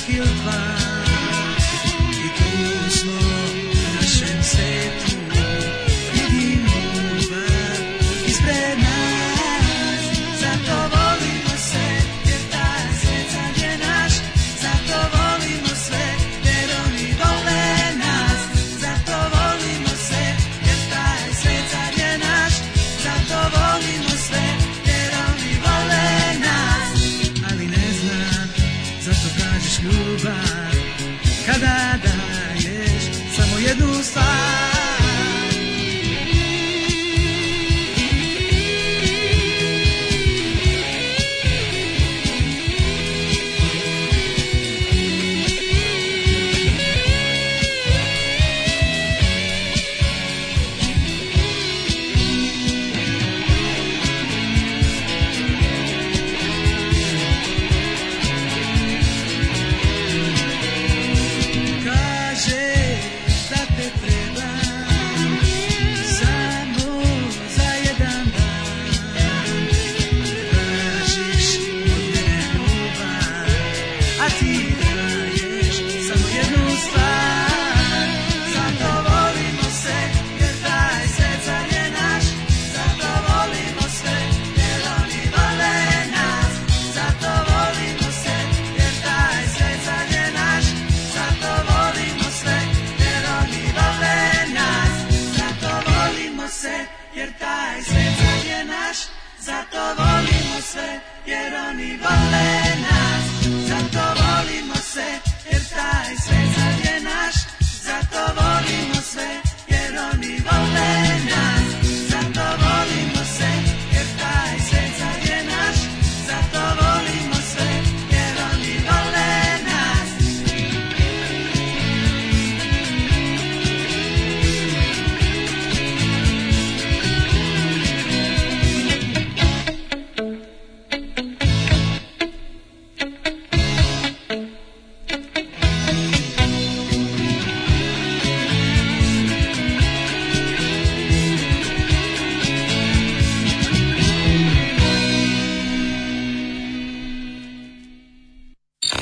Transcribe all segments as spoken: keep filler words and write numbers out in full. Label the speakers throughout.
Speaker 1: čak ili dva. I tu smo u našem svetu, vidim ljubav ispred nas. Zato volimo se, jer taj svet sad je naš. Zato volimo sve, jer oni vole nas. Zato volimo se, jer taj svet sad je naš. Zato volimo sve, jer oni vole nas. Ali ne znam, zato kažeš ljubav kada daješ samo jednu stvar.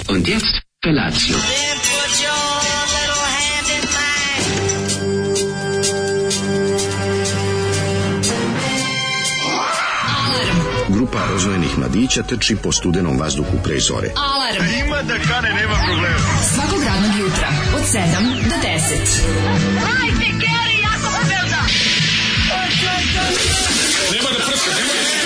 Speaker 2: Und jetzt Felatio.
Speaker 3: Grupa rozvojenih mladića trči po studenom vazduhu pre zore.
Speaker 4: Alarm! Ima da kane, nema problema. Svakog radnog jutra, od sedam do deset.
Speaker 5: Hajde, Geri, jako se velda!
Speaker 4: Nema da prska, nema da prska!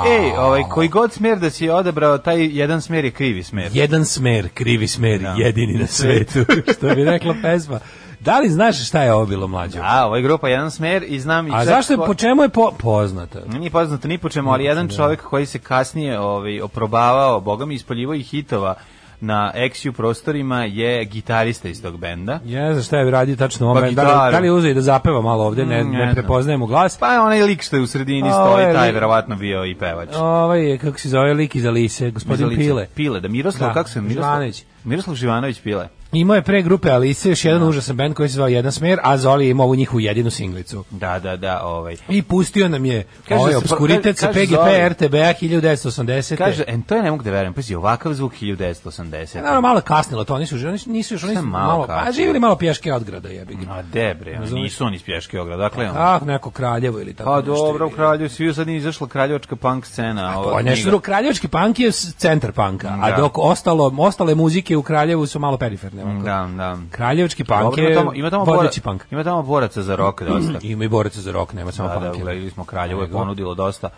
Speaker 6: Ej, ovaj, koji god smer da si odabrao, taj jedan smer je krivi smer.
Speaker 7: Jedan smer, krivi smer, da. Jedini na svetu, što bi rekla pesma. Da li znaš šta je ovo bilo, Mlađo?
Speaker 6: Da, ovo je grupa Jedan smer i znam i
Speaker 7: A zašto je, po čemu je po, poznata?
Speaker 6: Nije poznato ni po čemu, ali jedan čovjek koji se kasnije ovaj, oprobavao, boga mi, ispoljivao i hitova na X U prostorima je gitarista iz tog benda.
Speaker 7: Ja znam šta je radio tačno ovo. Da li, da li uzeo i da zapeva malo ovde, ne, ne, ne prepoznajemo glas.
Speaker 6: Pa onaj lik što je u sredini o, stoji, taj verovatno bio i pevač.
Speaker 7: Ovaj je, kako se zove, lik iz Alise, gospodin Lice, Pile.
Speaker 6: Pile, da Miroslav, da, kako se Miroslav? Živanović. Miroslav Živanović Pile.
Speaker 7: Imao je pre grupe Alise još jedan no. užasan bend koji se zvao Jedan smer, a Zoli je imao ovu njihovu jedinu singlicu.
Speaker 6: Da, da, da, ovaj.
Speaker 7: I pustio nam je ovaj obskuritet sa P G P R T B A hiljadu devetsto osamdesete.
Speaker 6: Kaže, en to je ne mogu da verujem, pazi, ovakav zvuk hiljadu devetsto osamdesete.
Speaker 7: Naravno, malo kasnilo to, oni su, oni nisu još, oni su malo, malo a živjeli malo pješke od grada, jebi ga.
Speaker 6: A debre, nisu oni iz pješke od grada, dakle.
Speaker 7: Ah, neko Kraljevo ili tako.
Speaker 6: Pa dobro, u Kraljevu, svi sad nije izašla kraljevačka punk scena.
Speaker 7: Pa nešto, kraljevački punk je centar punka, a dok ostalo, ostale muzike u Kraljevu su malo periferne.
Speaker 6: Da, da.
Speaker 7: Kraljevački punk je
Speaker 6: ima tamo vodeći punk. Ima tamo boraca za rock dosta.
Speaker 7: Ima i boraca za rock, nema samo punk.
Speaker 6: Da, gledali smo Kraljevo je ponudilo dosta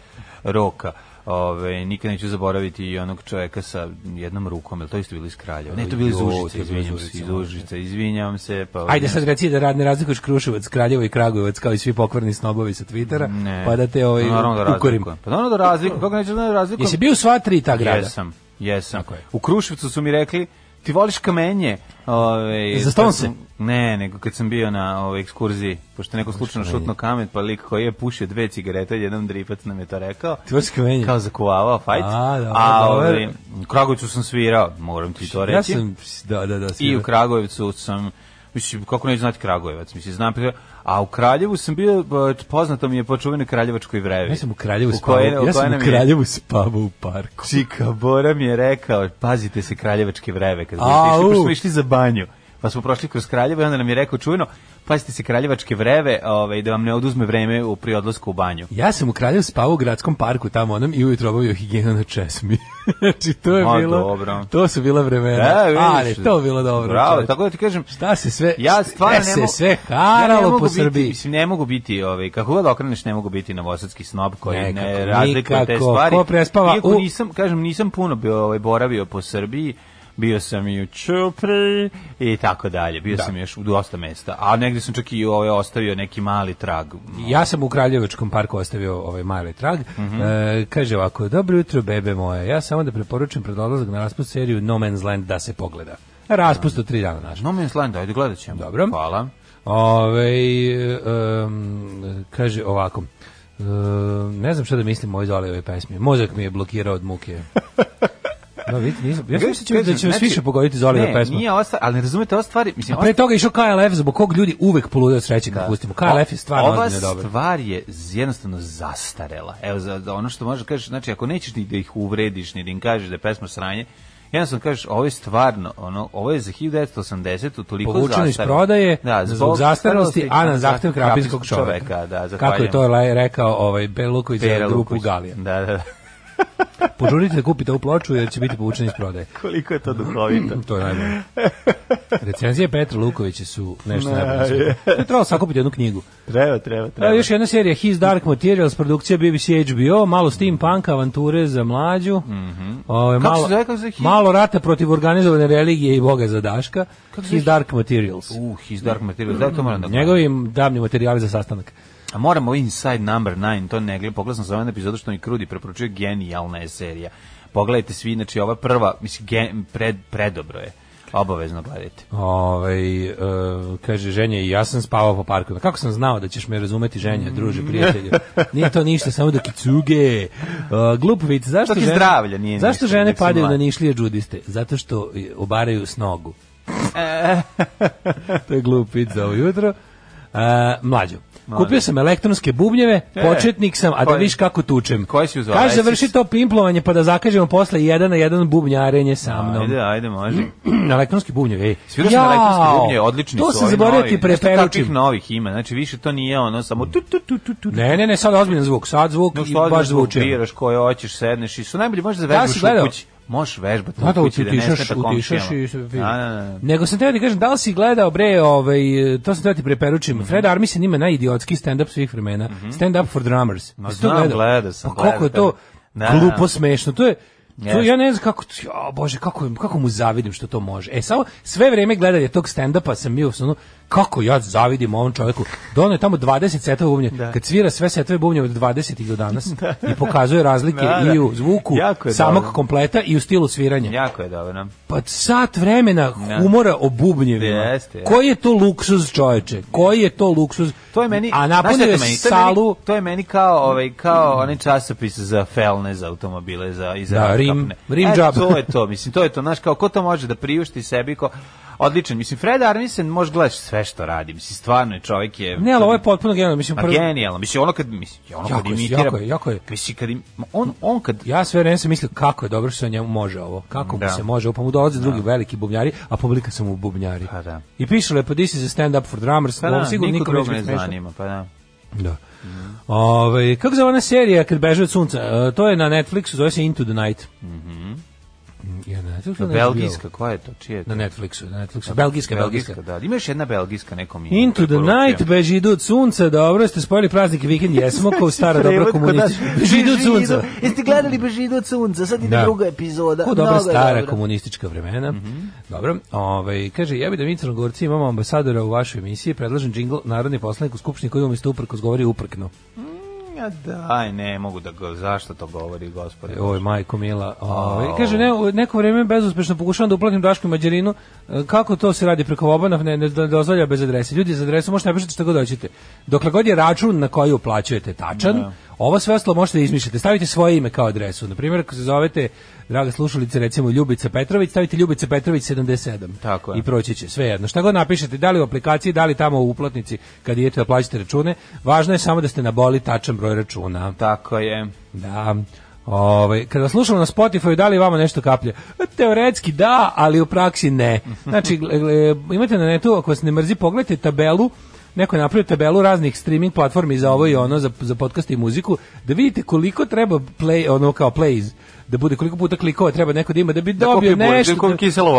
Speaker 6: roka. Ove, nikad neću zaboraviti i onog čovjeka sa jednom rukom, jel to isto bili iz Kraljeva? Ne, to bili iz Užice, izvinjam se, iz Užice, izvinjam se. Pa,
Speaker 7: ajde sad reci da rad ne razlikuješ Kruševac, Kraljevo i Kragujevac kao i svi pokvarni snobovi sa Twittera, ne, pa da te ovaj
Speaker 6: da ukorim. Pa naravno da razlikujem, kako neću da razlikujem.
Speaker 7: Jesi bio sva tri ta grada?
Speaker 6: Jesam, jesam. U Kruševcu su mi rekli, ti voliš kamenje? Ove,
Speaker 7: za Stonse?
Speaker 6: Ne, nego kad sam bio na ove, ekskurziji, pošto neko slučajno šutno kamen, pa lik koji je pušio dve cigarete, jedan dripac nam je to rekao.
Speaker 7: Ti voliš kamenje?
Speaker 6: Kao zakuvavao fajt.
Speaker 7: A, da,
Speaker 6: a ove, u Kragujevcu sam svirao, moram ti to reći.
Speaker 7: Ja sam, da, da, da.
Speaker 6: I u Kragujevcu sam Mislim, kako neću znati Kragujevac, mislim, znam, a u Kraljevu sam bio, poznato mi je po čuvenoj Kraljevačkoj vrevi.
Speaker 7: Ja sam u Kraljevu spavao, ja sam u Kraljevu spavao u parku.
Speaker 6: Čika Bora mi je rekao, pazite se Kraljevačke vreve, kad budete išli, pošto smo išli za banju, pa smo prošli kroz Kraljevo i onda nam je rekao čuveno, pazite se Kraljevačke vreve, ovaj, da vam ne oduzme vreme u pri odlasku u banju.
Speaker 7: Ja sam u Kraljevu spavao u gradskom parku tamo onom i ujutro obavio higijenu na česmi. Znači to je
Speaker 6: Ma,
Speaker 7: bilo,
Speaker 6: dobro.
Speaker 7: to su bila vremena.
Speaker 6: Da, vidiš,
Speaker 7: ali to je bilo dobro.
Speaker 6: Bravo,
Speaker 7: čovječ.
Speaker 6: tako da ti kažem,
Speaker 7: šta se sve,
Speaker 6: ja stvarno ne mogu,
Speaker 7: se sve haralo
Speaker 6: ja
Speaker 7: po
Speaker 6: biti,
Speaker 7: Srbiji.
Speaker 6: Mislim, ne mogu biti, ovaj, kako god okreneš, ne mogu biti novosadski snob koji
Speaker 7: Nekako,
Speaker 6: ne razlikuje te
Speaker 7: nikako,
Speaker 6: stvari.
Speaker 7: ko prespava
Speaker 6: Iako
Speaker 7: u...
Speaker 6: nisam, kažem, nisam puno bio, ovaj, boravio po Srbiji, bio sam i u Ćupri i tako dalje. Bio da. sam još u dosta mesta. A negdje sam čak i ovaj, ostavio neki mali trag.
Speaker 7: Ja sam u Kraljevačkom parku ostavio ovaj mali trag. Mm-hmm. E, kaže ovako, dobro jutro bebe moje. Ja samo da preporučujem pred odlazak na raspust seriju No Man's Land da se pogleda. Raspust od tri dana naš.
Speaker 6: No Man's Land, ajde gledat ćemo.
Speaker 7: Dobro.
Speaker 6: Hvala.
Speaker 7: Ove, um, kaže ovako. Um, ne znam šta da mislim o ovoj Zolijevoj pesmi. Mozak mi je blokirao od muke. No, vidite, nisam. Ja mislim da će vas više pogoditi Zolijeva pesma.
Speaker 6: Ne, nije ova, ali ne razumete ova stvari. Mislim,
Speaker 7: a pre toga išao K L F, zbog kog ljudi uvek polude od sreće kad
Speaker 6: da.
Speaker 7: pustimo. K L F je stvarno ozbiljno dobro.
Speaker 6: Ova stvar je jednostavno zastarela. Evo, za, za ono što možeš kažeš, znači, ako nećeš ni da ih uvrediš, ni da im kažeš da je pesma sranje, jednostavno kažeš, ovo je stvarno, ono, ovo je za hiljadu devetsto osamdesetu toliko zastarelo.
Speaker 7: Povučeno iz prodaje, da, zbog, zbog zastarelosti, a na zahtev krapinskog čoveka. čoveka
Speaker 6: da,
Speaker 7: kako je to rekao ovaj Beluković za grupu Galija.
Speaker 6: Da, da, da.
Speaker 7: Požurite da kupite ovu ploču jer će biti povučeni iz prodaje.
Speaker 6: Koliko je to duhovito.
Speaker 7: To je najbolje. Recenzije Petra Lukovića su nešto najbolje. To je trebalo sakupiti jednu knjigu.
Speaker 6: Treba, treba, treba.
Speaker 7: Još jedna serija His Dark Materials, produkcija B B C H B O, malo steampunk, avanture za mlađu.
Speaker 6: Mm-hmm.
Speaker 7: Ove, malo,
Speaker 6: kako se zove, kako se
Speaker 7: malo rata protiv organizovane religije i Boga za Daška. Kako His Dark Materials.
Speaker 6: Uh, His Dark Materials, da to moram da
Speaker 7: njegovi davni materijali za sastanak.
Speaker 6: A moramo Inside Number nine, to ne gledam, pogledam sam za ovaj epizodu što mi Krudi preporučuje, genijalna je serija. Pogledajte svi, znači ova prva, mislim, gen, pred, predobro je. Obavezno gledajte.
Speaker 7: Ovaj uh, kaže ženja i ja sam spavao po parku. Kako sam znao da ćeš me razumeti, ženja, druže, prijatelju. Nije to ništa, samo da kicuge. Uh, glup vic, zašto žene,
Speaker 6: zdravlja, nije
Speaker 7: zašto
Speaker 6: ništa,
Speaker 7: žene padaju na nišlije džudiste? Zato što obaraju s nogu. To je glup vic za ovo jutro. Uh, mlađo. Kupio sam elektronske bubnjeve, e, početnik sam, a da viš kako tučem.
Speaker 6: Koji si uzao?
Speaker 7: Kaže, završi to pimplovanje pa da zakažemo posle jedan na jedan bubnjarenje sa mnom.
Speaker 6: Ajde, ajde, može.
Speaker 7: Elektronski bubnjevi, ej.
Speaker 6: Svirao sam elektronski bubnjevi, odlični
Speaker 7: to
Speaker 6: su.
Speaker 7: To se zaboravio ti preperučim.
Speaker 6: Kakvih novih ima, znači više to nije ono samo tu, tu, tu, tu, tu.
Speaker 7: Ne, ne, ne, sad ozbiljan zvuk, sad zvuk no, i baš zvuči.
Speaker 6: Biraš koje hoćeš, sedneš i su najbolje možeš da vežbaš u kući. Možeš vežbati u kući da ne smeta komšijama.
Speaker 7: Nego sam teo ti kažem, da li si gledao, bre, ovaj, to sam teo ti preperučim, mm-hmm. Fred Armisen ima najidiotski stand-up svih vremena, mm-hmm. stand-up for drummers.
Speaker 6: No, znam, gledao sam.
Speaker 7: Pa koliko je to glupo smešno, to je, to ja ne znam kako, o Bože, kako, kako mu zavidim što to može. E, samo sve vreme gledanje tog stand-upa sam bio ono, kako ja zavidim ovom čovjeku. Dono je tamo dvadeset setova bubnja, kad svira sve setove bubnja od dvadesetih do danas i pokazuje razlike da, da. I u zvuku samog dobro. Kompleta i u stilu sviranja.
Speaker 6: Jako je dobro.
Speaker 7: Pa sat vremena humora o bubnjevima.
Speaker 6: Jeste, jeste.
Speaker 7: Koji je to luksuz, čoveče? Koji je to luksuz?
Speaker 6: To je meni,
Speaker 7: a napunio je salu.
Speaker 6: To, to je meni kao, ovaj, kao onaj časopis za felne, za automobile, za, i za
Speaker 7: da, rim, rim
Speaker 6: e,
Speaker 7: job.
Speaker 6: To je to, mislim, to je to, znaš, kao ko to može da priušti sebi, ko... Odličan, mislim, Fred Armisen može gledati sve što radi, mislim, stvarno je čovjek je...
Speaker 7: Ne, ali ovo je potpuno genijalno, mislim...
Speaker 6: Prv... Genijalno, mislim, ono kad, mislim, ono kad imitira...
Speaker 7: Jako je, jako je.
Speaker 6: Mislim, kad im, on, on kad...
Speaker 7: Ja sve vreme sam mislio kako je dobro što se njemu može ovo, kako da. Mu se može, pa mu dolaze drugi da. Veliki bubnjari, a publika su mu bubnjari.
Speaker 6: Pa da.
Speaker 7: I piše lepo, this is a stand up for drummers,
Speaker 6: pa da,
Speaker 7: sigurno
Speaker 6: niko drugog ne zanima, pa da.
Speaker 7: Da. Mm. Ove, kako zove ona serija kad beže od sunca? Uh, to je na Netflixu, zove se Into the Night.
Speaker 6: Mhm.
Speaker 7: Ja,
Speaker 6: na belgijska, koja je to? Čije je to?
Speaker 7: Na Netflixu, na Netflixu. Belgijska, belgijska.
Speaker 6: belgijska. Da, ima još jedna belgijska, nekom
Speaker 7: ima. Into the night, beži idu od sunca, dobro, ste spojili praznik i vikend, jesmo, kao stara dobra komunistička. Beži idu od sunca.
Speaker 6: Jeste gledali Beži idu od sunca, sad ide druga epizoda.
Speaker 7: Ko dobra stara dobra. Komunistička vremena. Mm-hmm. Dobro, ovaj, kaže, ja bi da mi Crnogorci imamo ambasadora u vašoj emisiji, predlažem džingl narodni poslanik u skupštini koji umjesto uprkos govori uprkno.
Speaker 6: Ja daj, ne mogu da go, zašto to govori, gospode?
Speaker 7: Oj, majko mila. Ovaj kaže ne, neko vrijeme bezuspešno pokušavam da uplatim Dašku i Mađarinu. Kako to se radi preko Vobana, ne, ne dozvolja bez adrese. Ljudi, za adresu možete napisati šta god hoćete. Dokle god je račun na koji uplaćujete tačan, no. Ovo sve ostalo možete da izmišljate. Stavite svoje ime kao adresu. Na primjer, ako se zovete, draga slušalice, recimo Ljubica Petrović, stavite Ljubica Petrović sedamdeset sedam.
Speaker 6: Tako je.
Speaker 7: I proći će, sve jedno. Šta god napišete, da li u aplikaciji, da li tamo u uplatnici kad idete da plaćate račune, važno je samo da ste naboli tačan broj računa.
Speaker 6: Tako je.
Speaker 7: Da. Ovaj kada slušamo na Spotify, da li vama nešto kaplje? Teoretski da, ali u praksi ne. Znači, imate na netu, ako vas ne mrzi, pogledajte tabelu, neko je napravio tabelu raznih streaming platformi za ovo i ono, za, za podcast i muziku, da vidite koliko treba play, ono kao plays, da bude koliko puta klikova treba neko da ima da bi dobio da nešto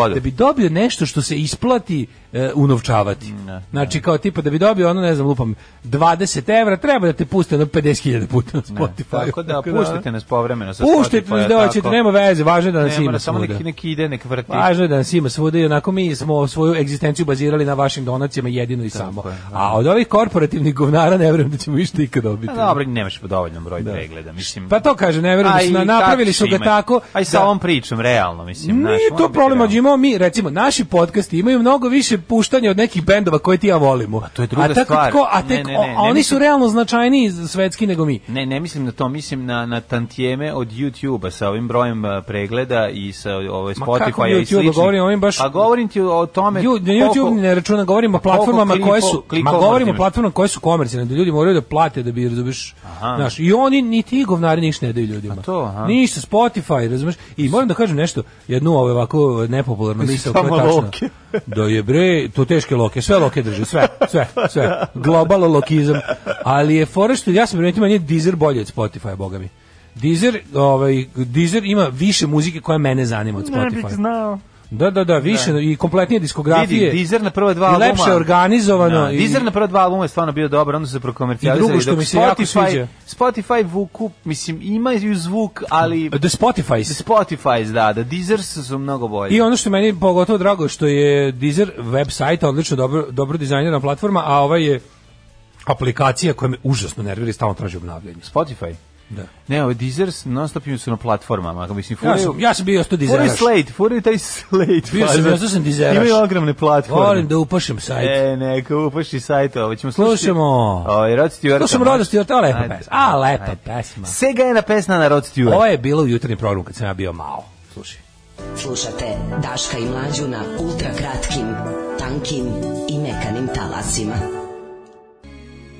Speaker 6: da,
Speaker 7: da bi dobio nešto što se isplati e, unovčavati. Ne, znači kao tipa da bi dobio ono, ne znam, lupam dvadeset evra, treba da te puste na pedeset hiljada puta na Spotify.
Speaker 6: Tako da puštite nas povremeno sa
Speaker 7: Spotify. Puštite nas da hoćete, nema veze, važno je da nas ima
Speaker 6: samo neki, neki ide, nek vrti.
Speaker 7: Važno je da nas ima svuda i onako mi smo svoju egzistenciju bazirali na vašim donacijama jedino i samo. Je, a od ovih korporativnih govnara ne verujem da ćemo išta ikad dobiti.
Speaker 6: A dobro, nemaš dovoljno broj da. pregleda, mislim.
Speaker 7: Pa to kaže, ne verujem da su napravili su ga tako.
Speaker 6: Aj sa ovom pričom, realno, mislim.
Speaker 7: Nije to problem, imamo mi, recimo, naši podcasti imaju mnogo više puštanja od nekih bendova koje ti ja volimo.
Speaker 6: A to je druga
Speaker 7: a
Speaker 6: stvar.
Speaker 7: Tko, a tek, ne, ne, ne, a oni ne mislim, su realno značajniji svetski nego mi.
Speaker 6: Ne, ne mislim na to, mislim na, na tantijeme od YouTube-a sa ovim brojem pregleda i sa ovoj Spotify i sličnih.
Speaker 7: Govorim ovim baš,
Speaker 6: a govorim ti o tome...
Speaker 7: Ju, na YouTube koliko, ne računa, govorimo o platformama klipo, koje su, ma govorimo o platformama koje su komercijalne, da ljudi moraju da plate da bi, razumeš, znaš, i oni, ni ti govnari ništa ne daju ljudima. Ništa, Spotify, razumeš, i moram da kažem nešto, jednu ovo ovako nepopularnu misao koja je tačna. Da je bre, to teške loke, sve loke drže, sve, sve, sve. Global lokizam. Ali je fora što ja sam primetio, meni je Deezer bolje od Spotify, boga mi. Deezer, ovaj, Deezer ima više muzike koja mene zanima od Spotify.
Speaker 6: Ne bih znao.
Speaker 7: Da, da, da, više da. I kompletnije diskografije.
Speaker 6: Vidi, Deezer na prva dva albuma.
Speaker 7: I lepše organizovano.
Speaker 6: Da, i Deezer na prva dva albuma je stvarno bio dobar, onda se prokomercijalizali.
Speaker 7: I drugo što mi se jako sviđa.
Speaker 6: Spotify vuku, mislim, imaju zvuk, ali...
Speaker 7: The Spotifys.
Speaker 6: The Spotifys, da, da, Deezer su mnogo bolji.
Speaker 7: I ono što meni pogotovo drago, što je Deezer website, odlično, dobro, dobro dizajnirana platforma, a ova je aplikacija koja me užasno nervira i stalno traži obnavljanje.
Speaker 6: Spotify?
Speaker 7: Da.
Speaker 6: Ne, ovo Deezer non stop su na platformama, mislim
Speaker 7: furaju. Ja sam, ja sam bio sto Deezeraš.
Speaker 6: Furaju Slate, furaju taj Slate.
Speaker 7: Bio sam, ja sam Deezeraš.
Speaker 6: Imaju ogromne platforme.
Speaker 7: Volim da upašem sajt.
Speaker 6: E, neka upaši sajt, ovo ćemo slušati.
Speaker 7: Slušamo.
Speaker 6: Ovo, Rod Stewart.
Speaker 7: Slušamo Rod Stewart, a lepa pesma. A, lepa pesma.
Speaker 6: Sega je pesma na Rod Stewart.
Speaker 7: Ovo je bilo u jutarnji program kad sam ja bio malo. Slušaj.
Speaker 8: Slušate Daška i Mlađu na ultra kratkim, tankim i mekanim talasima.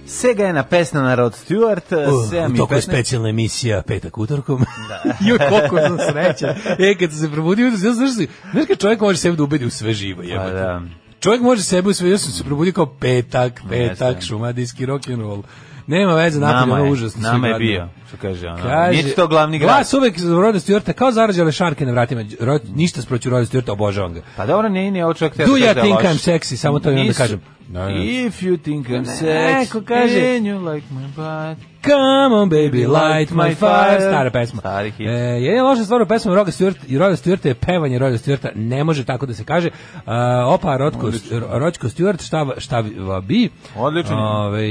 Speaker 6: Sega je na pesna na Rod Stewart.
Speaker 7: Uh, u toku je specijalna emisija Petak utorkom. Da. Joj, koliko sam srećan. E, kad se probudio, ja znaš si, znaš kad čovjek može sebe da ubedi u sve živo. Pa da. Čovjek može sebe u sve, ja sam se probudio kao petak, petak, šumadijski rock'n'roll. Nema veze, napolje, ono užasno.
Speaker 6: Nama je bio, što kaže ono. Kaže, nije to glavni grad.
Speaker 7: Glas uvek Roda Stewarta, kao zarađale šarke na vratima. Rod, ništa sproću Roda Stewarta, obožavam ga.
Speaker 6: Pa dobro, nije, nije, ovo čovjek te
Speaker 7: Do you think I'm sexy? Samo to imam da kažem.
Speaker 6: No, no. If you think I'm sexy,
Speaker 7: kaže,
Speaker 6: and you like my butt,
Speaker 7: come on baby, light my fire. Stara pesma.
Speaker 6: Stari hit.
Speaker 7: E, jedina loša stvar u pesmu Roda Stewart i Roda Stewarta je pevanje Roda Stewarta. Ne može tako da se kaže. Uh, opa, Rodko, Rodko Stewart, šta, šta bi?
Speaker 6: Odlično.
Speaker 7: Ove,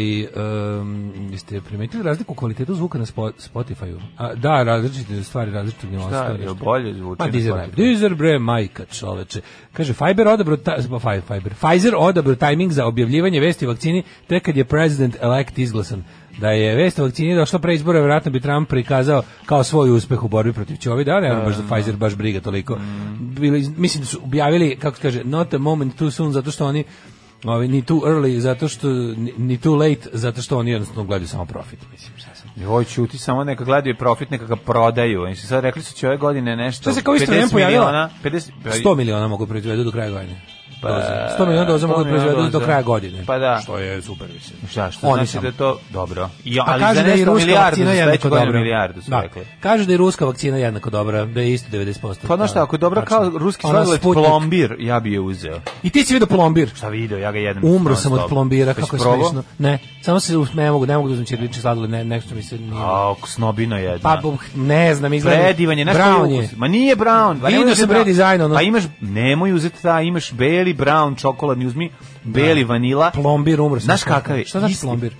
Speaker 7: um, jeste primetili razliku u kvalitetu zvuka na Spotify-u? A, da, različite stvari, različite nijanse.
Speaker 6: Šta, je bolje zvuči
Speaker 7: na Spotify? Deezer, bre, majka čoveče. Kaže, Fiber odabro, ta, Fiber, Pfizer odabro tajming za objavljivanje vesti o vakcini tek kad je president-elect izglasan. Da je vest o vakcini došla pre izbora, vjerojatno bi Trump prikazao kao svoj uspeh u borbi protiv Čovida, ne baš za Pfizer baš briga toliko. Bili, mislim da su objavili, kako se kaže, not a moment too soon, zato što oni ovi, ni too early, zato što ni, ni too late, zato što oni jednostavno gledaju samo profit, mislim, sasvim.
Speaker 6: Joj, čuti, samo neka gledaju profit, neka ga prodaju. Oni su sad rekli su će ove godine nešto
Speaker 7: pedeset miliona, sto miliona mogu proizvedu do kraja godine. Pa, sto miliona doza mogu proizvedu do kraja godine.
Speaker 6: Pa da.
Speaker 7: Što je super, mislim.
Speaker 6: Šta, što
Speaker 7: Oni
Speaker 6: znači da je to dobro. I,
Speaker 7: ali kaže da je i ruska vakcina jednako dobra.
Speaker 6: Milijardu su
Speaker 7: da.
Speaker 6: rekli.
Speaker 7: Kaže da je ruska vakcina jednako dobra, da je isto devedeset posto.
Speaker 6: Pa znaš šta, ako je dobra kao ruski sladoled plombir, ja bi je uzeo.
Speaker 7: I ti si vidio plombir?
Speaker 6: Šta video, ja ga jedem.
Speaker 7: Umro sam od plombira, kako je smešno. Ne, samo se ne mogu, ne mogu da uzmem ćirilični sladoled, ne, nešto mi se nije.
Speaker 6: A, snobino jedna.
Speaker 7: Pa ne znam, izgleda.
Speaker 6: Predivan je,
Speaker 7: brown je.
Speaker 6: Ma nije brown.
Speaker 7: Vidio sam bre dizajn, ono.
Speaker 6: Pa imaš, nemoj uzeti ta, imaš beli, brown, čokoladni, uzmi beli vanila.
Speaker 7: Plombir, umro sam.
Speaker 6: Znaš kakav je?
Speaker 7: Šta znači plombir?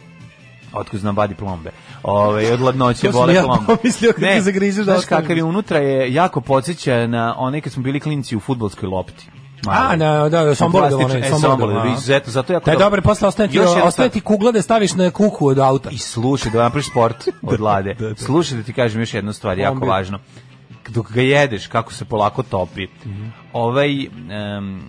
Speaker 6: Otkud znam badi plombe. Ove, od ladnoće bole
Speaker 7: ja
Speaker 6: plombe.
Speaker 7: Pomislio kad ne, te zagrizeš da
Speaker 6: znaš kakav je unutra, je jako podsjeća na one kad smo bili klinci u fudbalskoj lopti. mali.
Speaker 7: A, na, da, sombole da
Speaker 6: Plastičan,
Speaker 7: one,
Speaker 6: e,
Speaker 7: sombole
Speaker 6: sombole,
Speaker 7: da,
Speaker 6: da, izuzetno, zato jako...
Speaker 7: Da je
Speaker 6: dobro.
Speaker 7: dobro, posle ostaje ti,
Speaker 6: Još jedna
Speaker 7: ostaje
Speaker 6: stvar.
Speaker 7: ti kugla da staviš na kuku od auta.
Speaker 6: I slušaj, da napraviš sport od lade. Slušaj da ti kažem još jednu stvar, jako
Speaker 7: Plombir.
Speaker 6: važno. Dok ga jedeš, kako se polako topi, ovaj em,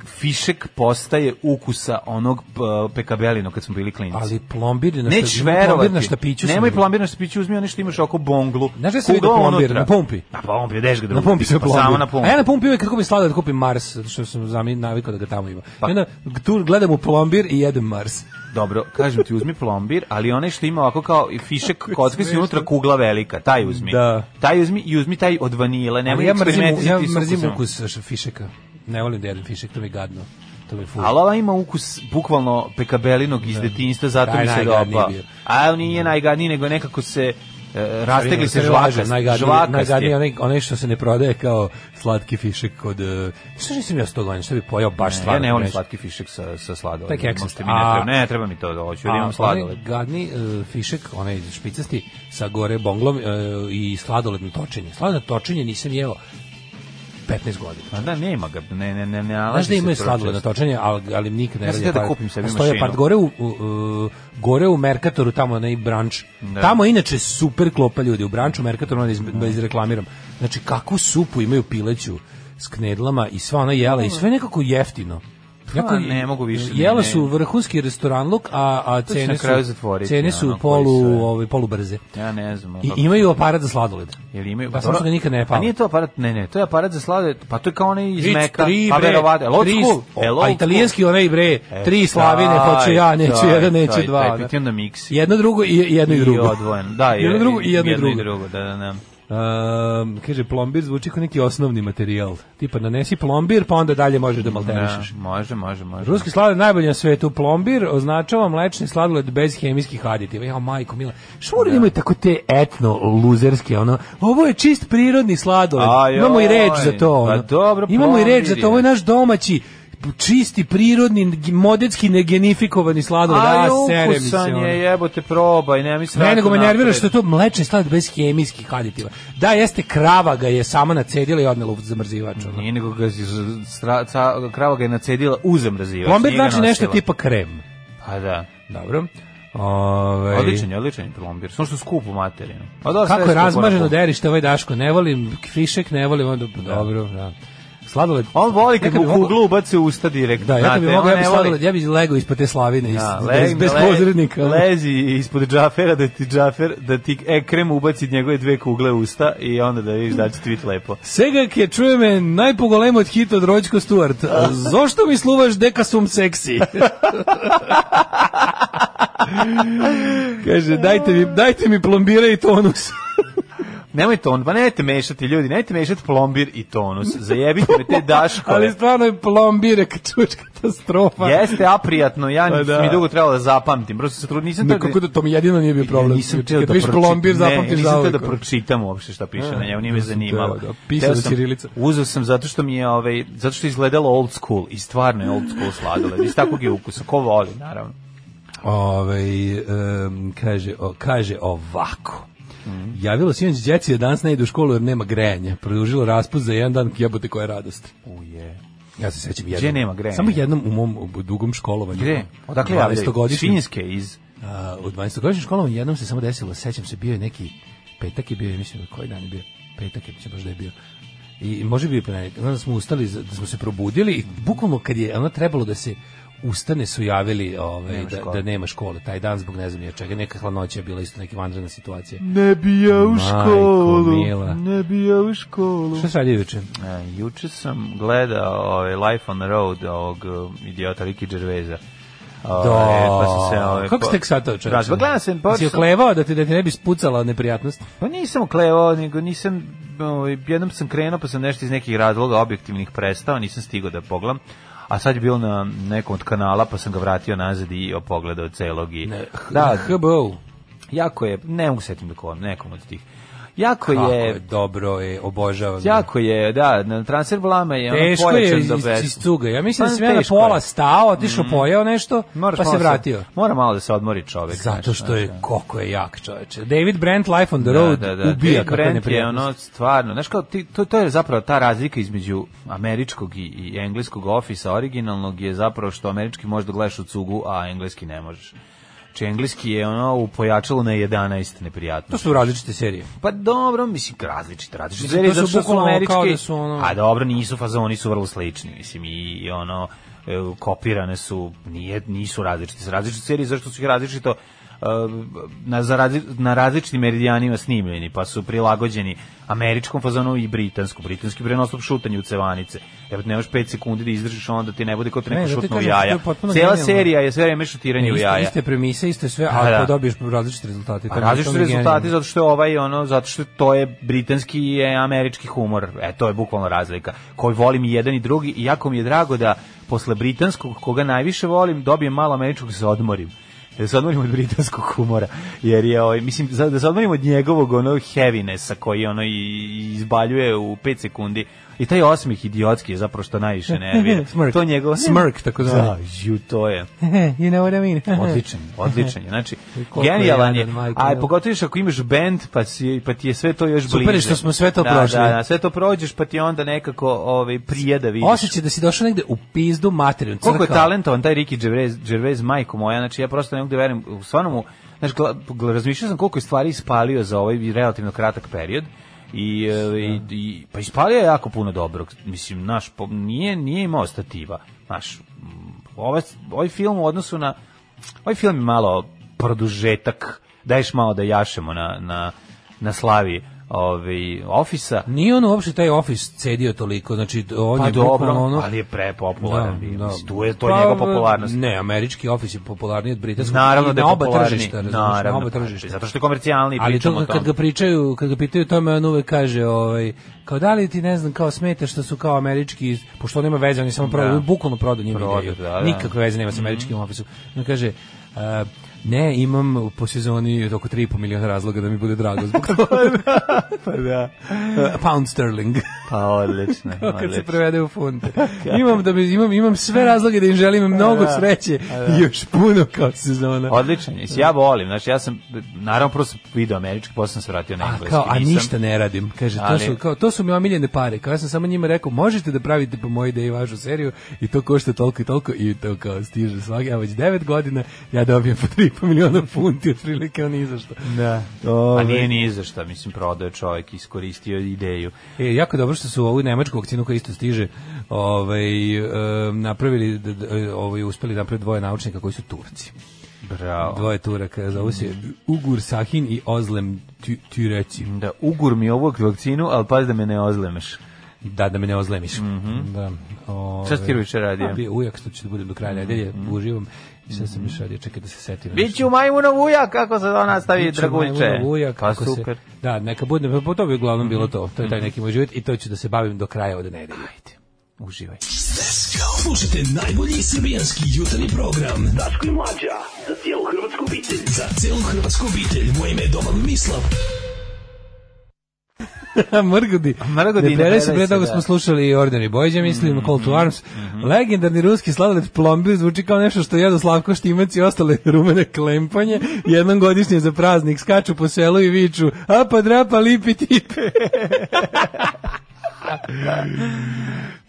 Speaker 6: fišek postaje ukusa onog uh, pekabelino kad smo bili klinici.
Speaker 7: Ali plombir na
Speaker 6: Nećeš
Speaker 7: šta, plombir
Speaker 6: verovati.
Speaker 7: na štapiću. sam
Speaker 6: Nemoj
Speaker 7: vidio.
Speaker 6: plombir na štapiću, uzmi ono što imaš oko bonglu.
Speaker 7: Znaš da se vidi
Speaker 6: Kugla
Speaker 7: plombir
Speaker 6: unutra.
Speaker 7: na pumpi?
Speaker 6: Na pumpi, deš ga
Speaker 7: Na
Speaker 6: drugi.
Speaker 7: pumpi se
Speaker 6: Pa
Speaker 7: plombir.
Speaker 6: samo na pumpi.
Speaker 7: A ja na pumpi uvijek kad kupim sladoled kupim Mars, zato što sam zami navikao da ga tamo ima.
Speaker 6: Pa-
Speaker 7: I onda tu gledam u plombir i jedem Mars.
Speaker 6: Dobro, kažem ti, uzmi plombir, ali onaj što ima ovako kao i fišek kocka si unutra kugla velika, taj uzmi.
Speaker 7: Da.
Speaker 6: Taj uzmi i uzmi taj od vanile, nemoj
Speaker 7: Ali ja mrzim,
Speaker 6: eksperimentisati
Speaker 7: ja
Speaker 6: s
Speaker 7: mrzim
Speaker 6: ukusom.
Speaker 7: ukus š- fišeka. Ne volim da jedem fišek, to mi je gadno. To mi je ful.
Speaker 6: Ali ova ima ukus bukvalno pekabelinog iz detinjstva, zato
Speaker 7: Taj
Speaker 6: mi se
Speaker 7: najgadniji
Speaker 6: dopa.
Speaker 7: bio.
Speaker 6: A on nije najgadniji, nego nekako se e, rastegli se žvakast,
Speaker 7: Najgadniji,
Speaker 6: žvakast
Speaker 7: najgadniji
Speaker 6: je.
Speaker 7: onaj, onaj što se ne prodaje kao slatki fišek od... Uh, što nisam ja sto godina, što bi pojao baš
Speaker 6: Ne,
Speaker 7: stvarno.
Speaker 6: ja ne volim
Speaker 7: neću.
Speaker 6: slatki fišek sa, sa sladoledom.
Speaker 7: Taj keksast.
Speaker 6: Možete mi ne
Speaker 7: A-
Speaker 6: treba, ne treba mi to da hoću, da
Speaker 7: A,
Speaker 6: imam sladoled.
Speaker 7: onaj gadni uh, fišek, onaj špicasti sa gore bonglom uh, i sladoledno točenje. Sladoledno točenje nisam jeo petnaest godina.
Speaker 6: Pa da, nema ga, ne, ne, ne, ne nalazi
Speaker 7: Znaš da
Speaker 6: se
Speaker 7: imaju
Speaker 6: to
Speaker 7: sladoled na
Speaker 6: često.
Speaker 7: točenje, ali, ali nikad ne
Speaker 6: Ja sam
Speaker 7: radi.
Speaker 6: htio da
Speaker 7: aparat.
Speaker 6: kupim sebi
Speaker 7: Postoji
Speaker 6: mašinu.
Speaker 7: apart gore u, u, u, gore u Merkatoru, tamo onaj branč.
Speaker 6: Da.
Speaker 7: Tamo inače super klopa ljudi. U branču Merkatoru, onda iz, da izreklamiram. Znači, kakvu supu imaju pileću s knedlama i sva ona jela i sve nekako jeftino.
Speaker 6: Pa, ne mogu više,
Speaker 7: Jela
Speaker 6: ne.
Speaker 7: su vrhunski restoran luk, a, a
Speaker 6: će
Speaker 7: cene
Speaker 6: na kraju
Speaker 7: su,
Speaker 6: zatvoriti,
Speaker 7: cene su
Speaker 6: ono,
Speaker 7: polu,
Speaker 6: koji sve.
Speaker 7: ovaj, polu brze.
Speaker 6: Ja ne znam.
Speaker 7: I
Speaker 6: kako-
Speaker 7: imaju aparat za sladoled.
Speaker 6: Jel imaju?
Speaker 7: Pa samo što ga nikad ne
Speaker 6: Pa
Speaker 7: palo.
Speaker 6: nije to aparat, ne, ne, to je aparat za sladoled, pa to je kao onaj iz
Speaker 7: Tri-
Speaker 6: Meka,
Speaker 7: tri,
Speaker 6: pa
Speaker 7: bre,
Speaker 6: verovatno, el old
Speaker 7: tri-
Speaker 6: school, el old
Speaker 7: a italijanski onaj bre,
Speaker 6: E,
Speaker 7: tri slavine,
Speaker 6: taj,
Speaker 7: hoću ja, neću
Speaker 6: taj,
Speaker 7: jedan, neću
Speaker 6: taj,
Speaker 7: dva.
Speaker 6: taj,
Speaker 7: da.
Speaker 6: piti onda miksi.
Speaker 7: Jedno drugo i jedno i drugo.
Speaker 6: I odvojen, da,
Speaker 7: jedno drugo i jedno i drugo.
Speaker 6: drugo, da, da, da.
Speaker 7: Um, kaže, plombir zvuči kao neki osnovni materijal. Tipa, nanesi plombir, pa onda dalje možeš da malterišeš.
Speaker 6: Da, može, može, može.
Speaker 7: Ruski sladoled najbolji na svetu. Plombir označava mlečni sladoled bez hemijskih aditiva. Ja, majko mila. Što moraju da imaju tako te etno luzerske, ono, ovo je čist prirodni sladoled.
Speaker 6: Ajoj,
Speaker 7: Imamo i reč za to.
Speaker 6: pa
Speaker 7: ono.
Speaker 6: dobro,
Speaker 7: Imamo i reč za
Speaker 6: plombir
Speaker 7: to. Ovo je
Speaker 6: je.
Speaker 7: naš domaći čisti, prirodni, modetski negenifikovani sladoled.
Speaker 6: Aj,
Speaker 7: A, serem mi se.
Speaker 6: ukusan
Speaker 7: ono.
Speaker 6: je, jebote, probaj, nema mi se
Speaker 7: Ne, nego me nervira
Speaker 6: napred.
Speaker 7: što je to mlečni sladoled bez hemijskih aditiva. Da, jeste, krava ga je sama nacedila i odnela u zamrzivač. ono.
Speaker 6: Nije, nego ga, stra, ca, krava ga je nacedila u zamrzivač.
Speaker 7: Plombir
Speaker 6: nije ga
Speaker 7: znači nešto
Speaker 6: nosila.
Speaker 7: tipa krem.
Speaker 6: Pa da.
Speaker 7: Dobro. Ove,
Speaker 6: Odličan je, odličan je plombir. Samo što skup u materinu. A da, sve
Speaker 7: Kako je
Speaker 6: skupo
Speaker 7: razmaženo
Speaker 6: na pumpu.
Speaker 7: derište ovaj Daško, ne volim fišek, ne volim, onda, dobro, da. Sladoled.
Speaker 6: On voli kad
Speaker 7: Nekad
Speaker 6: mu
Speaker 7: bi mogao-
Speaker 6: kuglu ubaci u usta direkt.
Speaker 7: Da, ja kad bi
Speaker 6: znate,
Speaker 7: mogao,
Speaker 6: on
Speaker 7: ja bi
Speaker 6: ne voli-
Speaker 7: sladoled, ja bi legao ispod te slavine, iz,
Speaker 6: Ja,
Speaker 7: bez,
Speaker 6: leg-
Speaker 7: bez
Speaker 6: le-
Speaker 7: posrednika.
Speaker 6: Lezi ispod džafera da ti džafer, da ti ekrem ubaci njegove dve kugle u usta i onda da vidiš da će ti biti lepo.
Speaker 7: Sega ke čuje me najpogolemo od hita od Rođko Stuart. Zašto mi sluvaš deka sum seksi? Kaže, dajte mi, dajte mi plombira i tonus.
Speaker 6: Nemojte on, pa nemojte mešati ljudi, nemojte mešati plombir i tonus. Zajebite me te daškove.
Speaker 7: Ali stvarno je plombir, kad čuješ katastrofa.
Speaker 6: Jeste aprijatno, ja
Speaker 7: Pa da.
Speaker 6: mi dugo trebalo da zapamtim. Prosto se trud, nisam
Speaker 7: Nekako da to mi jedino nije bio problem.
Speaker 6: Nisam
Speaker 7: Znači,
Speaker 6: teo
Speaker 7: kad
Speaker 6: da
Speaker 7: vidiš
Speaker 6: pročitam,
Speaker 7: plombir,
Speaker 6: ne,
Speaker 7: zapamtiš
Speaker 6: nisam teo
Speaker 7: zauvek.
Speaker 6: da pročitam uopšte šta piše
Speaker 7: A,
Speaker 6: na njemu, nije me
Speaker 7: ja sam
Speaker 6: zanimalo.
Speaker 7: teo da pisao
Speaker 6: Teo
Speaker 7: da
Speaker 6: sam-
Speaker 7: ćirilica.
Speaker 6: Uzeo sam zato što mi je, ovaj, zato što je izgledalo old school i stvarno je old school sladoled. Iz takvog je ukusa, ko voli, naravno.
Speaker 7: Ove, um, kaže, o, kaže ovako. Mm. Javilo sinoć djeci da danas ne ide u školu jer nema grejanja. Produžilo raspust za jedan dan, jebote koja radost.
Speaker 6: Uje.
Speaker 7: Ja se sećam
Speaker 6: Gdje
Speaker 7: jednom.
Speaker 6: nema grejanja?
Speaker 7: Samo jednom u mom u dugom školovanju.
Speaker 6: Gde? Odakle javljaju?
Speaker 7: dvanaestogodišnjem.
Speaker 6: Svinjske iz...
Speaker 7: A, u dvanaestogodišnjem školovanju jednom se samo desilo, sećam se, bio je neki petak je bio, ja mislim, koji dan je bio? Petak je, mislim baš da je bio. I može bi ponedjeljak. Onda smo ustali, da smo se probudili i bukvalno kad je ono trebalo da se ustane su javili ovaj,
Speaker 6: Nema
Speaker 7: da,
Speaker 6: škole.
Speaker 7: da nema škole. Taj dan zbog ne znam nije čega, neka hladnoća je bila isto neka vanredna situacija.
Speaker 6: Ne bi ja u
Speaker 7: Majko
Speaker 6: školu,
Speaker 7: mila.
Speaker 6: ne bi ja u školu.
Speaker 7: Šta se radi juče?
Speaker 6: E, juče sam gledao ovaj, Life on the Road ovog um, idiota Ricky Gervaisa. Ovaj, pa sam se, ovaj,
Speaker 7: Kako
Speaker 6: po-
Speaker 7: ste tek satao čovječe?
Speaker 6: Raz- pa gledam se, pa
Speaker 7: Si
Speaker 6: sam-
Speaker 7: oklevao da ti, da ti ne bi spucala neprijatnost?
Speaker 6: Pa nisam oklevao, nego nisam, ovaj, jednom sam krenuo, pa sam nešto iz nekih razloga objektivnih prestao, nisam stigao da pogledam. A sad je bilo na nekom od kanala, pa sam ga vratio nazad i pogledao celog. I,
Speaker 7: Ne,
Speaker 6: da,
Speaker 7: H B O.
Speaker 6: jako je, ne mogu setim da kovam, nekom od tih. jako
Speaker 7: Kako
Speaker 6: je,
Speaker 7: je dobro, je, obožavam.
Speaker 6: jako je, da, na transfer blama je ono
Speaker 7: teško
Speaker 6: pojačan
Speaker 7: je
Speaker 6: do
Speaker 7: iz,
Speaker 6: bez.
Speaker 7: iz cuga. Ja mislim
Speaker 6: Pa,
Speaker 7: da sam ja na
Speaker 6: teško
Speaker 7: pola
Speaker 6: je.
Speaker 7: stao, otišao,
Speaker 6: Mm.
Speaker 7: pojeo nešto,
Speaker 6: Moraš
Speaker 7: pa se
Speaker 6: malo
Speaker 7: vratio.
Speaker 6: Mora malo da se odmori čovjek.
Speaker 7: Zato
Speaker 6: znaš,
Speaker 7: što je,
Speaker 6: znaš,
Speaker 7: koliko je jak čoveče. David Brent, Life on the Road,
Speaker 6: da, da, da.
Speaker 7: ubija
Speaker 6: David
Speaker 7: kako je
Speaker 6: Brent je
Speaker 7: neprijatnost.
Speaker 6: ono stvarno, znaš kao, ti, to, to je zapravo ta razlika između američkog i, i engleskog Office-a originalnog je zapravo što američki možeš da gledaš u cugu, a engleski ne možeš. Znači, engleski je ono u pojačalu na jedanaest neprijatno.
Speaker 7: To su različite serije.
Speaker 6: Pa dobro, mislim, različite, različite
Speaker 7: Mislim,
Speaker 6: serije,
Speaker 7: to su
Speaker 6: zato što su
Speaker 7: bukvalno
Speaker 6: američki,
Speaker 7: kao da su ono-
Speaker 6: a dobro, nisu fazoni, su vrlo slični, mislim, i, i ono, e, kopirane su, nije, nisu različite, su različite serije, zašto su ih različito e, na, za razli, na različitim meridijanima snimljeni, pa su prilagođeni američkom fazonu i britanskom. Britanski prenosop šutanje u cevanice. Jer nemaš pet sekundi da izdržiš, onda ti ne bude kao te neko
Speaker 7: Ne, zato ti
Speaker 6: šutno u
Speaker 7: kažem što
Speaker 6: jaja.
Speaker 7: je potpuno
Speaker 6: Cijela
Speaker 7: genijalno.
Speaker 6: serija je sve vreme šutiranje u
Speaker 7: Iste,
Speaker 6: jaja.
Speaker 7: iste premise, iste sve,
Speaker 6: Da,
Speaker 7: a
Speaker 6: da.
Speaker 7: ako dobiješ različite rezultate. to
Speaker 6: A
Speaker 7: mi-
Speaker 6: različiti
Speaker 7: to mi je
Speaker 6: rezultati
Speaker 7: genijalno.
Speaker 6: zato što je ovaj ono zato što to je britanski i je američki humor. E to je bukvalno razlika. Koji volim i jedan i drugi i jako mi je drago da posle britanskog koga najviše volim dobijem malo američkog da se odmorim. Da se odmorim od britanskog humora. Jer je ovaj mislim za- da se odmorim od njegovog ono heavinessa koji ono i izbaljuje u pet sekundi. I taj osmih idiotski je zapravo što najviše nervira.
Speaker 7: Smirk.
Speaker 6: To njegov
Speaker 7: Smirk, tako zvani.
Speaker 6: Da, ju, to je.
Speaker 7: You know what I mean?
Speaker 6: Odličan, odličan je. Znači,
Speaker 7: Koliko je
Speaker 6: genijalan je.
Speaker 7: jadan, majko
Speaker 6: A
Speaker 7: mila.
Speaker 6: pogotovo još ako imaš bend, pa, si, pa ti je sve to još
Speaker 7: Super je
Speaker 6: bliže.
Speaker 7: što smo sve to
Speaker 6: da,
Speaker 7: prošli.
Speaker 6: Da, da, sve to prođeš, pa ti onda nekako ovaj, prije da vidiš.
Speaker 7: Osjećaj da si došao negde u pizdu materiju.
Speaker 6: Koliko je talentovan taj Ricky Gervais, Gervais, majko moja, znači ja prosto ne mogu da verujem, stvarno mu, znači, gla- gla- razmišljao sam koliko je stvari ispalio za ovaj relativno kratak period. I, e, i, i pa ispalio je jako puno dobrog. Mislim, naš po- nije nije imao stativa. Naš ovaj ovaj film u odnosu na ovaj film je malo produžetak. Daješ malo da jašemo na na na slavi ovaj Office-a.
Speaker 7: Nije on uopšte taj Office cedio toliko, znači on
Speaker 6: Pa
Speaker 7: je
Speaker 6: dobro,
Speaker 7: bukvalno ono...
Speaker 6: ali je prepopularan bio.
Speaker 7: Da,
Speaker 6: Mislim, tu je to
Speaker 7: pa,
Speaker 6: njegova popularnost.
Speaker 7: Ne, američki Office je popularniji od britanskog.
Speaker 6: Naravno
Speaker 7: i
Speaker 6: da je
Speaker 7: na oba
Speaker 6: popularniji.
Speaker 7: tržišta, razumiješ,
Speaker 6: Naravno,
Speaker 7: na oba
Speaker 6: pa,
Speaker 7: tržišta.
Speaker 6: zato što je komercijalni,
Speaker 7: Ali
Speaker 6: pričamo
Speaker 7: to
Speaker 6: o
Speaker 7: kad
Speaker 6: tome.
Speaker 7: ga pričaju, kad ga pitaju tome, on uvek kaže, ovaj, kao da li ti ne znam, kao smeta što su kao američki, pošto on nema veze, on je samo prodao,
Speaker 6: Da.
Speaker 7: bukvalno prodao njima
Speaker 6: Prodao,
Speaker 7: ideju.
Speaker 6: da, da.
Speaker 7: Nikakve veze nema sa američkim Office-om. On kaže, uh, ne, imam po sezoni oko tri i po miliona razloga da mi bude drago zbog toga.
Speaker 6: Pa da.
Speaker 7: Uh, pound sterling.
Speaker 6: Pa odlično,
Speaker 7: Kad se
Speaker 6: odlično.
Speaker 7: prevede u funte. Imam da bi, imam imam sve razloge da im želim mnogo
Speaker 6: Da.
Speaker 7: sreće i još puno kao sezona.
Speaker 6: Odličan je. Ja volim, znači ja sam naravno prvo sam video američki, posle sam se vratio na
Speaker 7: A
Speaker 6: engleski.
Speaker 7: kao a
Speaker 6: nisam-
Speaker 7: ništa ne radim. Kaže to
Speaker 6: Ali-
Speaker 7: su kao to su mi omiljene pare. Kao ja sam samo njima rekao možete da pravite po mojoj ideji vašu seriju i to košta toliko i toliko i to kao stiže svaki a već devet godina ja dobijem po tri i po miliona funti otprilike on izašto.
Speaker 6: Da.
Speaker 7: Ovaj.
Speaker 6: A nije ni za šta, mislim, prodao je čovjek, iskoristio ideju.
Speaker 7: E, jako dobro što su ovu nemačku vakcinu koja isto stiže ovaj, e, napravili, d- d- ovaj, uspeli napraviti dvoje naučnika koji su Turci.
Speaker 6: Bravo.
Speaker 7: Dvoje Turaka, zovu se Ugur Sahin i Ozlem Tü- Türeci.
Speaker 6: Da, ugur mi ovu vakcinu, ali pazi da me ne ozlemeš.
Speaker 7: Da, da me ne ozlemiš. Da. Ove,
Speaker 6: Šta si ti juče radio?
Speaker 7: a, bio ujak, što ću da budem do kraja nedelje, uživam. I sad sam još radio, čekaj da se setim.
Speaker 6: Biću majmunov ujak, kako se to nastavi,
Speaker 7: Biću
Speaker 6: Draguljče.
Speaker 7: majmunov ujak,
Speaker 6: Pa
Speaker 7: kako se-
Speaker 6: super.
Speaker 7: Da, neka bude, pa to bi uglavnom bilo to. To je taj neki moj život i to ću da se bavim do kraja od nedelje.
Speaker 6: Ajde, uživaj.
Speaker 9: Slušajte najbolji srbijanski jutarnji program Daško i Mlađa za cijelu hrvatsku obitelj. Za cijelu hrvatsku obitelj. Moje ime je Domagoj Mislav.
Speaker 7: Mrgodi.
Speaker 6: Mrgodi,
Speaker 7: Ne
Speaker 6: ne
Speaker 7: predaj se,
Speaker 6: predaj
Speaker 7: pre
Speaker 6: se,
Speaker 7: toga
Speaker 6: da.
Speaker 7: smo slušali Ordinary Boys, ja mislim, Call to Arms. Legendarni ruski sladoled plombir zvuči kao nešto što jedu Slavko Štimac i ostale rumene klempanje. Jednom godišnje za praznik skaču po selu i viču apa drapa lipi tipe.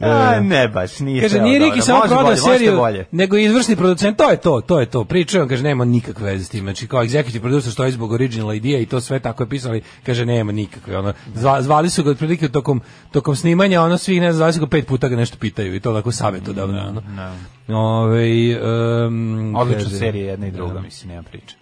Speaker 6: A, ne baš, nije
Speaker 7: Kaže,
Speaker 6: sve
Speaker 7: nije
Speaker 6: dobro.
Speaker 7: Riki samo
Speaker 6: Može
Speaker 7: prodao
Speaker 6: bolje, možete
Speaker 7: seriju,
Speaker 6: bolje.
Speaker 7: nego i izvršni producent, to je to, to je to. Pričaju, on kaže, nema nikakve veze s tim. Znači, kao executive producer stoji zbog original idea i to sve tako je pisali, kaže, nema nikakve. Ono, zva, zvali su ga otprilike tokom, tokom snimanja, ono, svih, ne znam, zvali su ga pet puta ga nešto pitaju i to tako savjetodavno. Ono. Ove, um,
Speaker 6: Odlična
Speaker 7: kaže,
Speaker 6: serija, jedna i druga,
Speaker 7: da.
Speaker 6: mislim, nema priče.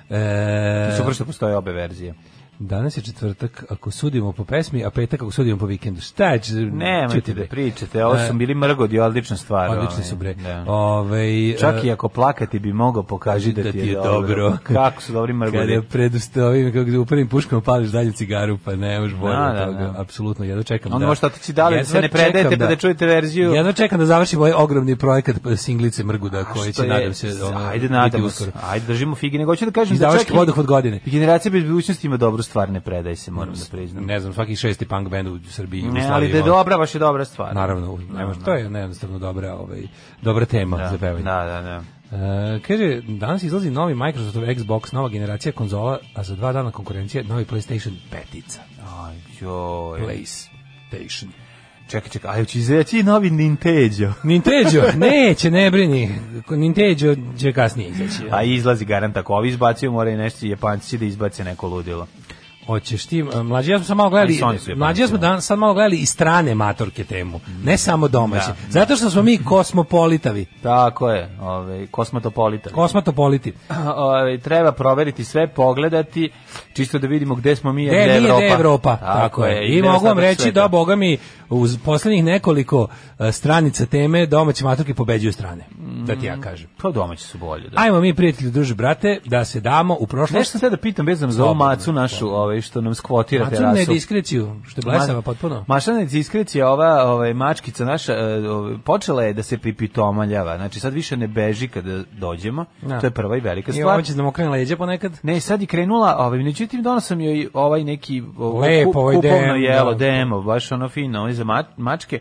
Speaker 7: E,
Speaker 6: Super što postoje obe verzije.
Speaker 7: danas je četvrtak, ako sudimo po pesmi, a petak ako sudimo po vikendu. Šta će?
Speaker 6: Nemojte
Speaker 7: čuti,
Speaker 6: da
Speaker 7: bre.
Speaker 6: pričate, ovo su bili mrgodi, odlična stvar.
Speaker 7: Odlični
Speaker 6: ovaj,
Speaker 7: su, bre.
Speaker 6: da.
Speaker 7: Ovaj,
Speaker 6: Čak
Speaker 7: e,
Speaker 6: i ako plakati bi mogao pokaži da, ti je, dobro. Kako su dobri mrgodi.
Speaker 7: Kada pred ovim, kako u prvim puškama pališ dalje cigaru, pa ne možeš bolje
Speaker 6: Da,
Speaker 7: od
Speaker 6: da,
Speaker 7: toga.
Speaker 6: da.
Speaker 7: Apsolutno, jedno čekam
Speaker 6: Onda
Speaker 7: da...
Speaker 6: možete otići dalje, da
Speaker 7: jedva
Speaker 6: se ne predajete
Speaker 7: čekam
Speaker 6: pa da čujete verziju.
Speaker 7: Jedno čekam da završim ovaj ogromni projekat singlice Mrguda, koji
Speaker 6: Što
Speaker 7: će,
Speaker 6: je-
Speaker 7: nadam se, ono,
Speaker 6: ajde,
Speaker 7: biti
Speaker 6: nadamo
Speaker 7: uskoro.
Speaker 6: se. Ajde, držimo fige. Nego hoću da kažem da
Speaker 7: Izdavački
Speaker 6: čak i-
Speaker 7: vodohod godine.
Speaker 6: i generacija bez budućnosti ima dobru stvar, ne predaj se, moram da priznam.
Speaker 7: Ne znam, svaki šesti punk band u Srbiji.
Speaker 6: Ne, ali da je dobra, baš je dobra stvar.
Speaker 7: Naravno, ne može, to je jednostavno dobra, ovaj, dobra tema
Speaker 6: da,
Speaker 7: za pevanje.
Speaker 6: Da, da, da.
Speaker 7: Uh, kaže, danas izlazi novi Microsoftov Xbox, nova generacija konzola, a za dva dana konkurencije novi PlayStation petica.
Speaker 6: Aj, joj.
Speaker 7: PlayStation.
Speaker 6: Čekaj, čekaj, ali će izaći novi Nintendo?
Speaker 7: Nintendo, neće, ne brini. Nintendo će kasnije izaći.
Speaker 6: A izlazi garant, ako ovi izbacuju, mora i nešto Japanci da izbace neko ludilo.
Speaker 7: Hoćeš ti, mlađi ja smo sad malo gledali, mlađi ja smo dan, sad malo gledali i strane matorke temu, ne samo domaće. Da, zato što smo mi kosmopolitavi.
Speaker 6: Tako je, ovaj kosmopolitavi.
Speaker 7: Kosmopoliti.
Speaker 6: Ovaj treba proveriti sve, pogledati, čisto da vidimo gde smo mi, a gde
Speaker 7: je
Speaker 6: Evropa.
Speaker 7: Gde je Evropa, tako, tako je. I, I mogu vam reći sveta. Da, boga mi, uz poslednjih nekoliko uh, stranica teme domaće matorke pobeđuju strane. Mm, da ti ja kažem.
Speaker 6: Pa domaće su bolje, da.
Speaker 7: Ajmo mi, prijatelji, druže brate, da se damo u prošlost.
Speaker 6: Nešto sve da pitam vezano za ovu macu našu, ovaj što nam skvotira terasu.
Speaker 7: Macu ne diskreciju, što je blesava potpuno.
Speaker 6: Maša ne diskrecija, ova ovaj mačkica naša ovaj, počela je da se pripitomaljava. Znači sad više ne beži kada dođemo. Ja. To je prva i velika stvar.
Speaker 7: I ovo će da mu okrene leđa ponekad.
Speaker 6: Ne, sad je krenula, ovaj međutim donosam joj ovaj neki
Speaker 7: Lepo, ovaj
Speaker 6: kupovno
Speaker 7: dem,
Speaker 6: jelo,
Speaker 7: da.
Speaker 6: demo, baš ono fino, ovaj za mačke.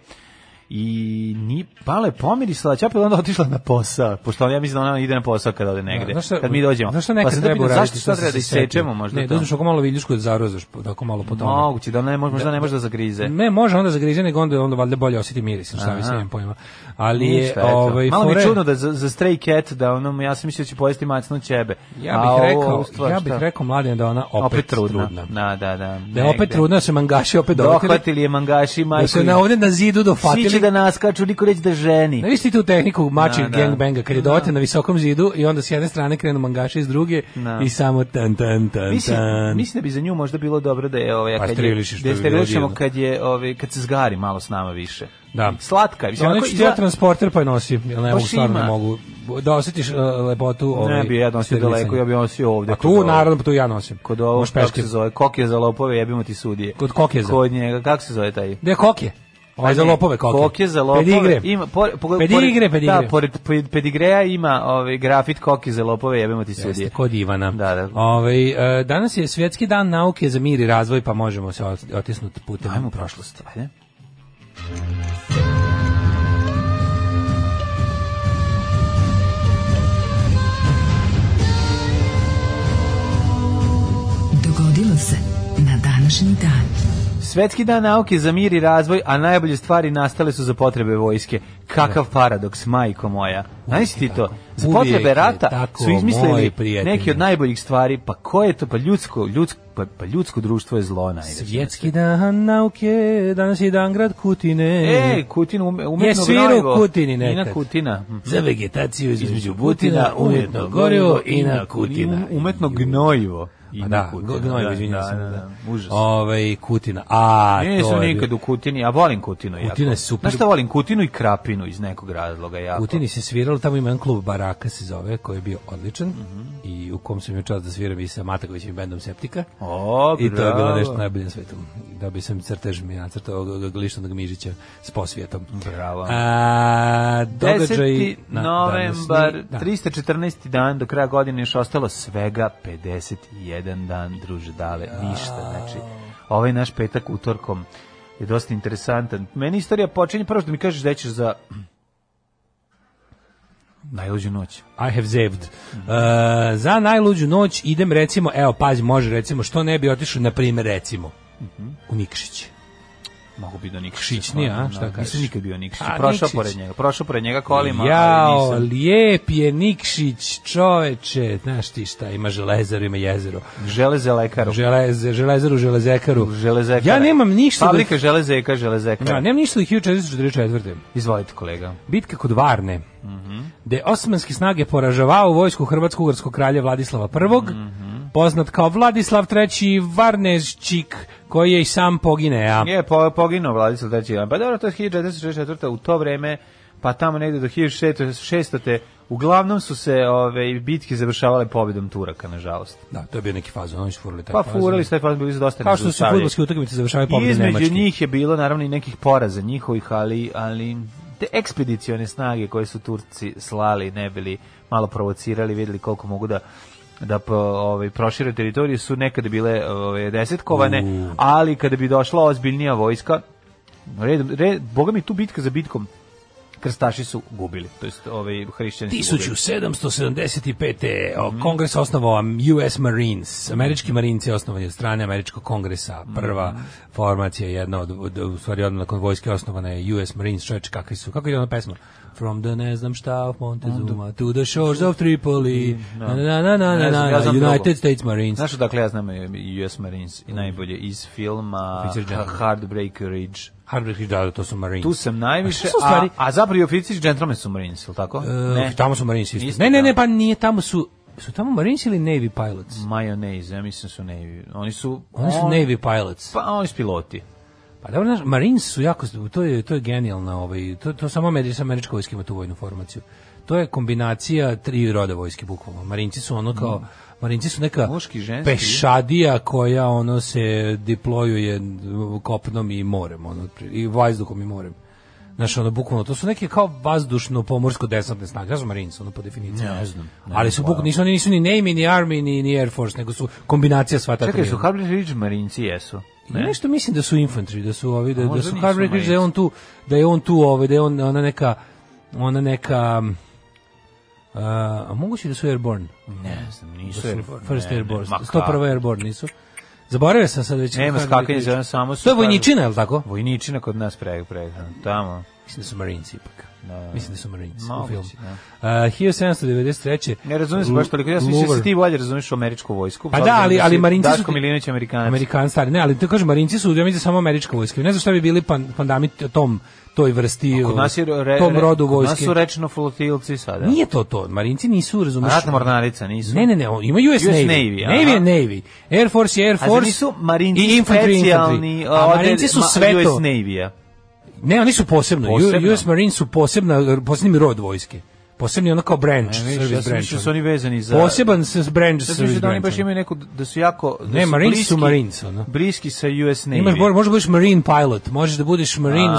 Speaker 6: I ni pala je pomirisala, ćapela onda otišla na posao, pošto ja mislim da ona ide na posao kada ode negde,
Speaker 7: da, šta,
Speaker 6: kad mi dođemo.
Speaker 7: Zašto nekad
Speaker 6: pa
Speaker 7: treba
Speaker 6: uraditi? Zašto sad treba da isečemo možda?
Speaker 7: Ne, dođeš oko malo viljušku da zarozaš, tako malo po tome.
Speaker 6: Moguće, da ne, možda da, ne može da zagrize.
Speaker 7: Ne, može onda zagrize, nego onda, onda valjda bolje osjeti miris, šta mi se nemam pojma. Ali je, ovaj,
Speaker 6: malo
Speaker 7: fore...
Speaker 6: mi je čudno da za, za stray cat, da ono, ja sam mislio da će pojesti macno ćebe.
Speaker 7: Ja bih rekao, stvar, ja bih rekao mladine da ona opet, opet trudna. trudna.
Speaker 6: Da, da, da.
Speaker 7: Da je opet trudna, da se mangaši opet dohvatili.
Speaker 6: Dohvatili je mangaši, majko.
Speaker 7: Da se na ovde na zidu dofatili.
Speaker 6: Svi će da naskaču, niko reći da ženi.
Speaker 7: Ne visti tu tehniku mači gangbanga, kad je dohvatili na visokom zidu i onda s jedne strane krenu mangaši, s druge i samo tan, tan, tan,
Speaker 6: mislim,
Speaker 7: tan.
Speaker 6: Mislim da bi za nju možda bilo dobro da je ovaj,
Speaker 7: pa
Speaker 6: kad je, da je sterilišemo kad, je, ovaj, kad se zgari malo s nama više.
Speaker 7: Da.
Speaker 6: Slatka je.
Speaker 7: Mislim, neću ti ja transporter pa je nosim, jer ne mogu stvarno ne mogu. Da osjetiš uh, lepotu. Ovaj,
Speaker 6: ne bi ja nosio daleko, ja bi nosio ovde.
Speaker 7: A tu naravno tu ja nosim.
Speaker 6: Kod ovo, kako se zove, Kokje za lopove, jebimo ti sudije.
Speaker 7: Kod Kokje za.
Speaker 6: Kod njega, kako se zove taj?
Speaker 7: Gde je Kokje? Ovaj za lopove Kokje.
Speaker 6: Kokje za lopove.
Speaker 7: Pedigre.
Speaker 6: Ima, por, por,
Speaker 7: pedigre, pedigre.
Speaker 6: Da, pored pedigreja ima ovaj, grafit Kokje za lopove, jebimo ti sudije.
Speaker 7: Jeste, kod Ivana.
Speaker 6: Da, da.
Speaker 7: Ovaj, uh, danas je svjetski dan nauke za mir i razvoj, pa možemo se otisnuti putem.
Speaker 6: Ajmo u prošlost. Ajde.
Speaker 4: Dogodilo se na današnji dan.
Speaker 6: Svetski dan nauke za mir i razvoj, a najbolje stvari nastale su za potrebe vojske. Kakav paradoks, majko moja. Znaš ti to? Za potrebe rata su izmislili neki od najboljih stvari. Pa ko je to? Pa ljudsko, ljudsko, pa, pa ljudsko društvo je zlo. Najde.
Speaker 7: Svjetski dan nauke, danas je dan grad Kutine.
Speaker 6: E, Kutin umetno
Speaker 7: je sviru Kutini nekad.
Speaker 6: I na Kutina.
Speaker 7: Za vegetaciju između Butina, umjetno gorivo i na Kutina.
Speaker 6: Umetno gnojivo.
Speaker 7: I da, gnojivo, izvinjam se. Ove, Kutina. A,
Speaker 6: ne, to je... nikad u Kutini, a volim Kutinu.
Speaker 7: Kutina je super.
Speaker 6: Znaš šta volim? Kutinu i Krapinu iz nekog razloga. Jako.
Speaker 7: Kutini se sviralo, tamo ima jedan klub Baraka se zove, koji je bio odličan mm -hmm. i u kom sam imao čast da sviram i sa Matakovićim bendom Septika.
Speaker 6: O,
Speaker 7: i to je bilo nešto najbolje na svetu. Da bi sam crtež mi nacrtao Glišnog Mižića s posvijetom.
Speaker 6: Bravo.
Speaker 7: A, događaj...
Speaker 6: deseti novembar, trista četrnaesti dan, do kraja godine još ostalo svega pedeset jedan dan, druže, dale, ništa. Znači, ovaj naš petak utorkom je dosta interesantan. Meni istorija počinje, prvo što mi kažeš da ćeš za najluđu noć.
Speaker 7: I have zaved. Uh, za najluđu noć idem, recimo, evo, pazi, može, recimo, što ne bi otišao, na primjer, recimo, uh -huh. u Nikšić.
Speaker 6: Mogu bi do Nikšića.
Speaker 7: Nikšićnija, a? Šta kažeš?
Speaker 6: Nisam nikad bio Nikšić. Prošao Nikšić. Pored njega. Prošao pored njega kolima,
Speaker 7: Jao,
Speaker 6: ali nisam.
Speaker 7: lijep je Nikšić, čoveče. Znaš ti šta, ima železaru, ima jezero.
Speaker 6: Železekaru.
Speaker 7: Železe, železaru, železekaru.
Speaker 6: Železekara.
Speaker 7: Ja nemam ništa...
Speaker 6: Fabrika do... železeka, železekara.
Speaker 7: Ja, nemam ništa do hiljadu četiristo četrdeset četvrte.
Speaker 6: Izvolite, kolega.
Speaker 7: Bitka kod Varne. Mm -hmm. Gde osmanske snage poražavao vojsku hrvatsko-ugarskog kralja Vladislava prvog. Mm -hmm. Poznat kao Vladislav treći Varneščik, koji je i sam poginea.
Speaker 6: Je, po, poginuo Vladislav treći. Pa dobro, to je hiljadu četiristo šezdeset četvrte. U to vreme, pa tamo negde do hiljadu šeststo. Uglavnom su se ove bitke završavale pobjedom Turaka, nažalost.
Speaker 7: Da, to je bio neki fazon, oni su furali taj
Speaker 6: pa,
Speaker 7: fazon.
Speaker 6: Pa furali su taj fazon, bili su dosta
Speaker 7: kao što su fudbalske utakmice završavale pobjedom Nemačke.
Speaker 6: Između njih je bilo naravno i nekih poraza njihovih, ali, ali te ekspedicione snage koje su Turci slali, ne bili malo provocirali, vidjeli koliko mogu da da po, ovaj, prošire teritorije su nekada bile ovaj, desetkovane, uh. ali kada bi došla ozbiljnija vojska, red, red, boga mi tu bitka za bitkom, krstaši su gubili, to jest ovaj hrišćani su
Speaker 7: gubili. hiljadu sedamsto sedamdeset pete. Mm. Kongres osnovao U S Marines, američki marinci osnovani od strane američkog kongresa, prva mm. formacija, jedna od, od, u stvari odmah nakon vojske osnovana je U S Marines, čovječ, kakvi su, kako je ona pesma? From the ne znam šta of Montezuma to the shores of Tripoli, no. na, na, na, na, na, na, na, United States Marines.
Speaker 6: Znaš dakle ja znam U S Marines i najbolje iz filma Heartbreak Ridge.
Speaker 7: Heartbreak Ridge, da, to su Marines.
Speaker 6: Tu sam najviše, a, stvari... a, a zapravo i oficiri gentlemen su Marines, ili tako? Uh,
Speaker 7: ne. Tamo su Marines isto. isto. Ne, ne, ne, pa nije, tamo su, su tamo Marines ili Navy pilots?
Speaker 6: Mayonnaise, ja mislim su Navy. Oni su...
Speaker 7: Oni su on, Navy pilots.
Speaker 6: Pa oni su piloti.
Speaker 7: Pa dobro, znaš, Marines su jako, to je, to je genijalna, ovaj, to, to samo američka, američka vojska ima tu vojnu formaciju. To je kombinacija tri roda vojske, bukvalno. Marinci su ono kao, mm. Marinci su neka muški, ženski, pešadija koja ono se diplojuje kopnom i morem, ono, i vazduhom i morem. Znaš, ono, bukvalno, to su neke kao vazdušno-pomorsko-desantne snage, ja znam Marines, ono, po definiciji.
Speaker 6: Ne znam. Ne
Speaker 7: ali su bukvalno, nisu, nisu ni Navy, ni Army, ni, ni Air Force, nego su kombinacija sva ta tri.
Speaker 6: Čekaj, su Heartbreak Ridge Marinci, jesu?
Speaker 7: Ne? Nešto mislim da su infantry, da su ovi, da, da su Heartbreak Ridge, da je on tu, da je on tu, ovaj, da je on, ona neka, ona neka, uh, a moguće da su Airborne?
Speaker 6: Ne znam, nisu
Speaker 7: da
Speaker 6: Airborne.
Speaker 7: First ne, Airborne, sto prvo Airborne nisu. Zaboravio sam sad već.
Speaker 6: Nema skakanje za samo su.
Speaker 7: To je vojničina, je li tako?
Speaker 6: Vojničina kod nas preg, preg, tamo.
Speaker 7: Mislim da su Marines ipak.
Speaker 6: Da,
Speaker 7: mislim da su Marines
Speaker 6: moguće,
Speaker 7: u filmu.
Speaker 6: Da.
Speaker 7: Uh, hiljadu sedamsto devedeset treće.
Speaker 6: Ne razumijem se baš toliko, ja sam mislio da se ti bolje razumiješ u američku vojsku.
Speaker 7: Pa da, ali, ali Marinci su...
Speaker 6: Daško Milinović Amerikanac.
Speaker 7: Amerikan stari, ne, ali to kažem, Marinci su, ja mislim, samo američka vojska. Ne znam šta bi bili pan, pandami tom, toj vrsti,
Speaker 6: kod nas je re,
Speaker 7: tom rodu vojske.
Speaker 6: Kod nas su rečno flotilci sada.
Speaker 7: Nije to to, Marinci nisu, razumiješ...
Speaker 6: Ratna mornarica nisu.
Speaker 7: Ne, ne, ne, ima U S, U S Navy. Navy, Navy je Navy. Air Force je Air Force. A
Speaker 6: nisu Marinci specijalni,
Speaker 7: a Marinci su sve to.
Speaker 6: U S Navy-a.
Speaker 7: Ne, oni su posebno. posebno. U S Marines su posebna, posebni rod vojske. Posebni ono kao branch, ne, service
Speaker 6: ja
Speaker 7: branch.
Speaker 6: Ja su oni vezani za...
Speaker 7: Poseban se branch, service branch.
Speaker 6: Da oni baš imaju neku, da su jako... Da
Speaker 7: ne,
Speaker 6: su
Speaker 7: Marines
Speaker 6: bliski,
Speaker 7: su Marines, ono.
Speaker 6: Bliski sa U S Navy.
Speaker 7: Imaš, možeš da budeš Marine pilot, možeš da budeš Marine,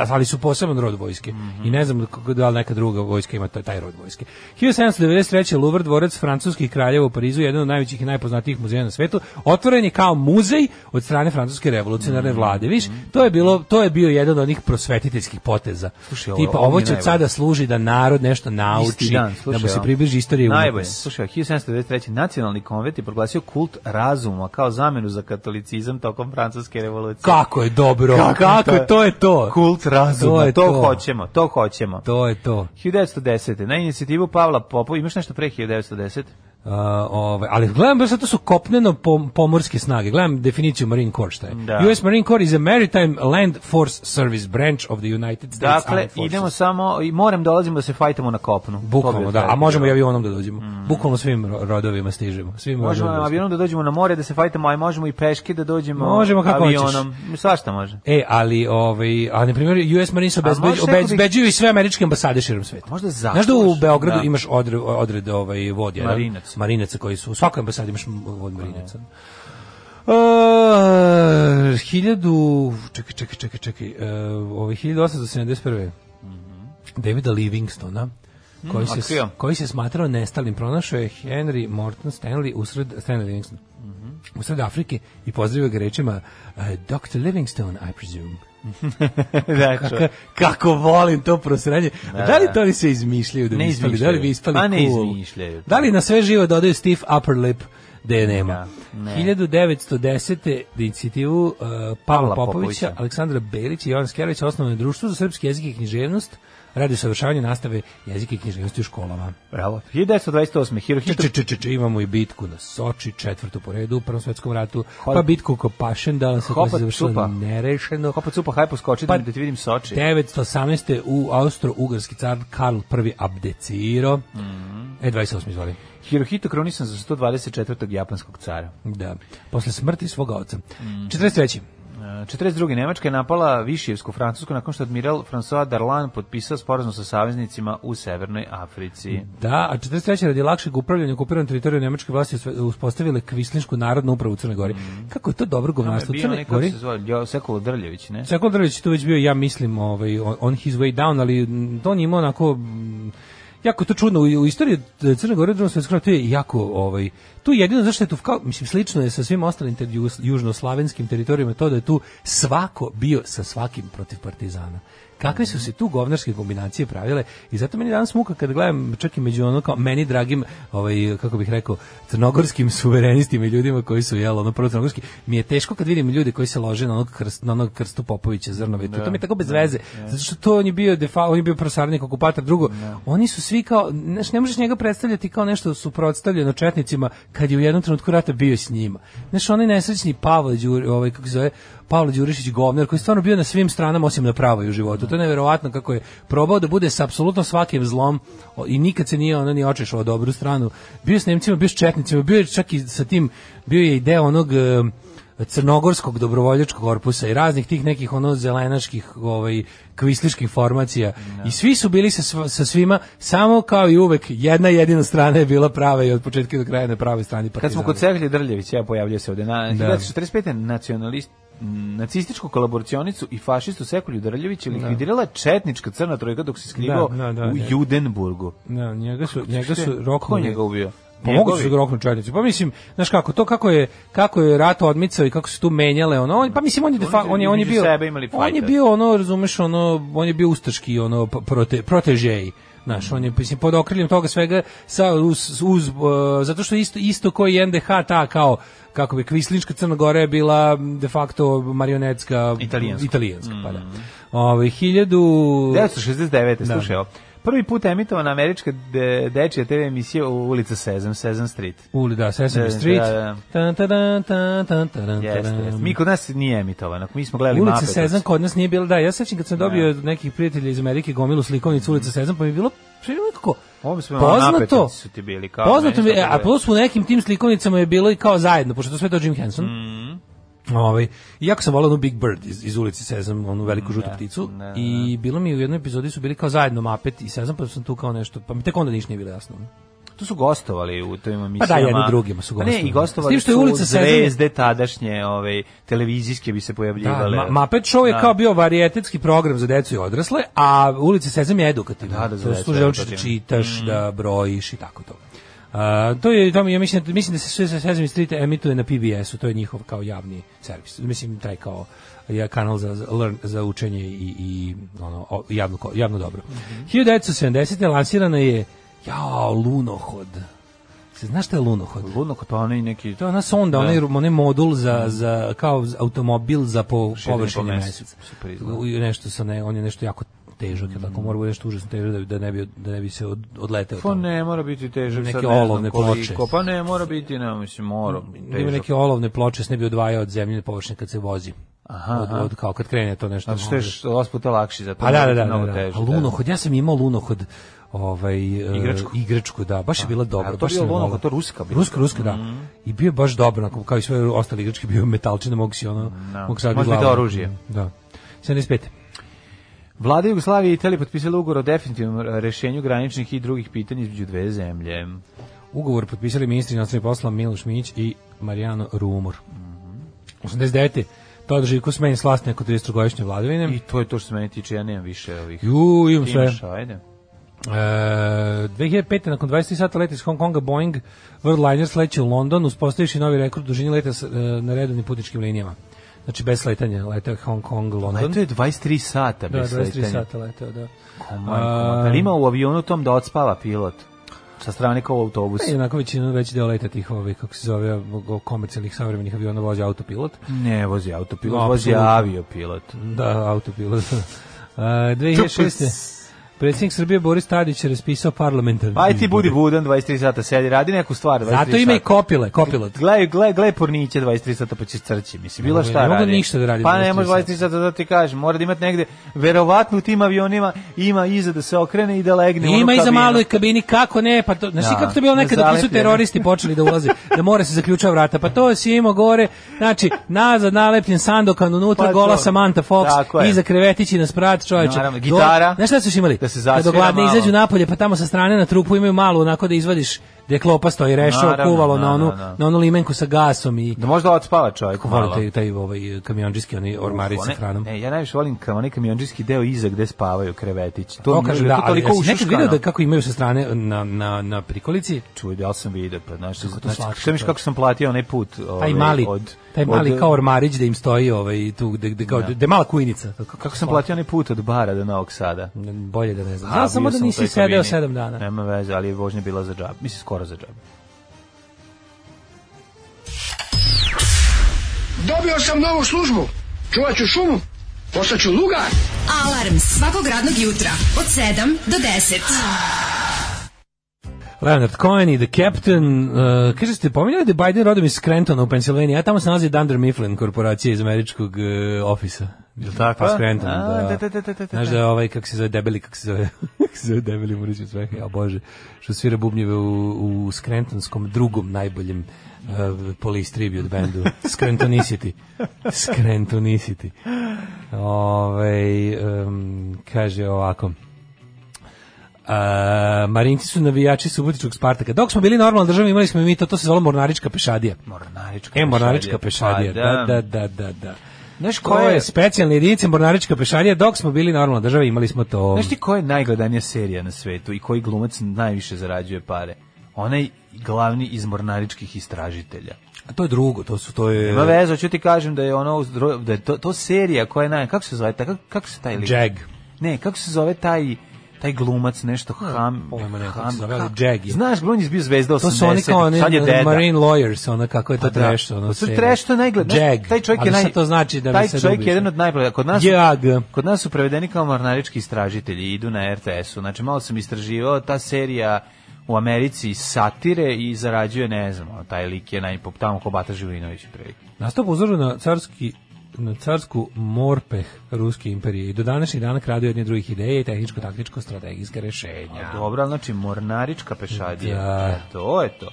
Speaker 7: ali su poseban rod vojske. Mm -hmm. I ne znam da li neka druga vojska ima taj, taj rod vojske. hiljadu sedamsto devedeset treće. Louvre, dvorac francuskih kraljeva u Parizu, jedan od najvećih i najpoznatijih muzeja na svetu, otvoren je kao muzej od strane francuske revolucionarne mm -hmm. vlade. Viš, to je bilo, to je bio jedan od onih prosvetiteljskih poteza. Slušaj, ovo, tipa, ovo će od sada služi da narod nešto nauči, dan, slušaj, da mu se približi istorije umetnosti.
Speaker 6: Slušaj, hiljadu sedamsto devedeset treće. Nacionalni konvent je proglasio kult razuma kao zamenu za katolicizam tokom francuske revolucije.
Speaker 7: Kako je dobro, kako, kako to, je, to je to.
Speaker 6: Kult razuma, to, je to, to hoćemo, to hoćemo.
Speaker 7: To je to.
Speaker 6: hiljadu devetsto desete. Na inicijativu Pavla Popova, imaš nešto pre hiljadu devetsto desete?
Speaker 7: Uh, ove, ali gledam baš to su kopneno pom, pomorske snage. Gledam definiciju Marine Corps šta je. Da. U S Marine Corps is a maritime land force service branch of the United States
Speaker 6: Armed Forces. Dakle, idemo samo i morem dolazimo da se fajtamo na kopnu.
Speaker 7: Bukvalno, da, a možemo i avionom da dođemo. Mm. Bukvalno svim rodovima stižemo. Svim
Speaker 6: možemo avionom da dođemo na more da se fajtamo, a možemo i peške da dođemo
Speaker 7: možemo kako
Speaker 6: avionom. Hoćeš. Svašta može.
Speaker 7: E, ali ovaj, a na primjer U S Marines obezbeđuju i sve američke ambasade širom sveta.
Speaker 6: Možda zato.
Speaker 7: Znaš da u Beogradu da. Imaš odred, odred ovaj vod jedan.
Speaker 6: Marinac.
Speaker 7: Marinaca koji su u svakoj ambasadi imaš vod marinaca. Uh, hiljadu, čekaj, čekaj, čekaj, čekaj, uh, ovaj hiljadu osamsto sedamdeset prve. Mm-hmm. Davida Livingstona, koji, mm, se, koji se smatrao nestalim, pronašao je Henry Morton Stanley usred, Stanley Livingston, mm-hmm. usred Afrike i pozdravio ga rečima uh, doktor Livingstone, I presume.
Speaker 6: da,
Speaker 7: kako, kako volim to prosranje. Da, da li to oni se izmišljaju da
Speaker 6: ne
Speaker 7: bi ispali? Da li bi ispali
Speaker 6: pa ne
Speaker 7: cool?
Speaker 6: Izmišljaju.
Speaker 7: Da li na sve živo dodaju stiff upper lip? Da je nema.
Speaker 6: Da, ne.
Speaker 7: hiljadu devetsto desete. inicijativu uh, Pavla Popovića, Popovića, Aleksandra Belić i Jovan Skerlić osnovano društvo za srpski jezik i književnost radi usavršavanja nastave jezika i književnosti u školama.
Speaker 6: Bravo. hiljadu devetsto dvadeset osme. Hirohito...
Speaker 7: Če, če, če, če, imamo i bitku na Soči, četvrtu po redu u Prvom svetskom ratu, Hol... pa bitku oko Pašendala sa koja se završila nerešeno.
Speaker 6: Hopa cupa, hajpo skoči pa, da ti vidim Soči.
Speaker 7: devetsto osamnaeste. u Austro-Ugarski car Karl prvi abdecirao. Mm -hmm. E, dvadeset osme. izvoli.
Speaker 6: Hirohito krunisan za sto dvadeset četvrtog japanskog cara.
Speaker 7: Da, posle smrti svoga oca. Mm. četrdeset treće.
Speaker 6: četrdeset druge. Nemačka je napala Višijevsku Francusku nakon što admiral François Darlan potpisao sporazum sa saveznicima u Severnoj Africi.
Speaker 7: Da, a četrdeset treće. radi lakšeg upravljanja okupiranom teritorijom nemačke vlasti uspostavile Kvislinšku narodnu upravu u Crnoj Gori. Mm. Kako je to dobro govnarstvo u Crnoj Gori?
Speaker 6: Se zove Sekulo Drljević, ne?
Speaker 7: Sekulo Drljević tu već bio, ja mislim, ovaj, on his way down, ali on ima onako... jako to čudno u, u istoriji Crne Gore drugog svjetskog rata je jako ovaj tu jedino zašto je tu kao mislim slično je sa svim ostalim ter, južnoslavenskim teritorijama to da je tu svako bio sa svakim protiv partizana. Kakve su se tu govnarske kombinacije pravile i zato meni danas muka kad gledam čak i među ono kao meni dragim ovaj kako bih rekao crnogorskim suverenistima i ljudima koji su jel ono prvo crnogorski mi je teško kad vidim ljude koji se lože na onog krst, na onog Krstu Popovića Zrnove to, to mi je tako bez veze zato što to on je bio defa, on je bio prosarnik okupator drugo ne. Oni su svi kao znaš, ne možeš njega predstavljati kao nešto suprotstavljeno četnicima kad je u jednom trenutku rata bio s njima znaš onaj nesrećni Pavle Đuri ovaj kako se zove Pavle Đurišić govnar koji je stvarno bio na svim stranama osim na pravoj u životu. To je neverovatno kako je probao da bude sa apsolutno svakim zlom i nikad se nije ono ni očešao dobru stranu. Bio s Nemcima, bio s četnicima, bio je čak i sa tim, bio je i deo onog uh, crnogorskog dobrovoljačkog korpusa i raznih tih nekih ono zelenaških ovaj kvisliških formacija no. I svi su bili sa, sa svima samo kao i uvek jedna jedina strana je bila prava i od početka do kraja na pravoj strani partizana.
Speaker 6: Kad smo kod Cehlje Drljevića ja pojavljao se ovde na hiljadu devetsto četrdeset pete nacionalist nacističku kolaboracionicu i fašistu Sekulju Drljevića likvidirala četnička crna trojka dok se skrivao da, da, da, u Judenburgu.
Speaker 7: Da, njega su njega su roknuli.
Speaker 6: Ko njega ubio?
Speaker 7: Pa mogu se roknu četnici. Pa mislim, znaš kako, to kako je kako je rat odmicao i kako se tu menjale ono, on, pa mislim on je defa, on je on je bio on je bio ono, razumeš, ono, on je bio ustaški ono prote, protežej. Znaš, on je mislim pod okriljem toga svega sa uz, uz uh, zato što isto isto koji N D H ta kao kako bi kvislinška Crna Gora je bila de facto marionetska
Speaker 6: italijanska,
Speaker 7: italijanska mm. pa da. Ovaj hiljadu
Speaker 6: devetsto šezdeset devete Da. Slušaj, prvi put emitovana američka de, dečija te ve emisija u ulica Sesame, Sesame Street.
Speaker 7: Uli, da, Sesame Street.
Speaker 6: Jeste, mi kod nas nije emitovana, mi smo gledali
Speaker 7: Ulica
Speaker 6: Mape.
Speaker 7: Sesame kod nas nije bila, da, ja sećam kad sam dobio od nekih prijatelja iz Amerike gomilu slikovnicu Ulica Sesame, pa mi je bilo nekako poznato,
Speaker 6: su ti bili kao
Speaker 7: poznato mi, a plus u nekim tim slikovnicama je bilo i kao zajedno, pošto to sve to Jim Henson.
Speaker 6: Mm.
Speaker 7: Ovaj, jako sam volao onu Big Bird iz, iz Ulici Sesame, onu veliku žutu
Speaker 6: ne,
Speaker 7: pticu
Speaker 6: ne, ne.
Speaker 7: I bilo mi u jednoj epizodi su bili kao zajedno Muppet i Sesame, pa sam tu kao nešto, pa mi tek onda ništa nije bilo jasno.
Speaker 6: Tu su gostovali u tim emisijama.
Speaker 7: Pa da, jedni drugima su gostovali.
Speaker 6: Ne, i gostovali
Speaker 7: što je Ulica
Speaker 6: su zvezde tadašnje, ove, televizijske bi se pojavljivale.
Speaker 7: Da, Muppet Show je da. Kao bio varijetetski program za decu i odrasle, a Ulica Sesame je edukativna. Da, da, za decu. To želiš da čitaš, mm. da brojiš i tako to. Uh, to je to ja mislim mislim da se sve sa Sesame Street emituje na P B S-u, to je njihov kao javni servis. Mislim taj kao je kanal za za, learn, za učenje i i ono javno javno dobro. Mm-hmm. hiljadu devetsto sedamdesete lansirana je jao lunohod. Se znaš šta je lunohod?
Speaker 6: Lunohod pa onaj neki
Speaker 7: to je ona sonda, onaj onaj modul za za kao automobil za po površini meseca. Nešto sa ne, on je nešto jako težak, mm. tako mora biti nešto užasno težak da, da ne bi da ne bi se od, odleteo.
Speaker 6: Pa ne mora biti težak,
Speaker 7: neke olovne ploče.
Speaker 6: Pa ne mora biti, ne mislim, mora.
Speaker 7: Ima neke olovne ploče, se ne bi odvajao od zemljine površine kad se vozi.
Speaker 6: Aha,
Speaker 7: od, od kao kad krene to nešto.
Speaker 6: Znači što je osam puta lakši za to.
Speaker 7: Pa da, da, da, da, da. Lunohod, ja sam imao lunohod ovaj
Speaker 6: igračku,
Speaker 7: uh, igračku da, baš je bila dobra.
Speaker 6: To je lunohod, to ruska bila.
Speaker 7: Ruska, ruska, da. Mm. I bio je baš dobro, kao i sve ostale igračke, bio metalčina, mogu si ono,
Speaker 6: no.
Speaker 7: mogu sad
Speaker 6: biti glavu. Oružje.
Speaker 7: Da. sedamdeset pete
Speaker 6: Vlada Jugoslavije i Italije potpisali ugovor o definitivnom rešenju graničnih i drugih pitanja između dve zemlje.
Speaker 7: Ugovor potpisali ministri inostranih poslova Miloš Mić i Marijano Rumor. Mm-hmm. osamdeset devete Todor Živko smeni s vlasti neko tridesetogodišnje vladavine.
Speaker 6: I to je to što se meni tiče, ja nemam više ovih.
Speaker 7: Ju, imam sve.
Speaker 6: Imaš, ajde.
Speaker 7: E, dve hiljade pete nakon dvadeset tri sata leta iz Hong Konga Boeing Worldliner sleće u London, uspostaviši novi rekord dužine leta na redovnim putničkim linijama. Znači bez sletanja, letao Hong Kong, London.
Speaker 6: Leto je dvadeset tri sata bez
Speaker 7: da, dvadeset tri sata letao, da.
Speaker 6: Da li ima u avionu tom da odspava pilot? Sa strane kao u autobusu?
Speaker 7: Ne, onako većinu, veći deo leta tih, ovaj, kako se zove, komercijalnih savremenih aviona vozi autopilot.
Speaker 6: Ne, vozi autopilot, no, vozi aviopilot.
Speaker 7: Da, autopilot. uh, dve hiljade šeste Predsjednik Srbije Boris Tadić je raspisao parlamentarni.
Speaker 6: Aj ti budi budan, dvadeset tri sata sedi, radi neku stvar.
Speaker 7: Zato ima i kopile, kopilot.
Speaker 6: Gledaj, gledaj, gledaj porniće dvadeset tri sata pa će crći. Mislim, bilo šta radi.
Speaker 7: Ne mogu ništa da radi.
Speaker 6: Pa ne može dvadeset tri sata da ti kažem, mora da imati negde, verovatno u tim avionima ima iza da se okrene i da legne u onu kabinu.
Speaker 7: Ima iza maloj kabini, kako ne, pa to, znaš kako to bilo nekada kad su teroristi počeli da ulaze, da mora se zaključava vrata, pa to si imao gore, znači, nazad nalepljen sandokan, unutra gola Samantha Fox, iza krevetići na sprat, čoveče.
Speaker 6: Gitara.
Speaker 7: Znaš šta su imali? Kad ogladne izađu napolje, pa tamo sa strane na trupu imaju malu, onako da izvadiš gde klopa stoji rešao,
Speaker 6: Naravno,
Speaker 7: kuvalo
Speaker 6: da,
Speaker 7: na onu,
Speaker 6: da, da.
Speaker 7: na onu limenku sa gasom i...
Speaker 6: Da možda odspava čovjek malo.
Speaker 7: Volite taj ovaj kamionđiski, oni ormari sa hranom.
Speaker 6: Ne, ja najviše volim kao onaj kamionđiski deo iza gde spavaju krevetići.
Speaker 7: To kaže da, ali
Speaker 6: toliko
Speaker 7: jesi nekad
Speaker 6: ušuškano.
Speaker 7: vidio da kako imaju sa strane na, na, na prikolici?
Speaker 6: Čuj, ja sam vidio, pa znaš,
Speaker 7: Kako to
Speaker 6: znači,
Speaker 7: slatko,
Speaker 6: šta miš kako sam platio onaj put ovaj,
Speaker 7: Taj mali,
Speaker 6: od...
Speaker 7: taj mali
Speaker 6: od,
Speaker 7: kao ormarić da im stoji ovaj, tu, gde, gde, kao, gde je mala kujnica.
Speaker 6: Kako, kako sam platio onaj put od bara do Novog Sada?
Speaker 7: Bolje da ne znam.
Speaker 6: A,
Speaker 7: Znam samo
Speaker 6: bio
Speaker 7: da
Speaker 6: sam u
Speaker 7: nisi
Speaker 6: toj
Speaker 7: sedeo
Speaker 6: kabini.
Speaker 7: sedam dana.
Speaker 6: Nema veze, ali je vožnja bila za džabe. Mislim, skoro za džabe.
Speaker 10: Dobio sam novu službu. Čuvat ću šumu. Postaću lugar.
Speaker 4: Alarm svakog radnog jutra od sedam do deset.
Speaker 7: Leonard Cohen i The Captain, uh, kaže ste, pominjali da je Biden rodom iz Scrantona u Pensilvaniji, a tamo se nalazi Dunder Mifflin, korporacija iz američkog uh, ofisa.
Speaker 6: Je li tako?
Speaker 7: Pa Scranton,
Speaker 6: A,
Speaker 7: da.
Speaker 6: da, da, da, da, da.
Speaker 7: Znaš da je ovaj, kako se zove, debeli, kako se zove, kako se zove debeli Murić sve, ja bože, što svira bubnjeve u, u Scrantonskom drugom najboljem uh, Police Tribute bandu, Scrantonicity. Scrantonicity. Ove, um, kaže ovako, Uh, Marinci su navijači Subotičkog Spartaka. Dok smo bili normalna država, imali smo i mi to, to se zvalo Mornarička pešadija.
Speaker 6: Mornarička
Speaker 7: E, Mornarička pešadija,
Speaker 6: pa
Speaker 7: da, da, da, da, da.
Speaker 6: Znaš
Speaker 7: To
Speaker 6: ko
Speaker 7: je
Speaker 6: je...
Speaker 7: specijalna jedinica Mornarička pešadija, dok smo bili normalna država, imali smo to.
Speaker 6: Znaš ti koja je najgledanija serija na svetu i koji glumac najviše zarađuje pare? Onaj glavni iz Mornaričkih istražitelja.
Speaker 7: A to je drugo, to su, to je...
Speaker 6: Ima veze, ću ti kažem da je ono, da je to, to serija koja je naj... Kako se zove? Kako, kako se taj lik?
Speaker 7: Jag.
Speaker 6: Ne, kako se zove taj... taj glumac, nešto ham...
Speaker 7: Pojma ne, kako
Speaker 6: ham,
Speaker 7: se zove, ali
Speaker 6: ham-
Speaker 7: Jag je.
Speaker 6: Znaš, on je bio zvezda
Speaker 7: To
Speaker 6: osamdesetih,
Speaker 7: su oni kao oni
Speaker 6: sad je deda.
Speaker 7: Marine Lawyers, ona kako je to
Speaker 6: Pa da.
Speaker 7: trash, ono
Speaker 6: To su
Speaker 7: serija.
Speaker 6: trash, to je najgled. znaš,
Speaker 7: Jag.
Speaker 6: Taj čovjek
Speaker 7: Ali
Speaker 6: je naj...
Speaker 7: sad to znači da mi
Speaker 6: taj
Speaker 7: sad
Speaker 6: čovjek je
Speaker 7: ubiše.
Speaker 6: jedan od najbolja. Kod nas,
Speaker 7: Jag.
Speaker 6: kod nas su prevedeni kao mornarički istražitelji, idu na R T S-u. Znači, malo sam istraživao, ta serija u Americi satire i zarađuje, ne znam, taj lik je najpop, tamo ko Bata Živinović prilike.
Speaker 7: Nastao po uzoru na carski na carsku morpeh Ruske imperije i do današnjih dana kradu jedne drugih ideje i tehničko-taktičko-strategijske rešenja.
Speaker 6: A, dobro, ali znači mornarička pešadija,
Speaker 7: Da.
Speaker 6: e, to je to.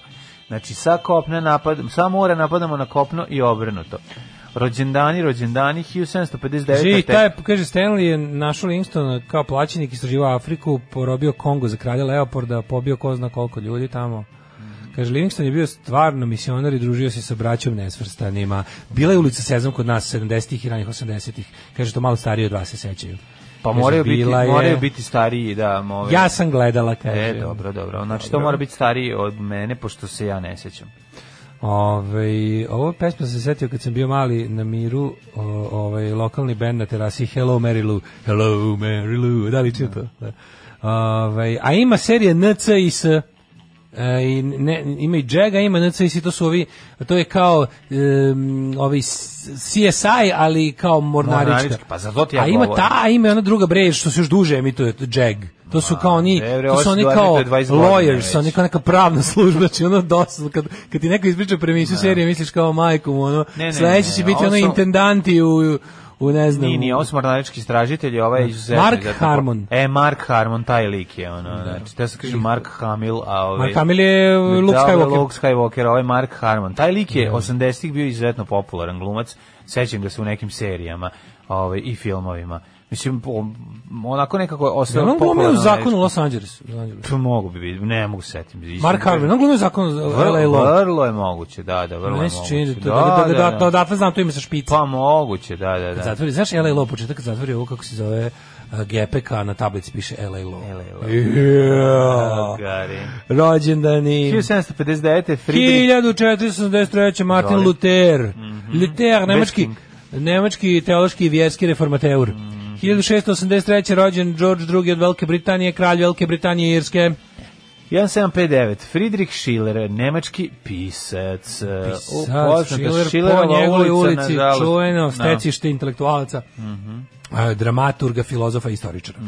Speaker 6: Znači, sa kopne napad, sa mora napadamo na kopno i obrnuto. Rođendani, rođendani, hiljadu sedamsto pedeset devete.
Speaker 7: Živi, taj, kaže, Stanley je našao Livingstona kao plaćenik, istraživao Afriku, porobio Kongo za kralja Leopolda, pobio ko zna koliko ljudi tamo. Kaže, Livingston je bio stvarno misionar i družio se sa braćom nesvrstanima. Bila je ulica Sezam kod nas sedamdesetih i ranih osamdesetih. Kaže, to malo stariji od vas se sećaju.
Speaker 6: Pa
Speaker 7: Kaže,
Speaker 6: moraju biti,
Speaker 7: bila je-
Speaker 6: moraju biti stariji, da. Ove...
Speaker 7: Ja sam gledala, kaže.
Speaker 6: E, dobro, dobro. Znači, to
Speaker 7: Dobro.
Speaker 6: mora biti stariji od mene, pošto se ja ne sećam.
Speaker 7: Ove, ovo pesma sam se setio kad sam bio mali na miru, o, ovaj lokalni bend na terasi Hello Mary Lou. Hello Mary Lou. Da li čuo to? Da. Ove, a ima serija N C I S. E, i ne, ima i Jag, a ima N C I S, to su ovi, to je kao um, ovi C S I, ali kao mornarička.
Speaker 6: Mornarička, pa za to ti ja
Speaker 7: a ima
Speaker 6: govorim.
Speaker 7: ta, a ima i ona druga bre, što se još duže emituje, to Jag. To su kao oni,
Speaker 6: ne, bre,
Speaker 7: to
Speaker 6: ovo
Speaker 7: su
Speaker 6: se
Speaker 7: oni
Speaker 6: gleda
Speaker 7: kao
Speaker 6: pre dvadeset godina
Speaker 7: lawyers,
Speaker 6: već.
Speaker 7: oni kao neka pravna služba, znači ono dosta, kad, kad ti neko ispriča premisu serije, misliš kao majkom, ono,
Speaker 6: Ne, ne,
Speaker 7: sledeće
Speaker 6: ne,
Speaker 7: će biti
Speaker 6: ovo
Speaker 7: ono
Speaker 6: su-
Speaker 7: intendanti u, u ne znam.
Speaker 6: Nije, nije, ovo su mornarički istražitelji, ovaj je izuzetno.
Speaker 7: Mark
Speaker 6: izuzetno-
Speaker 7: Harmon.
Speaker 6: E, Mark Harmon, taj lik je, ono, znači, da se kaže Mark Hamill, a ovaj...
Speaker 7: Mark Hamill je Luke
Speaker 6: Da,
Speaker 7: Skywalker.
Speaker 6: Luke Skywalker, ovaj Mark Harmon. Taj lik je osamdesetih bio izuzetno popularan glumac, sećam ga se u nekim serijama ovaj, i filmovima. Mislim, o- onako nekako je ostao
Speaker 7: On glumio u
Speaker 6: popularan.
Speaker 7: zakonu Los Angelesu.
Speaker 6: To mogu bi biti, ne mogu se setiti.
Speaker 7: Mark Harmon, on glumio u zakonu L A
Speaker 6: Vrlo,
Speaker 7: Law.
Speaker 6: vrlo je moguće, da, da, vrlo je
Speaker 7: Meni se čini
Speaker 6: moguće.
Speaker 7: da, da, da, da, da, odatle znam to ime sa špica.
Speaker 6: Pa moguće, da, da,
Speaker 7: Kad
Speaker 6: da.
Speaker 7: zatvori, znaš L A Law, početak kad zatvori ovo kako se zove uh, G P K, na tablici piše L A Law.
Speaker 6: L A Law.
Speaker 7: Yeah.
Speaker 6: Gari.
Speaker 7: Rođendani.
Speaker 6: hiljadu sedamsto pedeset devete. Friedrich
Speaker 7: hiljadu četiristo osamdeset treće. Martin
Speaker 6: Izvoli.
Speaker 7: Luther. Luther, nemački,
Speaker 6: Westking.
Speaker 7: nemački teološki i vjerski reformateur. hiljadu šessto osamdeset treće. rođen George drugi od Velike Britanije, kralj Velike Britanije i Irske.
Speaker 6: sedamsto pedeset devet. Friedrich Schiller, nemački pisac.
Speaker 7: Sad, Schiller po njegovoj ulici, čuveno stecište intelektualaca, a, dramaturga, filozofa i istoričara,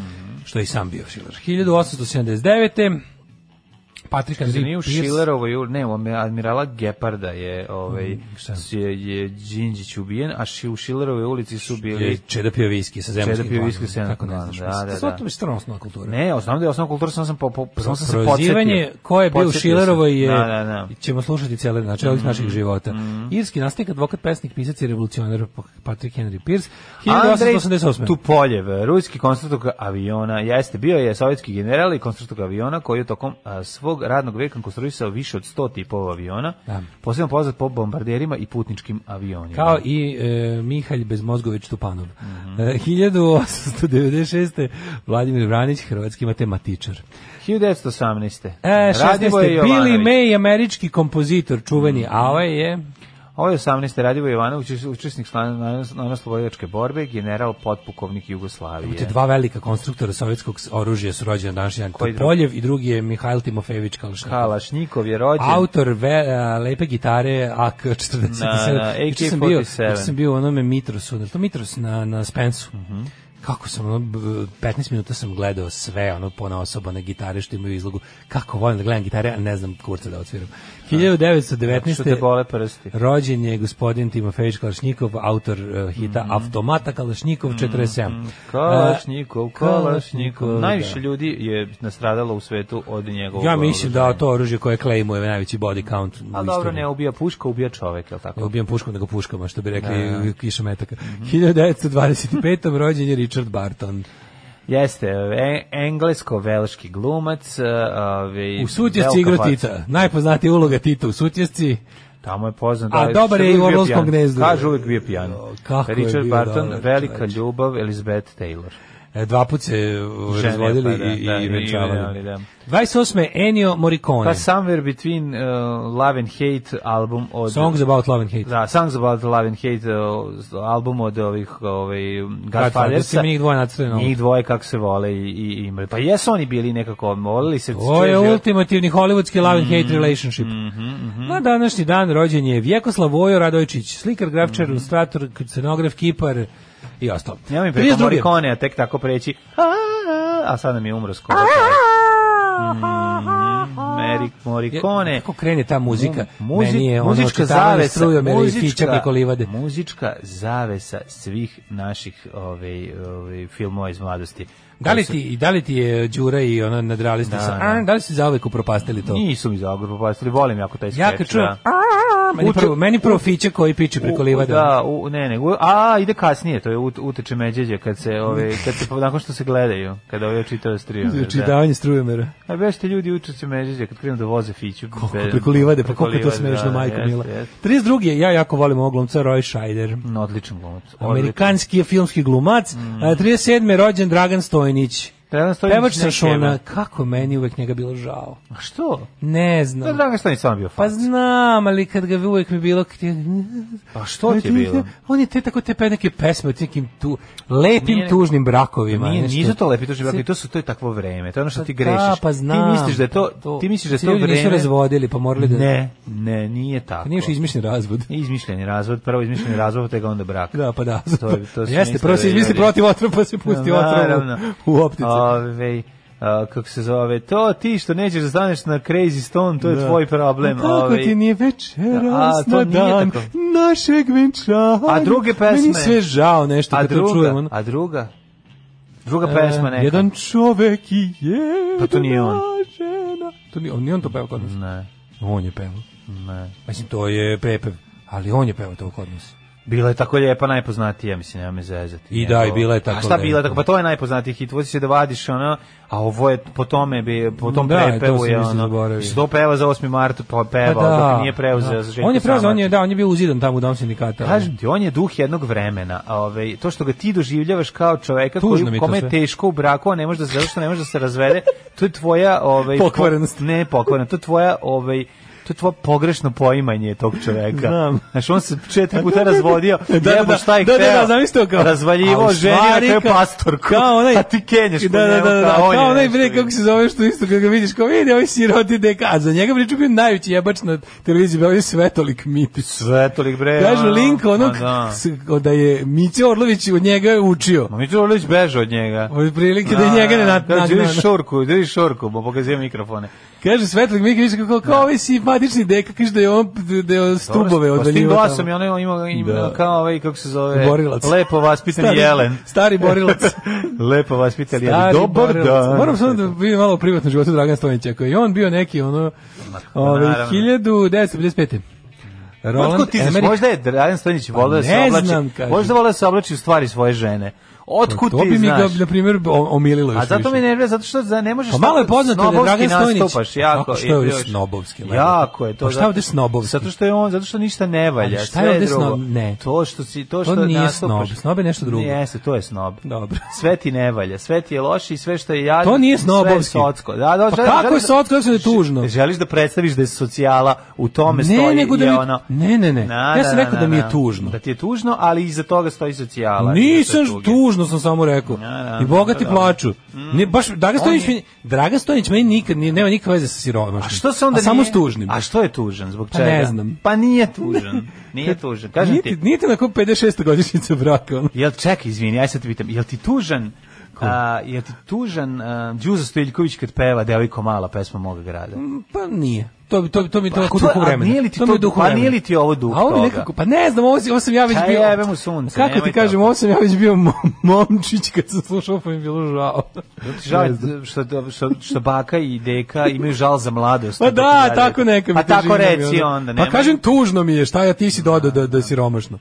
Speaker 7: što je i sam bio Schiller. hiljadu osamsto sedamdeset devete. Patrik
Speaker 6: Nije
Speaker 7: Henry
Speaker 6: u
Speaker 7: Pierce.
Speaker 6: Schillerovoj, ul- ne, u admirala Geparda je, ovaj,
Speaker 7: šta?
Speaker 6: je, je Đinđić ubijen, a ši, u Schillerovoj ulici su
Speaker 7: Je
Speaker 6: bili...
Speaker 7: Čeda pio viski sa
Speaker 6: Čeda
Speaker 7: zemaljskim
Speaker 6: pio viski sa
Speaker 7: planom. Kako
Speaker 6: zemaljskim
Speaker 7: ne znaš?
Speaker 6: planom, da,
Speaker 7: mislim,
Speaker 6: da,
Speaker 7: To
Speaker 6: da.
Speaker 7: je stvarno osnovna kultura.
Speaker 6: Ne, osnovno da je osnovna kultura, sam sam, po, po, sam sam se
Speaker 7: Prozivanje
Speaker 6: podsjetio.
Speaker 7: ko je bio u
Speaker 6: Podsjetio
Speaker 7: Schillerovoj
Speaker 6: sam.
Speaker 7: je,
Speaker 6: Da, da, da.
Speaker 7: ćemo slušati cijele, znači ovih naših života. Irski nastavnik, advokat, pesnik, pisac i revolucionar Patrick Henry Pierce, hiljadu osamsto osamdeset osme.
Speaker 6: Tupoljev, ruski konstruktor aviona, jeste, bio je sovjetski general i konstruktor aviona koji je tokom a, svog svog radnog veka konstruisao više od sto tipova aviona, da. Posebno poznat po bombarderima i putničkim avionima.
Speaker 7: Kao i e, Mihalj Bezmozgović Tupanov. Mm-hmm. e, hiljadu osamsto devedeset šeste. Vladimir Vranić, hrvatski matematičar.
Speaker 6: hiljadu devetsto osamnaeste.
Speaker 7: E, šesnaeste. Billy May, američki kompozitor, čuveni, mm-hmm. a ovaj je...
Speaker 6: Ovo je osamnaeste. Radivoje Jovanović, učesnik slobodilačke borbe, general potpukovnik Jugoslavije.
Speaker 7: Te dva velika konstruktora sovjetskog oružja su rođeni danas, jedan Topoljev i drugi je Mihajl Timofejević Kalašnikov.
Speaker 6: Kalašnikov je rođen.
Speaker 7: Autor ve, a, lepe gitare A K četrdeset sedam.
Speaker 6: Na, na, A K četrdeset sedam.
Speaker 7: Juče sam bio u onome Mitrosu, to Mitros na, na Spensu.
Speaker 6: Mhm. Mm
Speaker 7: Kako sam, ono, petnaest minuta sam gledao sve, ono, ponaosobane gitare što imaju izlogu. Kako volim da gledam gitare, a ne znam kurca da odsviram. hiljadu devetsto devetnaeste.
Speaker 6: Što te bole prsti.
Speaker 7: Rođen je gospodin Timofejić Kalašnikov, autor uh, hita mm. Automata Kalašnikov četrdeset sedam.
Speaker 6: Mm. Kalašnikov, Kalašnikov. Najviše ljudi je nastradalo u svetu od njegovog.
Speaker 7: Ja mislim da to oružje koje klejmuje najveći body count.
Speaker 6: A dobro, ne ubija puška, ubija čovek, je li tako?
Speaker 7: Ne ubijam puškom, nego puškama, što bi rekli kiša metaka. Mm-hmm. hiljadu devetsto dvadeset pete. rođen je Richard Barton.
Speaker 6: Jeste, e, englesko-velški glumac. Ove,
Speaker 7: u Sutjesci igra Tita. Najpoznatija uloga Tita u Sutjesci.
Speaker 6: Tamo je poznat.
Speaker 7: A dobar je i u Orlovskom gnezdu.
Speaker 6: Kaže uvijek bio pijan.
Speaker 7: Kako
Speaker 6: Richard
Speaker 7: je
Speaker 6: Barton,
Speaker 7: dobar,
Speaker 6: velika
Speaker 7: čovječ.
Speaker 6: ljubav, Elizabeth Taylor.
Speaker 7: E, dva put se razvodili
Speaker 6: pa da,
Speaker 7: i,
Speaker 6: da,
Speaker 7: i venčavali.
Speaker 6: Da.
Speaker 7: dvadeset osme. Ennio Morricone.
Speaker 6: Pa Somewhere Between uh, Love and Hate album od...
Speaker 7: Songs About Love and Hate.
Speaker 6: Da, Songs About Love and Hate uh, album od ovih ovaj, Godfathersa.
Speaker 7: Njih dvoje nacrteno.
Speaker 6: Njih dvoje kako se vole i, i imali. Pa jesu oni bili nekako, volili se...
Speaker 7: Ovo je ultimativni hollywoodski love and hate relationship.
Speaker 6: Mm-hmm, mm-hmm.
Speaker 7: Na današnji dan rođen je Vjekoslav Vojo Radojčić, slikar, grafičar, mm-hmm. ilustrator, scenograf, kipar i ostalo.
Speaker 6: Ja mi preko Morricone, a tek tako preći, a, a, a sad nam je umro skoro. Mm, Morricone.
Speaker 7: Kako krene ta muzika?
Speaker 6: Muzi,
Speaker 7: Meni je
Speaker 6: muzička zavesa,
Speaker 7: muzička,
Speaker 6: muzička zavesa svih naših ove, ove, filmova iz mladosti.
Speaker 7: Da li ti, da li ti je Đura i ona nadrealista sa, a, da li si zauvek upropastili to?
Speaker 6: Nisu mi zauvek upropastili, volim jako taj skeč.
Speaker 7: Ja kad čujem, meni prvo, meni prvo fiće koji piče preko livade.
Speaker 6: Da, u, ne, ne, u, a ide kasnije, to je uteče međeđe kad se, ove, kad se, nakon što se gledaju, kada ove čitao strujomera.
Speaker 7: Čitavanje strujomera.
Speaker 6: A bešte ljudi uče međeđe kad krenu da voze fiću.
Speaker 7: Koliko preko livade, pa koliko je to smešno, majko mila. trideset drugi. Ja jako volim ovog glumca, Roy Scheider.
Speaker 6: No, odličan glumac.
Speaker 7: Amerikanski je filmski glumac. Mm. trideset sedme. rođen Dragan Stojnić. Pevač sa Šona, kako meni uvek njega bilo žao.
Speaker 6: A što?
Speaker 7: Ne znam.
Speaker 6: Da, Dragan Stojnić sam bio fac.
Speaker 7: Pa znam, ali kad ga uvek mi bilo...
Speaker 6: Pa što ti je bilo?
Speaker 7: On je te tako te pe neke pesme od nekim tu lepim nije, tužnim brakovima.
Speaker 6: Nije, nisu to lepi tužni brakovi, to su to je takvo vreme. To je ono što ti grešiš.
Speaker 7: Da, pa znam.
Speaker 6: Ti misliš da je to, to ti misliš da je to vreme.
Speaker 7: Nisu razvodili, pa morali da...
Speaker 6: Ne, ne, nije tako.
Speaker 7: Nije još izmišljen razvod.
Speaker 6: Izmišljeni razvod, prvo izmišljeni razvod, pa onda brak.
Speaker 7: Da, pa da.
Speaker 6: To je, to
Speaker 7: jeste, prvo se izmisli protiv otrova, pa se pusti otrova u optici.
Speaker 6: Uh, kako se zove, to ti što nećeš da staneš na Crazy Stone, to je da. Tvoj problem.
Speaker 7: A tako ovaj, ti nije večeras na dan tako. Našeg venčanja.
Speaker 6: A druge pesme?
Speaker 7: Meni sve žao nešto kad to čujem.
Speaker 6: A druga? Druga pesma neka.
Speaker 7: Jedan čovek i jedna
Speaker 6: pa to nije on.
Speaker 7: žena. To nije on, nije on to pevao kod nas?
Speaker 6: Ne.
Speaker 7: On je pevao.
Speaker 6: Ne.
Speaker 7: Mislim, to je prepev, ali on je pevao to kod nas.
Speaker 6: Bila je tako lijepa, najpoznatija, mislim, nema me zezati.
Speaker 7: I da, i bila je tako.
Speaker 6: A šta bila tako? Pa to je najpoznatiji hit, vozi se da vadiš, ono, a ovo je po tome, bi, po tom da, prepevu je, ono, se to peva za osmi mart, pa peva, pa da, dok nije preuzeo za Željko
Speaker 7: On je preuzeo, on je, da, on je bio uzidan tamo u dom sindikata.
Speaker 6: Kažem ti, on je duh jednog vremena, ove, to što ga ti doživljavaš kao čoveka koji, kome je teško u braku, a ne može da se, zato što ne može da se razvede, to je tvoja, ovaj,
Speaker 7: pokvarenost.
Speaker 6: Po, ne, pokvarenost, to je tvoja, ovaj, to je tvoje pogrešno poimanje tog čoveka.
Speaker 7: Znam.
Speaker 6: Znaš, on se četiri puta razvodio,
Speaker 7: da,
Speaker 6: jebo
Speaker 7: da,
Speaker 6: šta ih
Speaker 7: da, da, da, da, kao,
Speaker 6: razvaljivo ženja kao pastorku,
Speaker 7: kao onaj,
Speaker 6: a ti kenješ po
Speaker 7: da,
Speaker 6: njemu,
Speaker 7: da, da, da,
Speaker 6: kao on
Speaker 7: kao
Speaker 6: je
Speaker 7: onaj bre, kako se zove što isto, kada ga vidiš, kao vidi, ovaj siroti deka, a za njega priču bio najveći jebač na televiziji, bio je Svetolik Mitić.
Speaker 6: Svetolik bre.
Speaker 7: Kažu link onog, da. da je Miće Orlović od njega učio.
Speaker 6: Ma Miće Orlović beže od njega.
Speaker 7: Od prilike da je njega ne nagnao.
Speaker 6: Da, drži šorku, drži šorku, bo pokazuje mikrofone.
Speaker 7: Kaže Svetolik Mitić, kako kao ovaj simpatični deka, kaže da je on da je stubove odvaljivao. S tim
Speaker 6: glasom je ono ima, ima da. Kao ovaj, kako se zove,
Speaker 7: borilac.
Speaker 6: Lepo vaspitani
Speaker 7: stari,
Speaker 6: jelen.
Speaker 7: Stari borilac.
Speaker 6: Lepo vaspitani jelen. Dobar dan.
Speaker 7: Moram samo da vidim malo privatno životu Dragan Stojnića, koji je on bio neki ono, ovaj, hiljadu devetsto pedeset pete.
Speaker 6: Roland Emmerich. Možda je Dragan Stojnić volio da se oblači. Možda volio da se oblači u stvari svoje žene. Otkud
Speaker 7: to
Speaker 6: ti
Speaker 7: bi mi
Speaker 6: znaš?
Speaker 7: ga, na primjer, omililo još
Speaker 6: A zato
Speaker 7: više.
Speaker 6: me nervira, zato što za ne možeš...
Speaker 7: Pa malo je poznato da je Dragan Stojnić...
Speaker 6: nastupaš, jako,
Speaker 7: Kako, što je ovdje snobovski?
Speaker 6: Jako je to.
Speaker 7: Pa šta je ovdje snobovski?
Speaker 6: Zato što je on, zato što ništa ne valja,
Speaker 7: šta je
Speaker 6: sve
Speaker 7: ovdje
Speaker 6: drugo.
Speaker 7: snob? Ne.
Speaker 6: To što si, to što
Speaker 7: to nije
Speaker 6: nastupaš...
Speaker 7: snob, snob je nešto drugo.
Speaker 6: Jeste, to je snob.
Speaker 7: Dobro.
Speaker 6: Sve ti ne valja, sve ti je loše i sve što je jadno...
Speaker 7: To nije snobovski.
Speaker 6: Sve je socko. Da, da,
Speaker 7: pa
Speaker 6: želi,
Speaker 7: kako
Speaker 6: želi
Speaker 7: je socko, kako je tužno?
Speaker 6: Želiš da predstaviš da je socijala, u tome
Speaker 7: ne,
Speaker 6: stoji
Speaker 7: nego da
Speaker 6: je
Speaker 7: mi,
Speaker 6: ono...
Speaker 7: Ne, ne, ne.
Speaker 6: Na,
Speaker 7: ja sam
Speaker 6: na,
Speaker 7: rekao
Speaker 6: na,
Speaker 7: da mi je
Speaker 6: na.
Speaker 7: tužno.
Speaker 6: Da ti je tužno, ali iza toga stoji socijala.
Speaker 7: Nisam tužno, sam samo rekao.
Speaker 6: Na, na,
Speaker 7: I bogati
Speaker 6: na,
Speaker 7: plaču.
Speaker 6: Mm.
Speaker 7: Ne, baš, Dragan Stojnić, je... Dragan Stojnić meni nikad nije, nema nikakve veze sa siromašnim.
Speaker 6: A što se onda
Speaker 7: a samo
Speaker 6: nije...
Speaker 7: s tužnim.
Speaker 6: A što je tužan, zbog
Speaker 7: Pa
Speaker 6: čega?
Speaker 7: ne znam.
Speaker 6: Pa nije tužan. Nije tužan. Kažem ti.
Speaker 7: Nije ti nakon pedeset šeste godišnjice braka. Ono.
Speaker 6: Jel, čekaj, izvini, aj sad te pitam, jel ti tužan, a, jel ti tužan a, Đuza Stojiljković kad peva Devojko mala, pesma moga grada?
Speaker 7: Pa nije. To bi to to mi to
Speaker 6: pa,
Speaker 7: kako duhu vremena.
Speaker 6: Nije li ti
Speaker 7: to,
Speaker 6: to,
Speaker 7: mi duhu
Speaker 6: pa
Speaker 7: vremena.
Speaker 6: nije li ti ovo duh
Speaker 7: a ovo
Speaker 6: toga?
Speaker 7: nekako, pa ne znam, ovo, ovo sam ja već
Speaker 6: Čaj,
Speaker 7: bio.
Speaker 6: jebe mu sunce,
Speaker 7: kako ti kažem, ovo sam ja već bio momčić kad sam slušao, pa mi je bilo žao.
Speaker 6: Žao što, što, što baka i deka imaju žal za mladost.
Speaker 7: Pa da, tako neka mi
Speaker 6: a tako reci onda.
Speaker 7: Pa kažem, tužno mi je, šta ja ti si dodao da, da si romašno.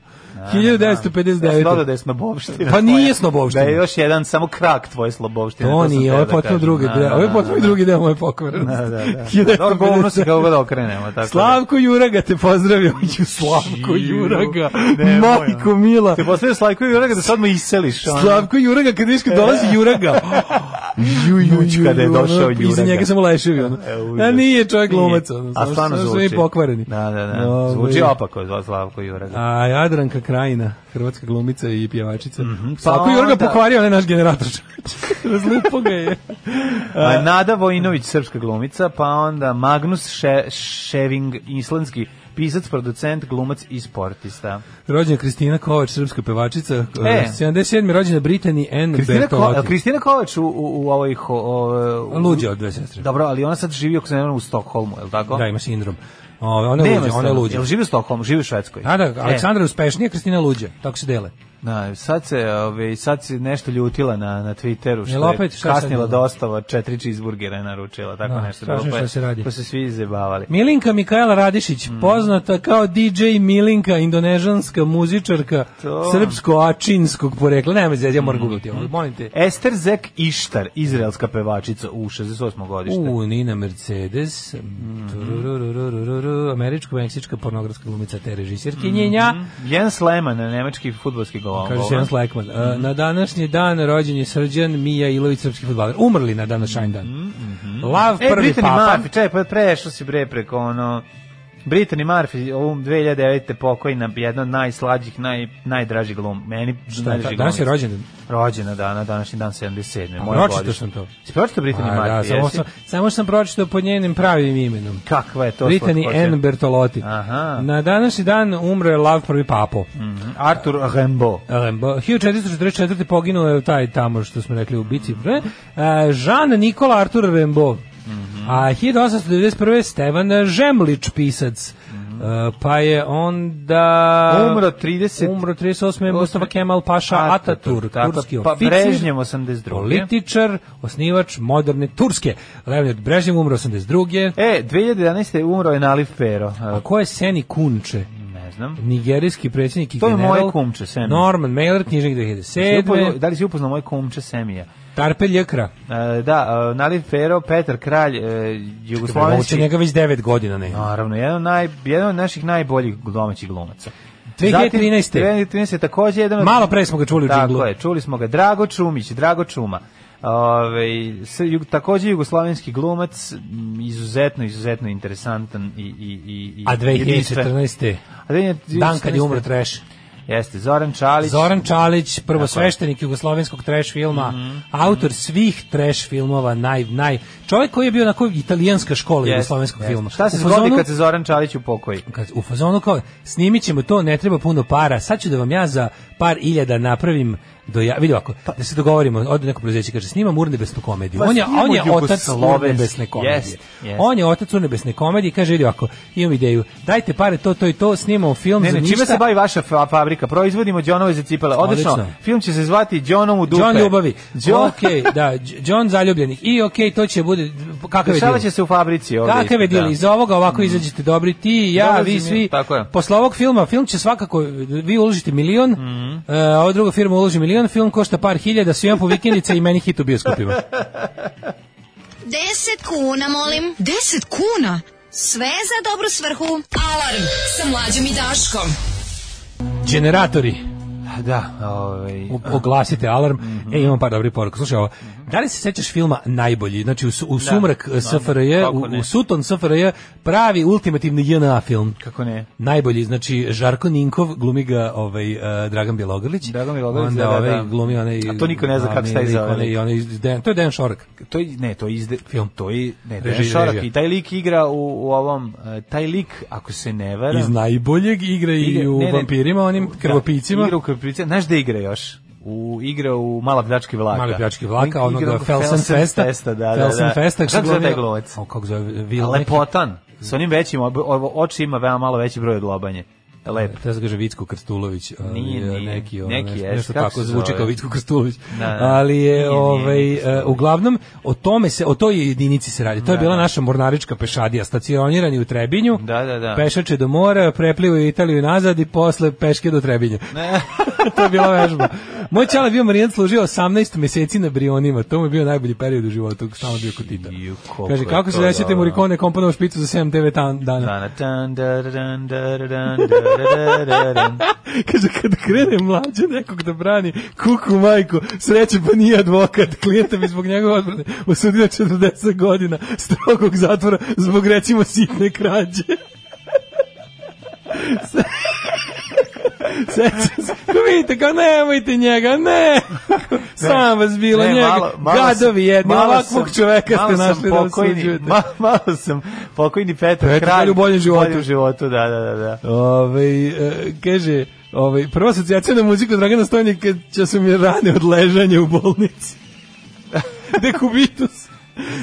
Speaker 7: hiljadu devetsto pedeset devet.
Speaker 6: Ja sam dodao da je snobovština.
Speaker 7: Pa nije snobovština.
Speaker 6: Da je još jedan samo krak tvoje slobovštine.
Speaker 7: To nije, ovo je potpuno drugi deo. Ovo je potpuno drugi deo moje pokvarenosti.
Speaker 6: Da, da, da. Dobro, govno se kako god okrenemo. Tako
Speaker 7: Slavko Juraga te pozdravio. Slavko Juraga. Majko mila.
Speaker 6: Te pozdravio Slavko Juraga da sad me iseliš.
Speaker 7: Slavko Juraga, kad viš kad dolazi Juraga.
Speaker 6: Jujuć kada je došao Juraga.
Speaker 7: Iza njega samo leševi. A nije čovjek glumac.
Speaker 6: A stvarno zvuči.
Speaker 7: Svi pokvareni.
Speaker 6: Da, da, da. Zvuči opako Slavko Juraga.
Speaker 7: A Jadranka Krajina, hrvatska glumica i pjevačica.
Speaker 6: Mm-hmm.
Speaker 7: Slavko pa Juraga pokvario, onaj naš generator. Razlupo ga je.
Speaker 6: A, Nada Vojinović, srpska glumica, pa onda Magnus Še, Ševing, islandski pisac, producent, glumac i sportista.
Speaker 7: Rođena Kristina Kovač, srpska pevačica.
Speaker 6: E.
Speaker 7: sedamdeset sedme rođena Brittany Ann Bertolotti.
Speaker 6: Ko, Kristina Kovač u, u, u ovoj... Ho, o,
Speaker 7: Luđa od dve sestre.
Speaker 6: Dobro, ali ona sad živi oko se u Stokholmu, je li tako?
Speaker 7: Da, ima sindrom. Ove, ona je luđa, ona je luđa.
Speaker 6: Jel živi u Stokholmu, živi u Švedskoj?
Speaker 7: Da, da, Aleksandra je uspešnija, Kristina luđa, tako se dele.
Speaker 6: Da, sad se, ove, sad se nešto ljutila na, na Twitteru, što
Speaker 7: opet,
Speaker 6: je
Speaker 7: šta
Speaker 6: kasnila dostava, četiri cheeseburgera je naručila, tako
Speaker 7: da,
Speaker 6: nešto.
Speaker 7: Strašno
Speaker 6: pa,
Speaker 7: što se radi.
Speaker 6: Pa se svi izjebavali.
Speaker 7: Milinka Mikaela Radišić, mm. poznata kao D J Milinka, indonežanska muzičarka, to. srpsko-ačinskog porekla. Nema zezija, ja moram mm. googlati ovo, molim te.
Speaker 6: Ester Zek Ištar, izraelska pevačica u šezdeset osmom godište.
Speaker 7: U, Nina Mercedes, mm. američko-meksička pornografska glumica te režisirkinjenja.
Speaker 6: Mm. Jens Lehmann, nemački fudbalski golman.
Speaker 7: Kaže se Jens Lehmann. Mm. Na današnji dan rođen je Srđan Mija Ilović, srpski fudbaler. Umrli na današnji dan.
Speaker 6: Mm -hmm.
Speaker 7: Lav
Speaker 6: e,
Speaker 7: prvi
Speaker 6: Brittany
Speaker 7: papa.
Speaker 6: Murphy, čaj, pa prešao si bre preko ono... Brittany Murphy, ovom dve hiljade devete pokojna, jedna od najslađih, naj, najdražih glum. Meni najdražih
Speaker 7: danas je rođendan?
Speaker 6: Rođena dana, današnji dan sedamdeset sedme.
Speaker 7: Pročitao sam to.
Speaker 6: Si pročitao Brittany Murphy,
Speaker 7: da, samo, sam, samo sam pročitao pod njenim pravim imenom.
Speaker 6: Kakva je to?
Speaker 7: Brittany Ann Bertolotti.
Speaker 6: Aha.
Speaker 7: Na današnji dan umro je Lav prvi papo.
Speaker 6: Mm -hmm. Arthur Rimbaud.
Speaker 7: Rimbaud. hiljadu četiristo četrdeset četvrte poginuo je taj tamo što smo rekli u bici. Mm -hmm. Jean Nikola Arthur Rimbaud. Mm -hmm. A hiljadu osamsto devedeset prve Stevan Žemlić, pisac. Uh, pa je onda
Speaker 6: umro trideset
Speaker 7: umro trideset osme Mustafa Kemal Paša Ataturk, turski
Speaker 6: pa
Speaker 7: oficir,
Speaker 6: Brežnjev osamdeset druge
Speaker 7: političar, osnivač moderne Turske. Leonid Brežnjev umro osamdeset druge
Speaker 6: E, dve hiljade jedanaeste umro je Nalif Pero.
Speaker 7: A ko je Seni Kunče?
Speaker 6: Ne znam.
Speaker 7: Nigerijski predsjednik i
Speaker 6: to
Speaker 7: general.
Speaker 6: To je moje kumče, Semi.
Speaker 7: Norman Mailer, knjižnik dve hiljade sedme
Speaker 6: Da li si upoznao moje kumče Semija?
Speaker 7: Tarpe Ljekra.
Speaker 6: E, da, uh, Nalif Pero, Petar Kralj, uh, jugoslovenski.
Speaker 7: Ovo njega već devet godina, ne?
Speaker 6: Naravno, jedan od, naj, jedan od naših najboljih domaćih glumaca.
Speaker 7: dve hiljade trinaeste.
Speaker 6: dve hiljade trinaeste takođe jedan od...
Speaker 7: Malo pre smo ga čuli u džinglu.
Speaker 6: Tako je, čuli smo ga. Drago Čumić, Drago Čuma. Ove, s, jug, takođe jugoslovenski glumac, izuzetno, izuzetno interesantan i... i, i
Speaker 7: A dve hiljade četrnaeste.
Speaker 6: A dve hiljade četrnaeste.
Speaker 7: Dan kad je umro Trash.
Speaker 6: Jeste, Zoran Čalić.
Speaker 7: Zoran Čalić, prvosveštenik jugoslovenskog trash filma, mm -hmm. autor svih trash filmova, naj, naj, čovjek koji je bio onako italijanska škola jugoslovenskog yes, filma.
Speaker 6: Šta se zgodi kad se Zoran Čalić upokoji?
Speaker 7: Kad, u fazonu kao, snimit ćemo to, ne treba puno para, sad ću da vam ja za par iljada napravim do ja, vidi ovako, da se dogovorimo, ode neko preduzeće kaže snimam urnebesnu komediju. Pa on je on je otac urnebesne komedije. Yes, yes. On je otac urnebesne komedije, kaže vidi ovako, imam ideju. Dajte pare to to i to, snimamo film
Speaker 6: ne,
Speaker 7: za
Speaker 6: ne,
Speaker 7: ništa.
Speaker 6: Čime se bavi vaša fabrika fabrika, proizvodimo Džonove za cipele. Odlično. Odlično. Film će se zvati Džonom u dupe.
Speaker 7: Džon ljubavi.
Speaker 6: John...
Speaker 7: Ok, da, Džon zaljubljenih. I ok, to će bude, kakav je
Speaker 6: dešava će se u fabrici.
Speaker 7: Kakav je dil? Iz ovoga ovako mm. izađete dobri ti, ja,
Speaker 6: Dolazim
Speaker 7: vi svi.
Speaker 6: Je,
Speaker 7: posle ovog filma, film će svakako, vi uložite milion, mm. uh, ova druga firma uloži milion, film košta par hiljada, svima po vikendice i meni hit u bioskopima.
Speaker 4: Deset kuna, molim.
Speaker 11: Deset kuna?
Speaker 4: Sve za dobru svrhu.
Speaker 11: Alarm sa Mlađom i Daškom.
Speaker 7: Generatori.
Speaker 6: Da, ovaj
Speaker 7: oglasite alarm. Mm-hmm. E, imam par dobrih poruka. Slušaj ovo. Da li se sećaš filma Najbolji? Znači u, u sumrak da, S F R J, u, u suton S F R J, pravi ultimativni J N A film.
Speaker 6: Kako ne?
Speaker 7: Najbolji, znači Žarko Ninkov, glumi ga ovaj uh, Dragan Bjelogrlić.
Speaker 6: Dragan Bjelogrlić,
Speaker 7: onda
Speaker 6: da,
Speaker 7: ovaj
Speaker 6: da.
Speaker 7: glumi onaj.
Speaker 6: A to niko ne zna kako se taj zove.
Speaker 7: Onaj, onaj, to je Dejan Šorak.
Speaker 6: To je ne, to je izde,
Speaker 7: film.
Speaker 6: To je ne, Dejan Šorak i taj lik igra u, u ovom uh, taj lik, ako se ne varam.
Speaker 7: Iz Najboljeg igra i igra, u ne, ne, Vampirima, onim krvopicima.
Speaker 6: Da, igra u krvopicima. Znaš da igra još? U igra u Mala pljački vlaka.
Speaker 7: Mala pljački vlaka, onoga Felsen Festa.
Speaker 6: Festa, da,
Speaker 7: Felsen
Speaker 6: da.
Speaker 7: Festa.
Speaker 6: Kako zove taj glumac?
Speaker 7: O, kako zove? Vil
Speaker 6: Lepotan. Sa onim većim, oči ima veoma malo veći broj od lobanje. Lep.
Speaker 7: Treba se kaže Vicko Krstulović,
Speaker 6: nije, nije.
Speaker 7: neki, ono,
Speaker 6: neki
Speaker 7: nešto,
Speaker 6: jest,
Speaker 7: nešto tako zvuči
Speaker 6: zove?
Speaker 7: Kao Vicko Krstulović.
Speaker 6: Da, da.
Speaker 7: Ali je,
Speaker 6: nije,
Speaker 7: ovaj,
Speaker 6: nije,
Speaker 7: uh, uglavnom, o tome se, o toj jedinici se radi. To je
Speaker 6: da,
Speaker 7: bila
Speaker 6: da.
Speaker 7: naša mornarička pešadija, stacionirani u Trebinju,
Speaker 6: da, da, da.
Speaker 7: pešače do mora, preplivu Italiju nazad i posle peške do Trebinja. To je bila vežba. Moj čale bio marijent, služio osamnaest meseci na Brionima, to mu je bio najbolji period u životu, stalno bio kod Tita. Kaže, kako se desete Morricone komponovao špicu za sedam devet dana? Kaže, kad krene mlađe nekog da brani kuku majku, sreće pa nije advokat, klijenta bi zbog njegove odbrane osudio četrdeset godina strogog zatvora zbog recimo sitne krađe. Sećam se, ko vidite, kao nemojte njega, ne, sam vas bilo ne, njega, malo, malo gadovi jedni, ovakvog čoveka ste našli da osuđujete.
Speaker 6: Ma, malo sam pokojni Petar,
Speaker 7: Petar
Speaker 6: kralj
Speaker 7: u boljem životu.
Speaker 6: Boljem životu, da, da, da. da.
Speaker 7: Ove, e, kaže, ove, prva asocijacija na muziku Dragana Stojnika će su mi rane od ležanja u bolnici. Dekubitus.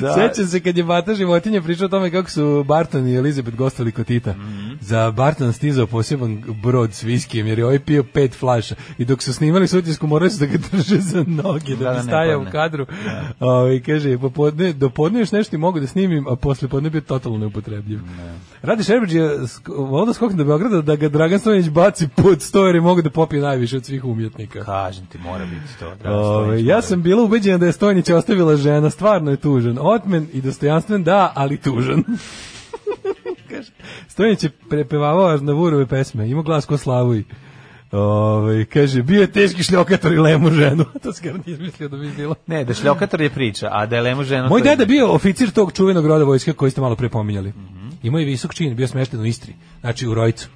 Speaker 7: Da. Sećam se kad je Bata životinja pričao o tome kako su Barton i Elizabeth gostali kod Tita. Mm-hmm. Za Barton stizao poseban brod s viskijem jer je ovaj pio pet flaša i dok su snimali sutisku morali su da ga drže za noge da, da bi stajao u kadru. Da. O, kaže, popodne, do podne još nešto mogu da snimim, a posle podne bio totalno neupotrebljiv. Ne. Radi Šerbeđ je ovdje skoknu do Beograda da ga Dragan Stojanić baci pod sto jer je mogu da popije najviše od svih umjetnika.
Speaker 6: Kažem ti, mora biti to.
Speaker 7: O, ja sam bila ubeđena da je Stojanić ostavila žena, stvarno je tužan. Otmen i dostojanstven, da, ali tužan. Stojanić je prepevavao Aznavurove pesme, ima glas ko Slavuj. Ove, kaže, bio je teški šljokator i lemu ženu. To se gar nije izmislio da bi bilo.
Speaker 6: Ne, da šljokator je priča, a da je lemu ženu...
Speaker 7: Moj deda je bio oficir tog čuvenog roda vojske koji ste malo pre pominjali. Mm-hmm. Imao je visok čin, bio smešten u Istri, znači u Rojcu.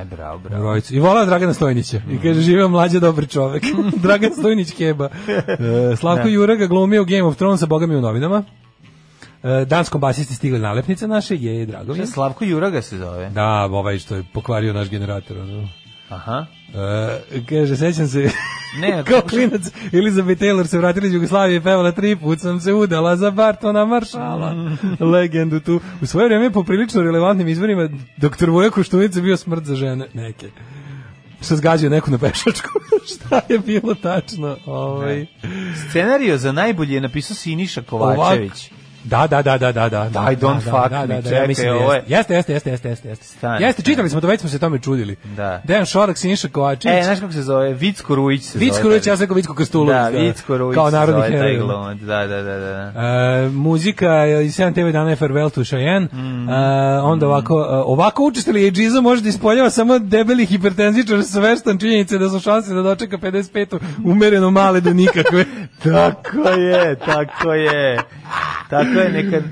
Speaker 6: E, bravo, bravo.
Speaker 7: Rojcu. I volao Dragana Stojnića. Mm. I kaže, živeo mlađe dobar čovek. Dragan Stojnić Keba. E, Slavko Juraga glumio Game of Thrones, a boga mi u novinama. E, danskom basisti stigli nalepnice naše, je drago mi.
Speaker 6: Slavko Juraga se zove.
Speaker 7: Da, ovaj što je pokvario naš generator. Ono.
Speaker 6: Aha.
Speaker 7: E, kaže, sećam se, ne, kao klinac, Elizabeth Taylor se vratila iz Jugoslavije i pevala tri put sam se udala za Bartona Maršala. Legendu tu. U svoje vrijeme po prilično relevantnim izvorima doktor Voja Koštunica bio smrt za žene neke. Što zgađio neku na pešačku. Šta je bilo tačno? Ovaj.
Speaker 6: Scenario za najbolje je napisao Siniša Kovačević.
Speaker 7: Ovak. Da, da, da, da, da, da.
Speaker 6: I don't
Speaker 7: da,
Speaker 6: fuck
Speaker 7: da,
Speaker 6: me,
Speaker 7: da, da,
Speaker 6: čekaj,
Speaker 7: mislim,
Speaker 6: ovo je...
Speaker 7: Jeste, jeste, jeste, jeste, jeste, jeste.
Speaker 6: Stani,
Speaker 7: jeste, čitali smo to, već smo se tome čudili.
Speaker 6: Da.
Speaker 7: Dejan Šorak, Siniša Kovačević.
Speaker 6: E, znaš kako se zove? Vicko Rujić se
Speaker 7: Vicko
Speaker 6: zove.
Speaker 7: Rujić, ja sam rekao Vicko Krstulović.
Speaker 6: Da, Vicko Rujić
Speaker 7: kao narodni
Speaker 6: se zove taj
Speaker 7: heroj.
Speaker 6: glumac, da, da, da. da.
Speaker 7: E, muzika iz sedam te ve dana je Farewell to Cheyenne. Mm. E, onda ovako, ovako učestili je džiza može da ispoljava samo debeli hipertenzičar svestan činjenice da su šanse da dočeka pedeset pet umereno male do nikakve.
Speaker 6: Tako je, tako je. Tako je, nekad,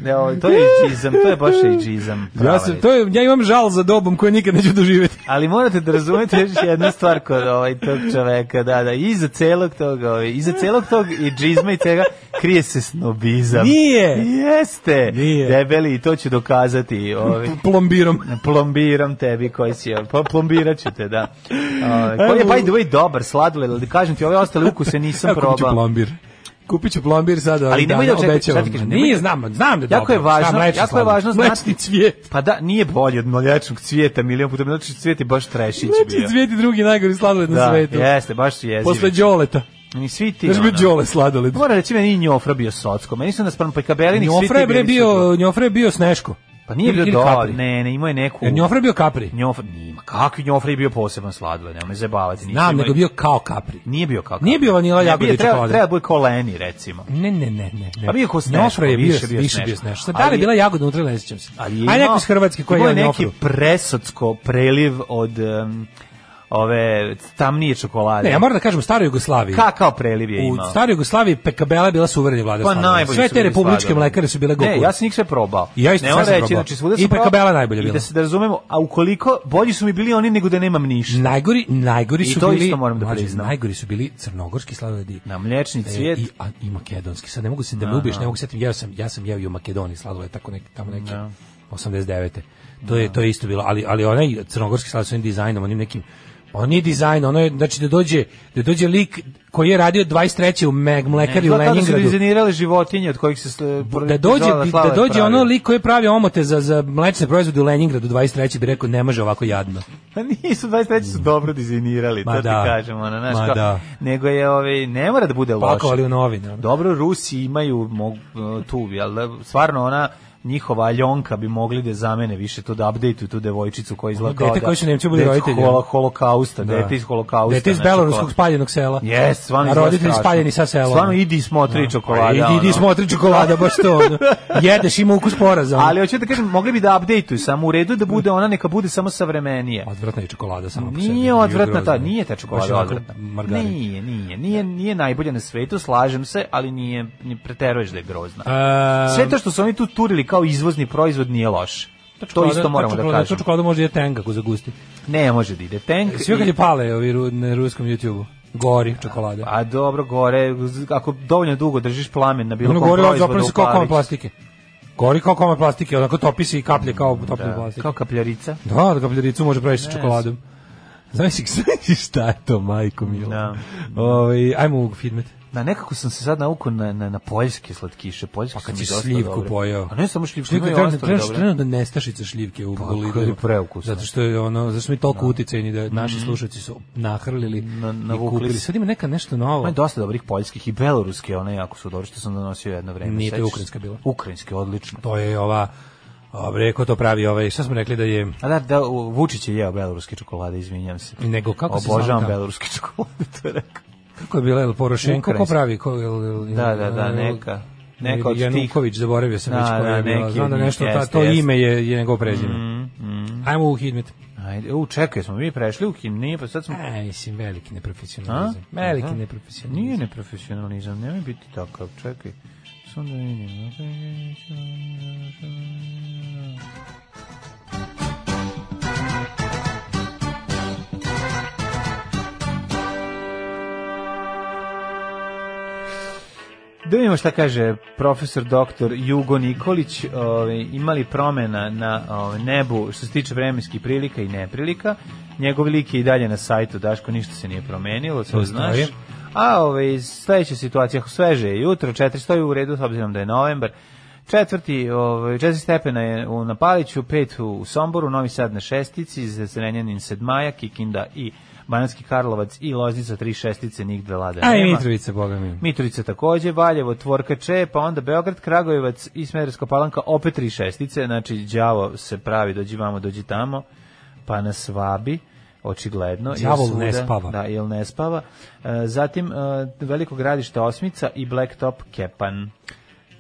Speaker 6: to je džizam, to je baš i džizam.
Speaker 7: Ja, sam, to je, ja imam žal za dobom koju nikad neću doživjeti.
Speaker 6: Ali morate da razumete još jednu stvar kod ovaj, tog čoveka, da, da, iza celog tog, ovaj, iza celog tog i džizma i cega krije se snobizam.
Speaker 7: Nije!
Speaker 6: Jeste!
Speaker 7: Nije.
Speaker 6: Debeli, i to ću dokazati. Ovaj,
Speaker 7: plombirom.
Speaker 6: Plombiram tebi koji si, pa plombirat ću te, da. Ovaj, koji je, by the way, dobar sladoled, ali da kažem ti, ove ostale ukuse nisam probao.
Speaker 7: Kako ću plombir? Kupit ću plombir sada.
Speaker 6: Ali nemoj da
Speaker 7: obećavam. Nije, znam, znam da je
Speaker 6: jako je važno, jako je važno
Speaker 7: znati cvijet.
Speaker 6: Pa da, nije bolje od mlečnog cvijeta, milion puta mlečni cvijet je baš trešić bio.
Speaker 7: Mlečni cvijet je drugi najgori sladoled na svetu.
Speaker 6: Da, jeste, baš su jezivi.
Speaker 7: Posle đoleta.
Speaker 6: Ni svi ti.
Speaker 7: Znaš bio đole sladoled.
Speaker 6: Mora reći meni Njofra bio socko. Meni su nas prema Pekabelinih svi ti.
Speaker 7: Njofra je bio, Njofra je bio Sneško.
Speaker 6: Pa nije bio dobar, ne, ne, imao je neku...
Speaker 7: Jer Njofra je bio Capri.
Speaker 6: Njofra, nima, kakvi Njofra je bio poseban sladoled, nema me zabavati.
Speaker 7: Znam, nego bio kao Capri.
Speaker 6: Nije bio kao Capri.
Speaker 7: Nije bio vanila jagode i čokolade.
Speaker 6: Treba bio kao Leni, recimo.
Speaker 7: Ne, ne, ne, ne.
Speaker 6: Pa bio kao Sneško,
Speaker 7: Njofra je
Speaker 6: više
Speaker 7: bio,
Speaker 6: bio
Speaker 7: više bio Sneško. Sad, da li je bila jagoda unutra, ne sjećam se.
Speaker 6: Ali je
Speaker 7: Aj neko iz Hrvatske koji je
Speaker 6: neki presocko preliv od... ove tamnije čokolade.
Speaker 7: Ne, ja moram da kažem, u staroj Jugoslaviji.
Speaker 6: Kakav preliv je imao?
Speaker 7: U staroj Jugoslaviji Pekabela je bila suvereni vladar
Speaker 6: pa
Speaker 7: sladoleda. Sve te republičke mlekare su bile gokuve.
Speaker 6: Ne, ja sam ih sve probao.
Speaker 7: I ja isto sam
Speaker 6: reći,
Speaker 7: probao.
Speaker 6: Znači, svuda
Speaker 7: I Pekabela najbolje bila.
Speaker 6: I da se da razumemo, a ukoliko bolji su mi bili oni nego da nemam ništa.
Speaker 7: Najgori, najgori su
Speaker 6: I to
Speaker 7: bili,
Speaker 6: isto moram da priznam.
Speaker 7: Najgori su bili crnogorski sladoledi.
Speaker 6: Na mlečni cvijet.
Speaker 7: E, i, a, i makedonski. Sad ne mogu se da me ubiješ, ne mogu se setim, ja sam ja sam jeo i u Makedoniji sladoled tako neki tamo neki no. osamdeset devete. To je to je isto bilo, ali ali onaj crnogorski sladoled sa onim dizajnom, onim nekim on nije dizajn, ono je, znači da dođe, da dođe lik koji je radio dvadeset treće u Meg Mlekari u Leningradu.
Speaker 6: Da su dizajnirali životinje od kojih se
Speaker 7: da dođe da dođe ono lik koji je pravio omote za za mlečne proizvode u Leningradu dvadeset treće bi rekao ne može ovako jadno.
Speaker 6: Pa nisu dvadeset treće su dobro dizajnirali, to da. Ti kažemo, ono, znaš kao,
Speaker 7: da.
Speaker 6: Nego je ovaj ne mora da bude loše.
Speaker 7: Pakovali u novine.
Speaker 6: Dobro, Rusi imaju mog, tu, jel da, stvarno ona njihova Aljonka bi mogli da zamene više to da updateuju tu devojčicu koja izgleda kao da
Speaker 7: dete koji su Nemci bili roditelji
Speaker 6: holo, holokausta, da. Dete iz holokausta,
Speaker 7: dete iz beloruskog spaljenog sela.
Speaker 6: Yes, stvarno
Speaker 7: roditelji spaljeni sa sela.
Speaker 6: Stvarno idi smotri no. čokolada.
Speaker 7: Idi, idi smotri čokolada, baš to. Ono. Jedeš ima ukus poraza.
Speaker 6: Ali hoću da kažem, mogli bi da updateuju samo u redu da bude ona neka bude samo savremenije.
Speaker 7: Odvratna je čokolada samo po sebi.
Speaker 6: Nije odvratna ta, nije ta čokolada odvratna.
Speaker 7: Margarin.
Speaker 6: Nije, nije, nije, nije najbolja na svetu, slažem se, ali nije, ni preteruješ da je grozna.
Speaker 7: Um,
Speaker 6: Sve to što su oni tu turili kao izvozni proizvod nije loše. To isto moramo da kažemo.
Speaker 7: To čokolada može da tank ako zagusti.
Speaker 6: Ne može da ide tank.
Speaker 7: Sve kad je pale ovi na ruskom YouTubeu. Gori čokolada.
Speaker 6: A dobro, gore, ako dovoljno dugo držiš plamen na bilo kom
Speaker 7: proizvodu.
Speaker 6: Gori
Speaker 7: zapravo se kao komad plastike. Gori kao komad plastike, onako topi se i kaplje kao topljena plastika.
Speaker 6: Kao kapljarica.
Speaker 7: Da, da kapljaricu može praviti sa čokoladom. Znaš šta je to, majko milo?
Speaker 6: Da.
Speaker 7: Ovaj, ajmo u Fidmet.
Speaker 6: Da, nekako sam se sad naukao na, na, na poljske slatkiše. Poljske
Speaker 7: pa kad
Speaker 6: si
Speaker 7: slivku pojeo.
Speaker 6: A ne samo šljivku,
Speaker 7: imaju ostale dobre. Trenutno da nestašica šljivke u Bolidu. Zato što je ono, zato što mi toliko no. uticajni da naši mm -hmm. slušalci su nahrlili na, na i kupili. Sad ima neka nešto novo.
Speaker 6: Ima dosta dobrih poljskih i beloruske, one jako su dobro što sam donosio jedno vreme.
Speaker 7: Nije to ukrajinska bila.
Speaker 6: Ukrajinske, odlično.
Speaker 7: To je ova Dobre, ko to pravi ovaj, šta smo rekli da je...
Speaker 6: A da, da Vučić je jeo beloruske čokolade, izvinjam se.
Speaker 7: Nego kako se
Speaker 6: obožavam beloruske čokolade, to je rekao.
Speaker 7: Kako je bila, El Porošenko, ko pravi? Ko, el, el,
Speaker 6: da, da, da, neka. Neka od tih.
Speaker 7: Januković, zaboravio sam
Speaker 6: da,
Speaker 7: već koja je bila. Znam da nešto, ta, to jeste. Ime je, je njegov prezime. Mm, mm. Ajmo u Hidmet.
Speaker 6: Ajde, u, čekaj, smo mi prešli u Hidmet, nije, pa sad smo...
Speaker 7: Aj, mislim, veliki neprofesionalizam. A? Veliki Aha. neprofesionalizam.
Speaker 6: Nije neprofesionalizam, nemoj biti takav, čekaj. Sam da vidim. Da vidimo šta kaže profesor doktor Jugo Nikolić, ovaj, imali promjena na ovaj, nebu što se tiče vremenskih prilika i neprilika. Njegov lik je i dalje na sajtu, Daško, ništa se nije promenilo, to znaš. A ovaj, sledeća situacija, sveže je jutro, četiri stoji u redu, s obzirom da je novembar. Četvrti, ovaj, četiri stepena je u Napaliću, pet u Somboru, Novi Sad na šestici, Zrenjanin sedmaja, Kikinda i Banatski Karlovac i Loznica tri šestice, njih dve lade nema.
Speaker 7: A i Mitrovica, boga mi.
Speaker 6: Mitrovica takođe, Valjevo, Tvorkače, pa onda Beograd, Kragujevac i Smederevska Palanka, opet tri šestice, znači đavo se pravi, dođi vamo, dođi tamo, pa nas vabi, očigledno.
Speaker 7: Đavol ne spava.
Speaker 6: Da, ili ne spava. E, zatim, e, Veliko Gradište osmica i Blacktop Kepan.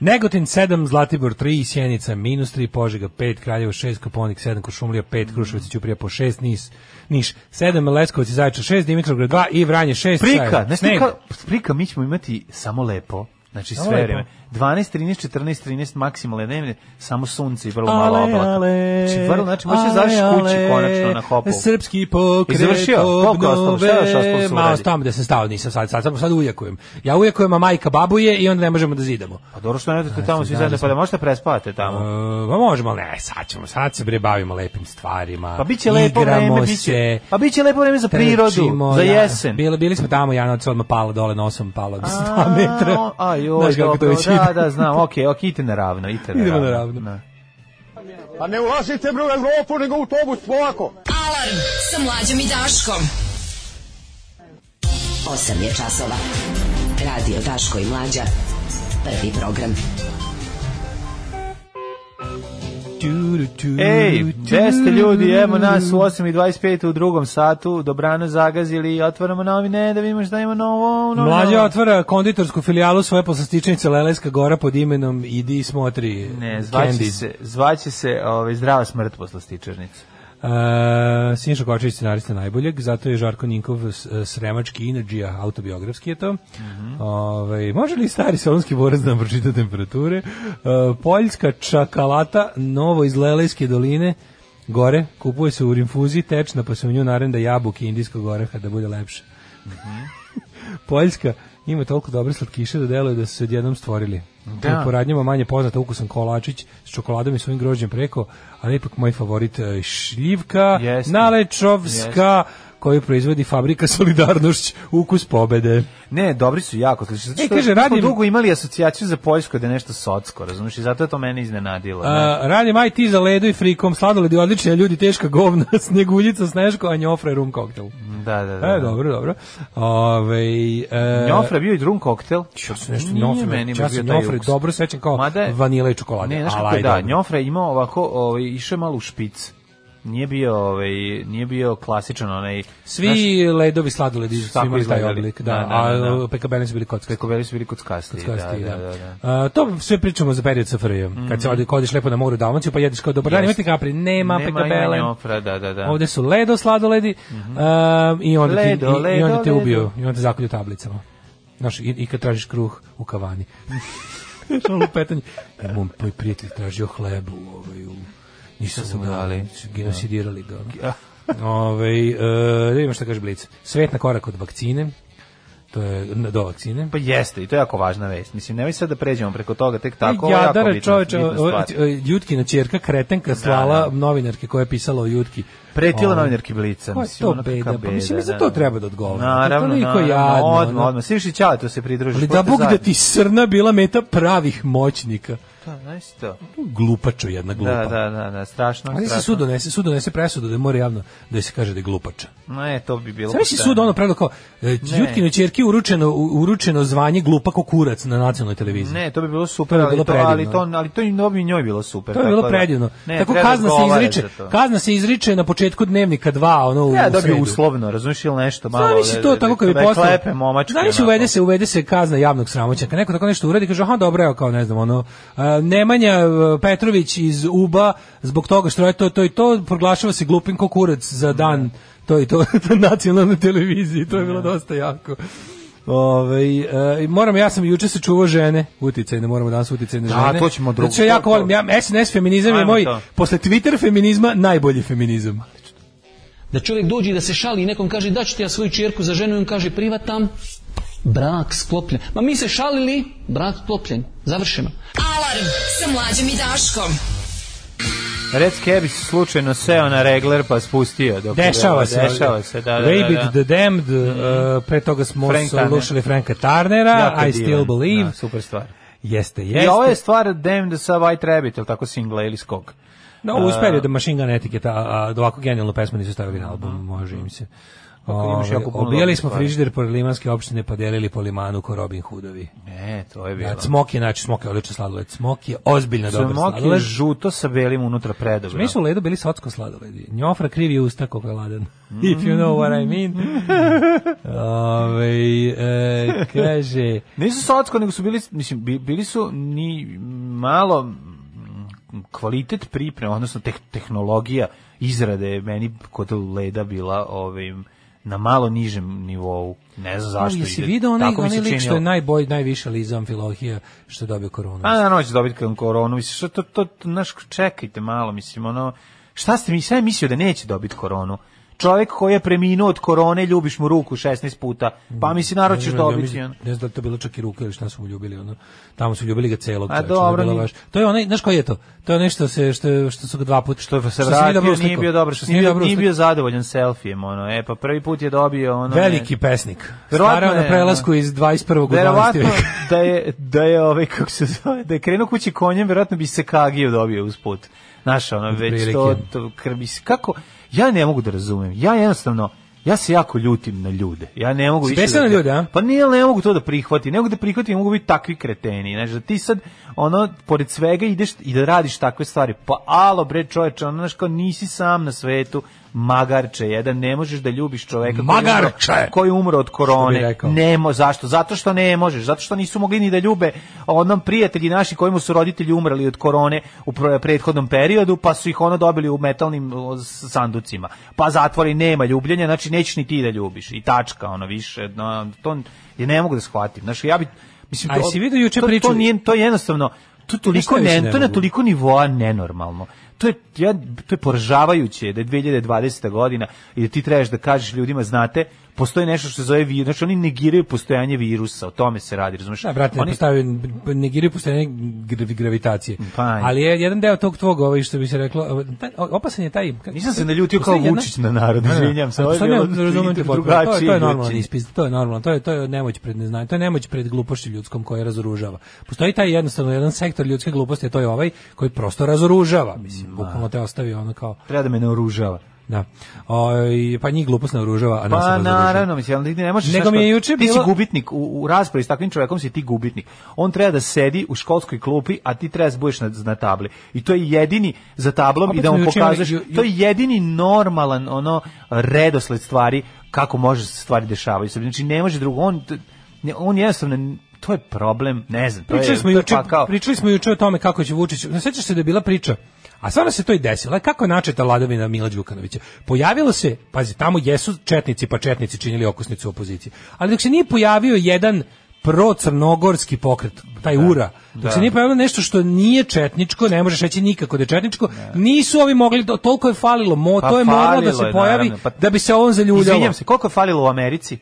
Speaker 7: Negotin sedam, Zlatibor tri, Sjenica minus tri, Požega pet, Kraljevo šest, Koponik sedam, Kuršumlija pet, Kruševac i Ćuprija po šest, Nis, Niš sedam, Leskovac i Zaječar šest, Dimitrovgrad dva i Vranje šest.
Speaker 6: Prika, ne snega. Prika, mi ćemo imati samo lepo. Znači samo sve vreme. dvanaest, trinaest, četrnaest, trinaest maksimalne dnevne, samo sunce i vrlo malo oblaka. Znači, vrlo, znači, možeš završiš kući konačno na hopu.
Speaker 7: Srpski pokret obnove. Malo tamo da sam stao, nisam sad, sad, sad, sad ujakujem. Ja ujakujem, a majka babuje i onda ne možemo da zidamo.
Speaker 6: Pa dobro što ne odete tamo svi zajedno, pa da možete prespavate tamo.
Speaker 7: Uh, pa možemo, ne, sad ćemo, sad se bre bavimo lepim stvarima.
Speaker 6: Pa biće lepo vreme, biće, pa biće lepo vreme za prirodu, za jesen.
Speaker 7: Bili, bili smo tamo, ja noć odmah pala dole nosom, pala dva metra.
Speaker 6: A joj, dobro, da, da, znam, okej, ok, idite naravno, idite naravno.
Speaker 7: Idemo naravno.
Speaker 12: Pa ne ulazite bre u Evropu, nego u autobus, polako.
Speaker 11: Alarm sa Mlađom i Daškom.
Speaker 8: osam je časova. Radio Daško i Mlađa. Prvi program.
Speaker 6: Ej, gde ste ljudi, evo nas u osam i dvadeset pet u drugom satu, dobrano zagazili i otvaramo novine da vidimo šta ima novo. novo
Speaker 7: Mlađa otvara konditorsku filijalu svoje poslastičnice Lelejska gora pod imenom Idi smotri.
Speaker 6: Ne, zvaće se, zvaće se ovaj, Zdrava smrt poslastičarnica.
Speaker 7: Uh, Sinša Kočević scenarista najboljeg, zato je Žarko Ninkov sremački inadžija, autobiografski je to. Mm-hmm. Ove, može li stari solonski borac da nam pročita temperature? Uh, Poljska čakalata, novo iz Lelejske doline, gore, kupuje se u rinfuzi, tečna, pa se u nju narenda jabuke indijskog oraha da bude lepše. Mm-hmm. Poljska ima toliko dobre slatkiše da deluje da su se odjednom stvorili. Da. Po radnjama manje poznata ukusan kolačić s čokoladom i svojim grožđem preko, ali ipak moj favorit šljivka,
Speaker 6: Jeste.
Speaker 7: Nalečovska, Jeste. koju proizvodi fabrika Solidarnošć, ukus pobede.
Speaker 6: Ne, dobri su jako slični. Zato
Speaker 7: e,
Speaker 6: što
Speaker 7: kaže,
Speaker 6: smo
Speaker 7: radim,
Speaker 6: dugo imali asocijaciju za Poljsko da je nešto socko, razumiješ, i zato je to mene iznenadilo.
Speaker 7: A, radim I T za ledu i frikom, sladoledi odlični, a ljudi teška govna, sneguljica, sneško, a njofra je rum koktel.
Speaker 6: Da, da, da.
Speaker 7: E, dobro, dobro. Ove, e,
Speaker 6: njofra bio i rum koktel.
Speaker 7: Ja sam nešto njofra, ja sam njofra dobro sećam kao
Speaker 6: Mada,
Speaker 7: vanila i čokolade.
Speaker 6: Ne, znaš kako je, da, njofra je imao ovako, ovaj, išao malo u špic. Nije bio, ovaj, nije bio klasičan onaj.
Speaker 7: Svi znaš, ledovi sladoledi su imali taj oblik, da, da, da, da. A pekabeli su bili kockasti.
Speaker 6: Pekabeli su bili kockasti, kockasti da, da, da, da.
Speaker 7: A, to sve pričamo za period S F R J. Mm-hmm. Kad se odi, kodiš lepo na moru Dalmaciju, pa jedeš kao dobar dan, imate kapri, nema, nema pekabele.
Speaker 6: Njofra, da, da, da.
Speaker 7: Ovde su ledo sladoledi, mm-hmm. uh, i onda ledo, ti, i, ledo, i onda te ubiju, i onda te zakolju tablicama. Znaš, i, i kad tražiš kruh u kavani. Što lupetanje. Ja, moj, moj prijatelj tražio hlebu ovaj, u nisu se dali, genocidirali ga. Ove, e, da ima šta kaže Blic. Svet na korak od vakcine, to je do vakcine.
Speaker 6: Pa jeste, i to je jako važna vest. Mislim, nemoj sad da pređemo preko toga, tek tako,
Speaker 7: Jadara,
Speaker 6: jako bitna,
Speaker 7: čoveče,
Speaker 6: bitna stvar.
Speaker 7: Jutkina ćerka, kretenka, slala da, da. novinarke koja je pisala o Jutki.
Speaker 6: Pretila novinarki Blica.
Speaker 7: Ko je to beda? beda? Pa mislim, za to treba da odgovara.
Speaker 6: Naravno, naravno, odmah, odmah. Svi viši ćale, to se pridružiš.
Speaker 7: Ali da Bog da ti Srna bila meta pravih moćnika.
Speaker 6: Da, znaš to.
Speaker 7: Glupačo jedna glupa.
Speaker 6: Da, da, da, da, strašno.
Speaker 7: Ali se sud donese, sud donese presudu da mora javno da se kaže da je glupača.
Speaker 6: Ne, to bi bilo.
Speaker 7: Sve se sud ono pravilo kao Jutkine ćerki uručeno uručeno zvanje glupa ko kurac na nacionalnoj televiziji.
Speaker 6: Ne, to bi bilo super, ali to, ali to, ali to i nobi njoj bilo super.
Speaker 7: To je bilo predivno. Tako kazna se izriče, kazna se izriče na početku Dnevnika dva, ono u
Speaker 6: ja, dobio uslovno, razumiješ ili nešto malo.
Speaker 7: Znači to tako kad bi poslao. Znači uvede se, uvede se kazna javnog sramoćenja. Neko tako nešto uradi, kaže aha, dobro, evo kao ne znam, ono Nemanja Petrović iz U B A zbog toga što je to to i to proglašava se glupim ko kurac za dan to i to na nacionalnoj televiziji. To je bilo dosta jako. Ove, e, moram, ja sam juče se čuvao žene, uticaj, ne moramo danas uticaj na žene.
Speaker 6: Da, to ćemo drugo.
Speaker 7: Znači, ja jako volim, ja, S N S feminizam Ajmo je moj, to. Posle Twitter feminizma, najbolji feminizam.
Speaker 13: Da čovjek dođe i da se šali i nekom kaže da ću ti ja svoju čerku za ženu i on kaže privatam, brak sklopljen. Ma mi se šalili, brak sklopljen. Završeno.
Speaker 11: Alarm sa Mlađom i Daškom.
Speaker 6: Red Scabies slučajno seo na regler pa spustio. Dok
Speaker 7: dešava se.
Speaker 6: Dešava se, da, da, da.
Speaker 7: Rabid the Damned, mm-hmm. uh, pre toga smo Frank slušali Franka Turnera, jako I Still Believe.
Speaker 6: Da, super stvar.
Speaker 7: Jeste, jeste.
Speaker 6: I ovo je stvar Damned sa White Rabbit, ili tako singla ili skok.
Speaker 7: No, uh, uspeli da Machine Gun Etiquette, a da ovako genijalnu pesmu nisu stavili na album, može im se. Obijali smo frižider pored limanske opštine pa delili po limanu ko Robin Hoodovi.
Speaker 6: Ne, to je bilo.
Speaker 7: Da, Smok je, znači, Smok je odlično sladoled. Smok je ozbiljno dobar sladoled.
Speaker 6: Smok je žuto sa belim unutra predobro.
Speaker 7: Mi su u ledu bili socko sladoledi. Njofra krivi usta koliko je ladan. Mm. If you know what I mean. Ove, e, kaže...
Speaker 6: Nisu socko, nego su bili, mislim, bili su ni malo kvalitet pripreme, odnosno teh, tehnologija izrade meni kod leda bila ovim na malo nižem nivou. Ne znam zašto.
Speaker 7: No, jesi vidio onaj, onaj lik što je najbolj, najviše Liza Amfilohija što je dobio koronu?
Speaker 6: A naravno će dobiti koronu. Mislim, što to, to, to, naš, čekajte malo, mislim, ono, šta ste mi, šta je mislio da neće dobiti koronu? Čovjek koji je preminuo od korone, ljubiš mu ruku šesnaest puta, pa mi si narod ćeš dobiti.
Speaker 7: Ne, ne, ne znam da to bilo čak i ruka ili šta su mu ljubili, ono. Tamo su ljubili ga celog.
Speaker 6: A dobro,
Speaker 7: to, baš, to je onaj, znaš koji je to? To je nešto se, što, što su ga dva puta.
Speaker 6: Što se vratio, nije, nije bio dobro, što nije, bio, nije bio zadovoljan selfijem, ono. E, pa prvi put je dobio, ono.
Speaker 7: Veliki ne, pesnik. Starao na prelasku iz dvadeset prvog u dvanaestom veka.
Speaker 6: da je, da je, ovaj, kako se zove, da je krenuo kući konjem, vjerojatno bi se Kagiju dobio usput. Znaš, ono, već to, to krbi se, kako, ja ne mogu da razumem, ja jednostavno, ja se jako ljutim na ljude, ja ne mogu više
Speaker 7: da,
Speaker 6: na
Speaker 7: ljude, a?
Speaker 6: Pa nije, ne mogu to da prihvatim, ne mogu da prihvatim, mogu biti takvi kreteni, znaš, da ti sad, ono, pored svega ideš i da radiš takve stvari, pa alo bre čoveče, ono, znaš, kao nisi sam na svetu, magarče, jedan, ne možeš da ljubiš čoveka
Speaker 7: magarče
Speaker 6: koji umro od korone. Nemo, zašto? Zato što ne možeš, zato što nisu mogli ni da ljube onom prijatelji naši kojima su roditelji umrli od korone u prethodnom periodu, pa su ih ono dobili u metalnim sanducima. Pa zatvori, nema ljubljenja, znači nećeš ni ti da ljubiš. I tačka, ono više, no, to je ne mogu da shvatim. Znači ja bi mislim
Speaker 7: to, si vidio juče priču,
Speaker 6: to nije, to je jednostavno to toliko ne, ne to na toliko nivoa nenormalno. To je, ja, to je poražavajuće da je dve hiljade dvadeseta godina i da ti trebaš da kažeš ljudima, znate, postoji nešto što se zove virus, znači oni negiraju postojanje virusa, o tome se radi, razumiješ?
Speaker 7: Da, brate,
Speaker 6: oni
Speaker 7: postavljaju, negiraju postojanje gravitacije. Pa, ali je jedan deo tog tvog, ovaj, što bi se reklo, opasan je taj...
Speaker 6: Nisam se naljutio kao Vučić na narod, izvinjam se, ovo je bilo
Speaker 7: drugačije. To je normalno ispis, to je normalno, to je, to je nemoć pred neznanjem, to je nemoć pred glupošću ljudskom koja razoružava. Postoji taj jednostavno jedan sektor ljudske gluposti, a to je ovaj koji prosto razoružava, mislim, bukvalno te ostavi ono kao...
Speaker 6: Treba da me ne oružava.
Speaker 7: Da. O, pa njih glupost ne oružava, a nas
Speaker 6: pa, naravno, mislim, ne možeš
Speaker 7: Nego mi je juče
Speaker 6: ti si gubitnik, u, u raspravi s takvim čovjekom si ti gubitnik. On treba da sedi u školskoj klupi, a ti treba da budeš na, na tabli. I to je jedini za tablom i da mu pokažeš, ju, ju, to je jedini normalan ono redosled stvari kako može se stvari dešavaju. Znači, ne može drugo, on, on jednostavno, to je problem, ne znam.
Speaker 7: Pričali smo juče, pričali smo juče o tome kako će Vučić, ne sećaš se da je bila priča, a stvarno se to i desilo. Kako je načeta vladavina Mila Đukanovića? Pojavilo se, pazi, tamo jesu četnici, pa četnici činili okosnicu opozicije. Ali dok se nije pojavio jedan pro-crnogorski pokret, taj da, URA, dok da. se nije pojavilo nešto što nije četničko, ne možeš reći nikako da je četničko, da. nisu ovi mogli, toliko je falilo, mo, pa to je moralo da se pojavi, je, pa, da bi se on zaljuljalo.
Speaker 6: Izvinjam se, koliko je falilo u Americi?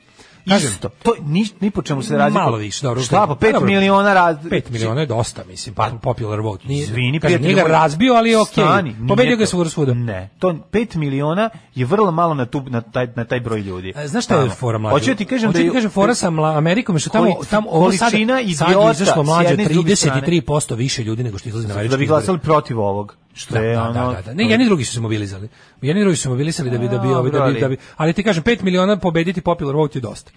Speaker 6: Isto. To ni ni po čemu se radi.
Speaker 7: Malo više, dobro.
Speaker 6: Šta, pa pet miliona raz...
Speaker 7: pet miliona je dosta, mislim, pa popular vote.
Speaker 6: Nije, Zvini,
Speaker 7: kaže, nije ga razbio, ali je okej. Okay. Pobedio ga svuda svuda.
Speaker 6: Ne, to pet miliona je vrlo malo na tu na taj na taj broj ljudi.
Speaker 7: A, znaš šta je fora mlađe?
Speaker 6: Hoću ti kažem
Speaker 7: Hoću
Speaker 6: da
Speaker 7: ti kažem fora sa Amerikom, što tamo tamo ovo sada
Speaker 6: idiota
Speaker 7: izašlo mlađe trideset tri posto više ljudi nego što izlazi na američki.
Speaker 6: Da bi glasali protiv ovog. Što je ono?
Speaker 7: Da, da, da. Ne, jedni drugi su se mobilizali. Jedni drugi su se mobilisali da bi da bi da bi da bi, ali ti kažem pet miliona pobediti popular vote je dosta.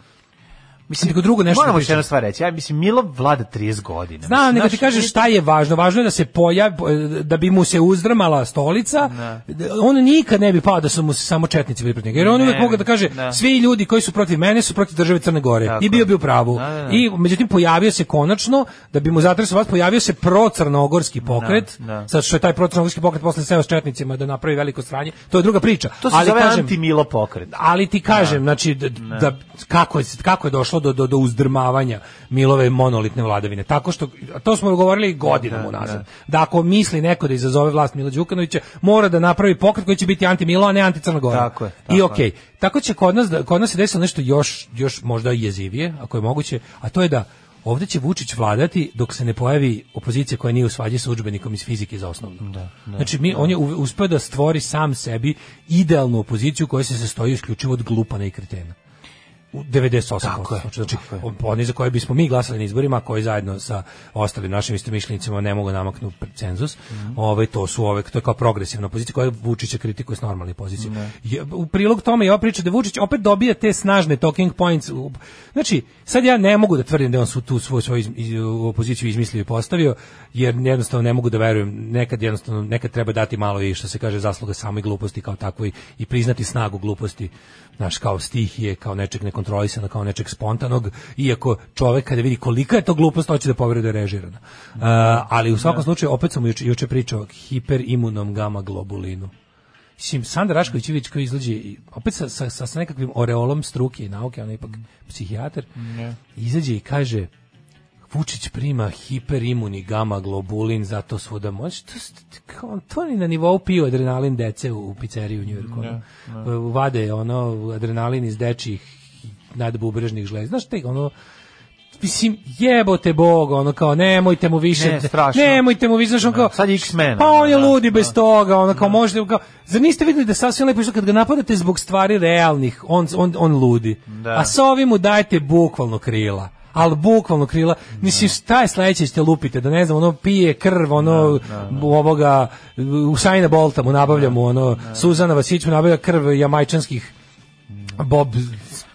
Speaker 7: Mislim, nego drugo nešto.
Speaker 6: Moramo još jednu stvar reći. Ja mislim, Milo vlada trideset godina.
Speaker 7: Znam, mislim, nego ti kažeš šta je važno. Važno je da se pojavi, da bi mu se uzdrmala stolica. Ne. On nikad ne bi pao da su mu samo četnici bili protiv njega. Jer on uvijek mogu da kaže, ne. svi ljudi koji su protiv mene su protiv države Crne Gore. Tako. I bio bi u pravu. Ne, ne. I međutim, pojavio se konačno, da bi mu zatresao vas, pojavio se pro-crnogorski pokret. Ne, ne. Sad što je taj pro-crnogorski pokret posle seo s četnicima da napravi veliko sranje. To je druga priča.
Speaker 6: To se ali zove anti-Milo pokret.
Speaker 7: Ali ti kažem, znači, da, da, kako, je, kako je došlo Do, do, do uzdrmavanja Milove monolitne vladavine. Tako što, to smo govorili godinama unazad, da ako misli neko da izazove vlast Mila Đukanovića, mora da napravi pokret koji će biti anti-Milo, a ne anti-Crna Gora.
Speaker 6: Tako je. Tako
Speaker 7: I okej. Okay. Tako će kod nas, kod nas se desilo nešto još, još možda jezivije, ako je moguće, a to je da ovdje će Vučić vladati dok se ne pojavi opozicija koja nije u svađi sa udžbenikom iz fizike za osnovno. Da, da, znači, mi, da. on je uspeo da stvori sam sebi idealnu opoziciju koja se sastoji isključivo od glupana i kretena. U devedeset osam posto. Znači, oni za koje bismo mi glasali na izborima, koji zajedno sa ostalim našim istomišljenicima ne mogu namaknuti cenzus, mm. ove, to su ove, to je kao progresivna pozicija koja Vučića kritikuje s normalne pozicije. Mm. U prilog tome je ova priča da Vučić opet dobija te snažne talking points. Znači, sad ja ne mogu da tvrdim da on su tu svoju, svoju iz, opoziciju izmislio i postavio, jer jednostavno ne mogu da verujem, nekad jednostavno, nekad treba dati malo i što se kaže zasluga samoj gluposti kao takvoj i priznati snagu gluposti, znaš, kao stihije, kao nečeg nekontrolisano, kao nečeg spontanog, iako čovek kada vidi kolika je to glupost, hoće da poveruje da je režirana. Uh, ali u svakom slučaju, opet sam juče, juče pričao o hiperimunom gama globulinu. mislim, Sanda Rašković koji izlađe opet sa, sa, sa nekakvim oreolom struke i nauke, on je ipak psihijatar, mm. izađe i kaže Vučić prima hiperimuni gama globulin, zato svuda moći. To, to, to ni na nivou pio adrenalin dece u, u pizzeriji u Njujorku. Ne, ne. Vade ono adrenalin iz dečjih nadbubrežnih žleza. Znaš te, ono, mislim, jebote Bog, ono kao, nemojte mu više,
Speaker 6: ne,
Speaker 7: nemojte mu više, znaš, on kao,
Speaker 6: sad X-Men,
Speaker 7: pa on je
Speaker 6: da,
Speaker 7: ludi
Speaker 6: da,
Speaker 7: bez toga, ono kao, možete, kao, zar niste vidjeli da sasvim lepo što kad ga napadate zbog stvari realnih, on, on, on ludi, da. A sa ovim mu dajte bukvalno krila. Ali bukvalno krila, mislim, šta je sledeće ćete lupite, da ne znam, ono pije krv, ono, da, da, da. ovoga, Usaina Bolta mu nabavlja mu, ono, da. Suzana Vasić mu nabavlja krv jamajčanskih bob,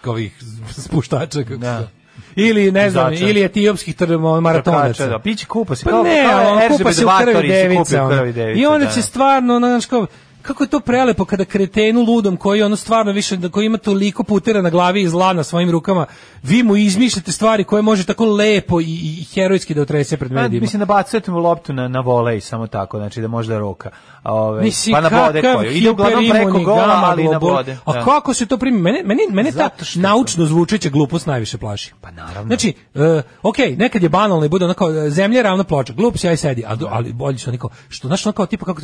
Speaker 7: ovih spuštača, kako da. Ili, ne znam, Začan. Ili etiopskih maratonaca.
Speaker 6: Da, piće kupa se,
Speaker 7: pa
Speaker 6: kao,
Speaker 7: ne,
Speaker 6: kao
Speaker 7: on kupa se u krvi devica, ono.
Speaker 6: devica,
Speaker 7: i onda
Speaker 6: da.
Speaker 7: će stvarno, znaš, kao, kako je to prelepo kada kretenu ludom koji ono stvarno više, koji ima toliko putera na glavi i zla na svojim rukama, vi mu izmišljate stvari koje može tako lepo i, i herojski da otrese pred medijima.
Speaker 6: Mislim da bacujete mu loptu na, na volej, samo tako, znači da može da roka. Ove,
Speaker 7: mislim,
Speaker 6: pa na vode koju. Ide uglavnom preko gola, ali na vode.
Speaker 7: A da. Kako se to primi? Mene, mene, mene ta naučno zvučeća glupost najviše plaši.
Speaker 6: Pa naravno.
Speaker 7: Znači, uh, ok, nekad je banalno i bude ono kao zemlja ravna ploča, glup si, aj sedi, ali, ali bolje su oni kao, što, znaš, ono kao tipa kako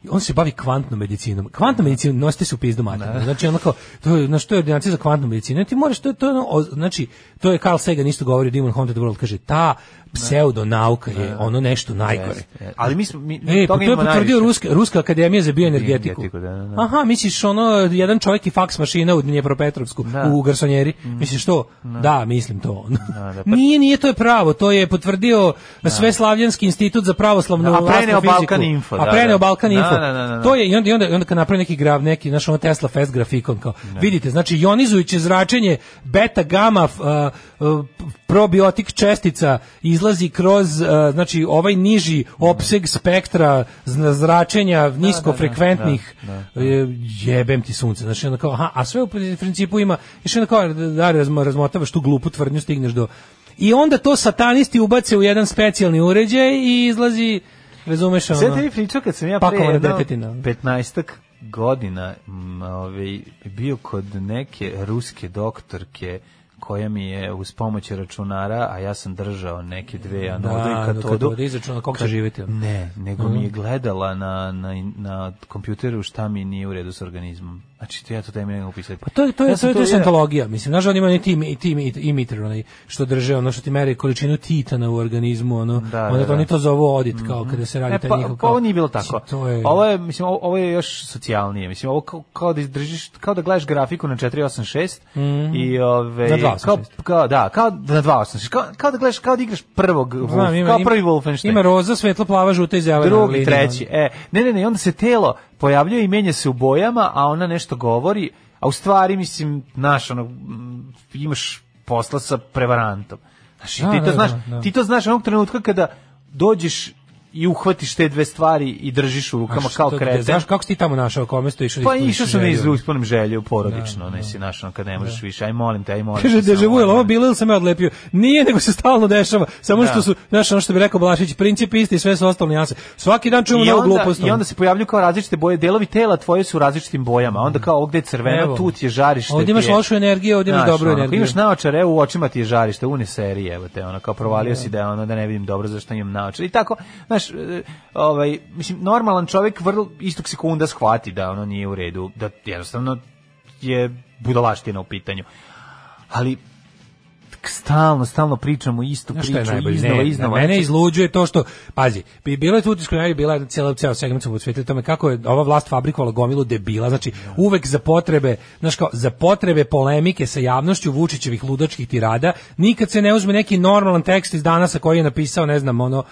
Speaker 7: on se bavi kvantnom medicinom. Kvantna medicina nosite se u pizdu materinu. Znači onako to je na što je ordinacija za kvantnu medicinu. Ti moraš to to ono, znači to je Carl Sagan isto govori o Demon Haunted World, kaže ta pseudonauka je ono nešto najgore.
Speaker 6: Ali mi smo mi
Speaker 7: e, to je potvrdio ruska ruska akademija za bioenergetiku.
Speaker 6: Da, da, da.
Speaker 7: Aha, misliš ono jedan čovjek i faks mašina u Dnjepropetrovsku u garsonjeri. Mm. Misliš to? Da, da mislim to. Da, da, pa... Nije, nije to je pravo, to je potvrdio da. Sveslavljanski institut za pravoslavnu
Speaker 6: da, a preneo Balkan Info.
Speaker 7: A preneo Balkan Info.
Speaker 6: Da, da, da, da.
Speaker 7: To je i onda i onda, onda kad napravi neki grav, neki naš ono Tesla Fest grafikon kao. Da. Vidite, znači ionizujuće zračenje beta gama uh, uh, probiotik čestica izlazi kroz uh, znači ovaj niži opseg spektra zračenja niskofrekventnih da, da, da, da. Jebem ti sunce, znači onda kao aha, a sve u principu ima još onda kao da razmotavaš tu glupu tvrdnju, stigneš do i onda to satanisti ubace u jedan specijalni uređaj i izlazi, razumeš ono.
Speaker 6: Sve te pričao kad sam ja pre jedno petnaestak godina m, ovaj, bio kod neke ruske doktorke koja mi je uz pomoć računara, a ja sam držao neke dve anodu i katodu.
Speaker 7: Da, izračunala kako će živjeti.
Speaker 6: Ne, nego mm. mi je gledala na, na, na kompjuteru šta mi nije u redu s organizmom. Znači, to ja to tebi ne mogu upisati.
Speaker 7: Pa to je to je ja to je, to je scientologija. Mislim, znaš, on ima ni tim i tim imiter, onaj što drže, ono što ti meri količinu titana u organizmu, ono,
Speaker 6: da,
Speaker 7: onda
Speaker 6: da,
Speaker 7: to oni to zovu odit, kao mm-hmm. kada se radi
Speaker 6: e,
Speaker 7: taj
Speaker 6: pa,
Speaker 7: njihov.
Speaker 6: Pa ovo nije bilo tako.
Speaker 7: To je...
Speaker 6: Ovo je, mislim, ovo, ovo je još socijalnije. Mislim, ovo kao, kao da držiš, kao da gledaš grafiku na četiri osam šest
Speaker 7: mm-hmm.
Speaker 6: i ove
Speaker 7: na dva osam šest.
Speaker 6: Kao, kao da, kao na dva osam šest. Kao, kao da gledaš, kao da igraš prvog,
Speaker 7: Znam, ima,
Speaker 6: kao prvi Wolfenstein.
Speaker 7: Ima roza, svetlo plava, žuta i zelena.
Speaker 6: Drugi, treći. E, ne, ne, ne, onda se telo pojavljuje i menja se u bojama, a ona nešto govori. A u stvari, mislim, naš, ono, imaš posla sa prevarantom. Znaš, da, ti, to da, znaš, da, da. ti to znaš onog trenutka kada dođeš i uhvatiš te dve stvari i držiš u rukama kao kreten.
Speaker 7: Znaš kako si ti tamo našao, kome sto išao?
Speaker 6: Pa išao sam iz ispunim želju, porodično, da, nisi našao kad ne možeš da. više. Aj molim te, aj molim te.
Speaker 7: Kaže dežavu, ovo bilo ili sam ja odlepio? Nije, nego se stalno dešava. Samo da. što su, znaš, ono što bi rekao Balašić, princip isti i sve su ostalo nijanse. Svaki dan čujemo novu glupost.
Speaker 6: I onda se pojavljuju kao različite boje, delovi tela tvoje su u različitim bojama. Onda kao ovdje je crveno, evo, tu ti je žarište.
Speaker 7: Ovdje imaš lošu energiju, ovdje imaš dobru
Speaker 6: ono,
Speaker 7: energiju.
Speaker 6: Imaš naočare, u očima ti je žarište, une serije, evo te, ono kao provalio si da ono da ne vidim dobro zašto imam naočare. I tako, znaš, ovaj, mislim, normalan čovjek vrlo istog sekunda shvati da ono nije u redu, da jednostavno je budalaština u pitanju. Ali stalno, stalno pričamo istu priču, iznova, iznova.
Speaker 7: Mene izluđuje to što, pazi, bi bilo je tu diskusija, bila je cijela ceo segment smo posvetili tome kako je ova vlast fabrikovala gomilu debila, znači uvek za potrebe, znaš kao, za potrebe polemike sa javnošću Vučićevih ludačkih tirada, nikad se ne uzme neki normalan tekst iz Danasa koji je napisao, ne znam, ono,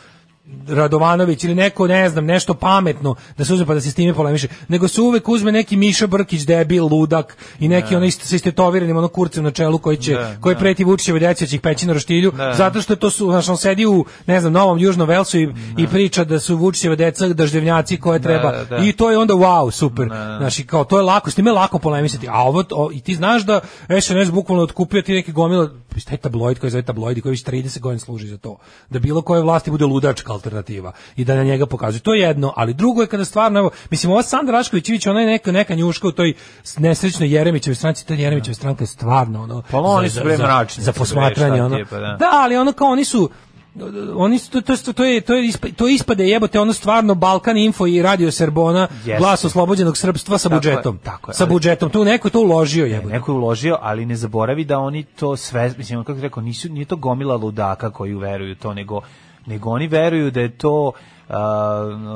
Speaker 7: Radovanović ili neko, ne znam, nešto pametno da se uzme pa da se s time polemiše, nego se uvek uzme neki Miša Brkić, debil, ludak i neki ne. ono isto sa istetoviranim ono kurcem na čelu koji će, ne, koji ne. preti Vučićeve deci će ih peći na roštilju, ne. zato što to su, znači on sedi u, ne znam, Novom Južnom Velsu i, i priča da su Vučićeve deca daždevnjaci koje treba ne, ne. i to je onda wow, super. Znači kao to je lako, s time je lako polemisati, a ovo o, i ti znaš da S N S bukvalno otkupio ti neki gomila taj tabloid koji zove tabloid i koji već trideset godina služi za to, da bilo koje vlasti bude ludačka alternativa i da na njega pokazuje. To je jedno, ali drugo je kada stvarno, evo, mislim, ova Sandra Rašković-Ivić, ona je neka, neka njuška u toj nesrećnoj Jeremićevoj stranci, ta Jeremićeva stranka je stvarno, ono,
Speaker 6: pa oni
Speaker 7: za,
Speaker 6: su
Speaker 7: za, za, za posmatranje, ono,
Speaker 6: tipa, da.
Speaker 7: da, ali ono kao oni su, oni to to to je to je to ispade jebote ono stvarno Balkan Info i Radio Serbona, yes. Glas oslobođenog srpstva sa tako budžetom. Je, tako je, sa ali, budžetom. Tu neko je to uložio jebote.
Speaker 6: Neko je uložio, ali ne zaboravi da oni to sve, mislim kako rekao, nisu nije to gomila ludaka koji veruju to, nego nego oni veruju da je to uh,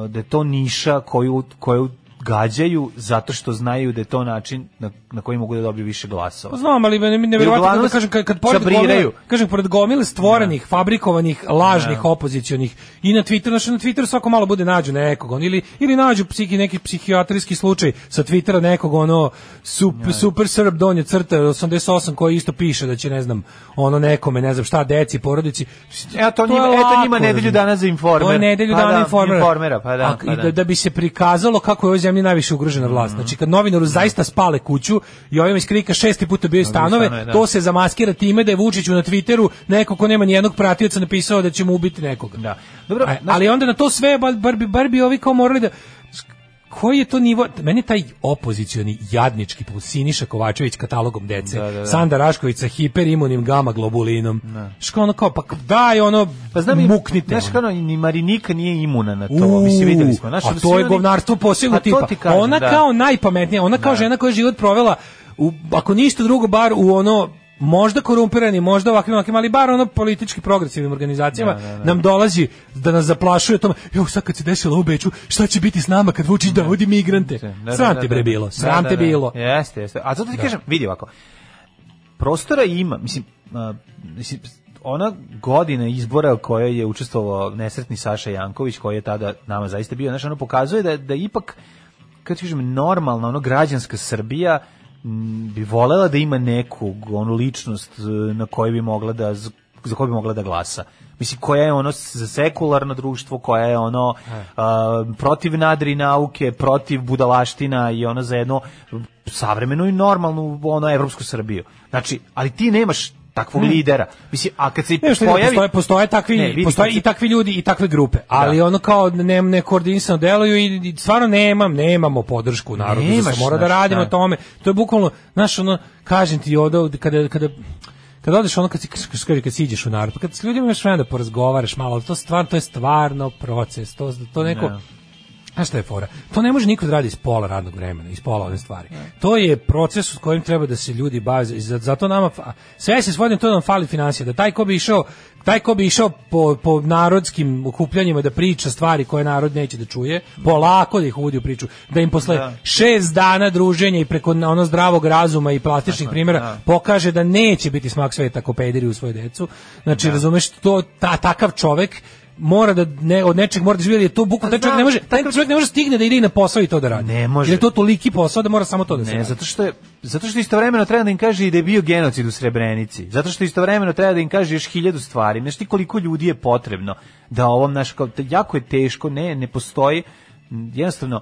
Speaker 6: da je to niša koju koju gađaju zato što znaju da je to način na, na koji mogu da dobiju više glasova.
Speaker 7: Znam, ali ne neverovatno da kažem kad, kad pored gomile, kažem pored gomile stvorenih, ja. fabrikovanih, lažnih, ja. opozicionih i na Twitteru, znači na Twitteru svako malo bude nađu nekog, on, ili ili nađu psihi neki psihijatrijski slučaj sa Twittera nekog ono super, ja. super Srb donje crta osamdeset osam koji isto piše da će ne znam ono nekome ne znam šta deci porodici.
Speaker 6: Ja to, to njima, eto njima nedelju dana za Informer.
Speaker 7: To je nedelju
Speaker 6: pa
Speaker 7: dana
Speaker 6: da,
Speaker 7: Informera.
Speaker 6: Informera, pa da, pa da.
Speaker 7: Da, da bi se prikazalo kako je zemlji najviše ugrožena vlast. Znači kad novinaru zaista spale kuću i ovim iskrika šesti puta bio stanove, stanove to se zamaskira time da je Vučiću na Twitteru neko ko nema ni jednog pratioca napisao da će mu ubiti nekoga.
Speaker 6: Da. Dobro,
Speaker 7: A, ali onda na to sve bar bi bar bi ovi kao morali da koji je to nivo, meni taj opozicioni jadnički Siniša Kovačević katalogom dece, da, da, da. Sanda Rašković sa hiperimunim gama globulinom, što ono kao, pa daj ono,
Speaker 6: pa znam,
Speaker 7: muknite.
Speaker 6: Znaš kao, ni Marinika nije imuna na to, uh, mi se videli smo. Znaš,
Speaker 7: a to je govnarstvo posebno tipa. Kažem, ona da. kao najpametnija, ona kao da. žena koja je život provela, u, ako ništa drugo, bar u ono, možda korumpirani, možda ovakvim, ovakvim, ali bar ono politički progresivnim organizacijama da, da, da. nam dolazi da nas zaplašuje tome, jo, sad kad se desilo u Beču, šta će biti s nama kad Vučić dovodi migrante? Da, da, sram te bre bilo, sram te bilo.
Speaker 6: Jeste, jeste. A zato ti da. kažem, vidi ovako, prostora ima, mislim, uh, mislim, ona godina izbora koja je učestvovao nesretni Saša Janković, koji je tada nama zaista bio, znači ono pokazuje da, da ipak, kad ti kažem, normalna, ono građanska Srbija bi volela da ima neku onu ličnost na kojoj bi mogla da za koju bi mogla da glasa. Mislim, koja je ono za sekularno društvo, koja je ono a, protiv nadri nauke, protiv budalaština i ono za jedno savremenu i normalnu ono evropsku Srbiju. Znači, ali ti nemaš takvog hmm. lidera. Mislim, a kad se ne, pojavi
Speaker 7: postoje, postoje takvi ne, vidi, postoje i takvi ljudi i takve grupe, ali da. ono kao ne ne koordinisano deluju i stvarno nemam nemamo podršku narodu, da se mora da radimo na tome. To je bukvalno, znaš, ono kažem ti ovde kada kada kad odeš ono kad si kaže kad siđeš u narod, kad s ljudima imaš vremena da porazgovaraš malo, to stvarno to je stvarno proces, to to neko ne. A šta je fora? To ne može niko da radi iz pola radnog vremena, iz pola one stvari. To je proces s kojim treba da se ljudi bave. Zato nama sve se svodi na to da nam fali financija, da taj ko bi išao, taj ko bi išao po, po narodskim okupljanjima da priča stvari koje narod neće da čuje, polako da ih uvodi u priču, da im posle da. šest dana druženja i preko ono zdravog razuma i plastičnih primjera da. pokaže da neće biti smak sveta ko pederi u svoju decu. Znači, da. razumeš, to ta, takav čovek mora da ne, od nečeg mora da živi, je to bukvalno taj čovjek ne može, taj čovjek ne može stigne da ide i na posao i to da radi.
Speaker 6: Ne može.
Speaker 7: Jer je to toliki posao da mora samo to da se
Speaker 6: ne,
Speaker 7: radi.
Speaker 6: zato što je zato što istovremeno treba da im kaže i da je bio genocid u Srebrenici. Zato što istovremeno treba da im kaže još hiljadu stvari. Znaš ti koliko ljudi je potrebno da ovom naš kao jako je teško, ne ne postoji jednostavno.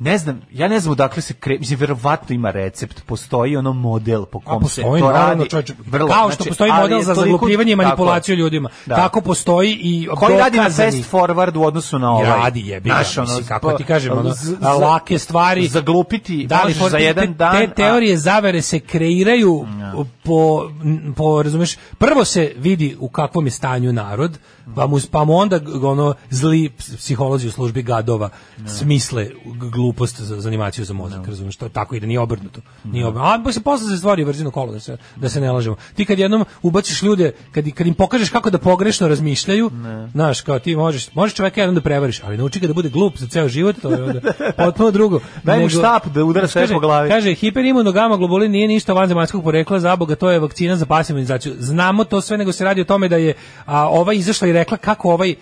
Speaker 6: Ne znam, ja ne znam odakle se kre, mislim verovatno ima recept, postoji ono model po kom se to radi.
Speaker 7: Vrlo, kao što znači, postoji model za zaglupljivanje i manipulaciju ljudima. Da. Tako postoji i
Speaker 6: koji radi na fast forward u odnosu na ovaj.
Speaker 7: Radi je, naš, ono, kako ti kažem, ono, lake stvari
Speaker 6: zaglupiti
Speaker 7: da li
Speaker 6: za jedan
Speaker 7: te,
Speaker 6: dan.
Speaker 7: Te teorije zavere se kreiraju no. po po razumeš, prvo se vidi u kakvom je stanju narod, pa mu pa mu onda ono zli psiholozi u službi gadova no. smisle glupost za, za animaciju za mozak, no. razumiješ, to tako ide, nije obrnuto. Nije obrnuto. A se posle se stvari vrzino kolo, da se da se ne lažemo. Ti kad jednom ubaciš ljude, kad kad im pokažeš kako da pogrešno razmišljaju, znaš, kao ti možeš, možeš čoveka jednom da prevariš, ali nauči ga da bude glup za ceo život, to je onda potpuno drugo.
Speaker 6: Daj mu štap da udara sve po glavi.
Speaker 7: Kaže hiperimunogama globulin nije ništa vanzemaljskog porekla, za Boga, to je vakcina za pasivnu imunizaciju. Znamo to sve, nego se radi o tome da je a, ova izašla i rekla kako ovaj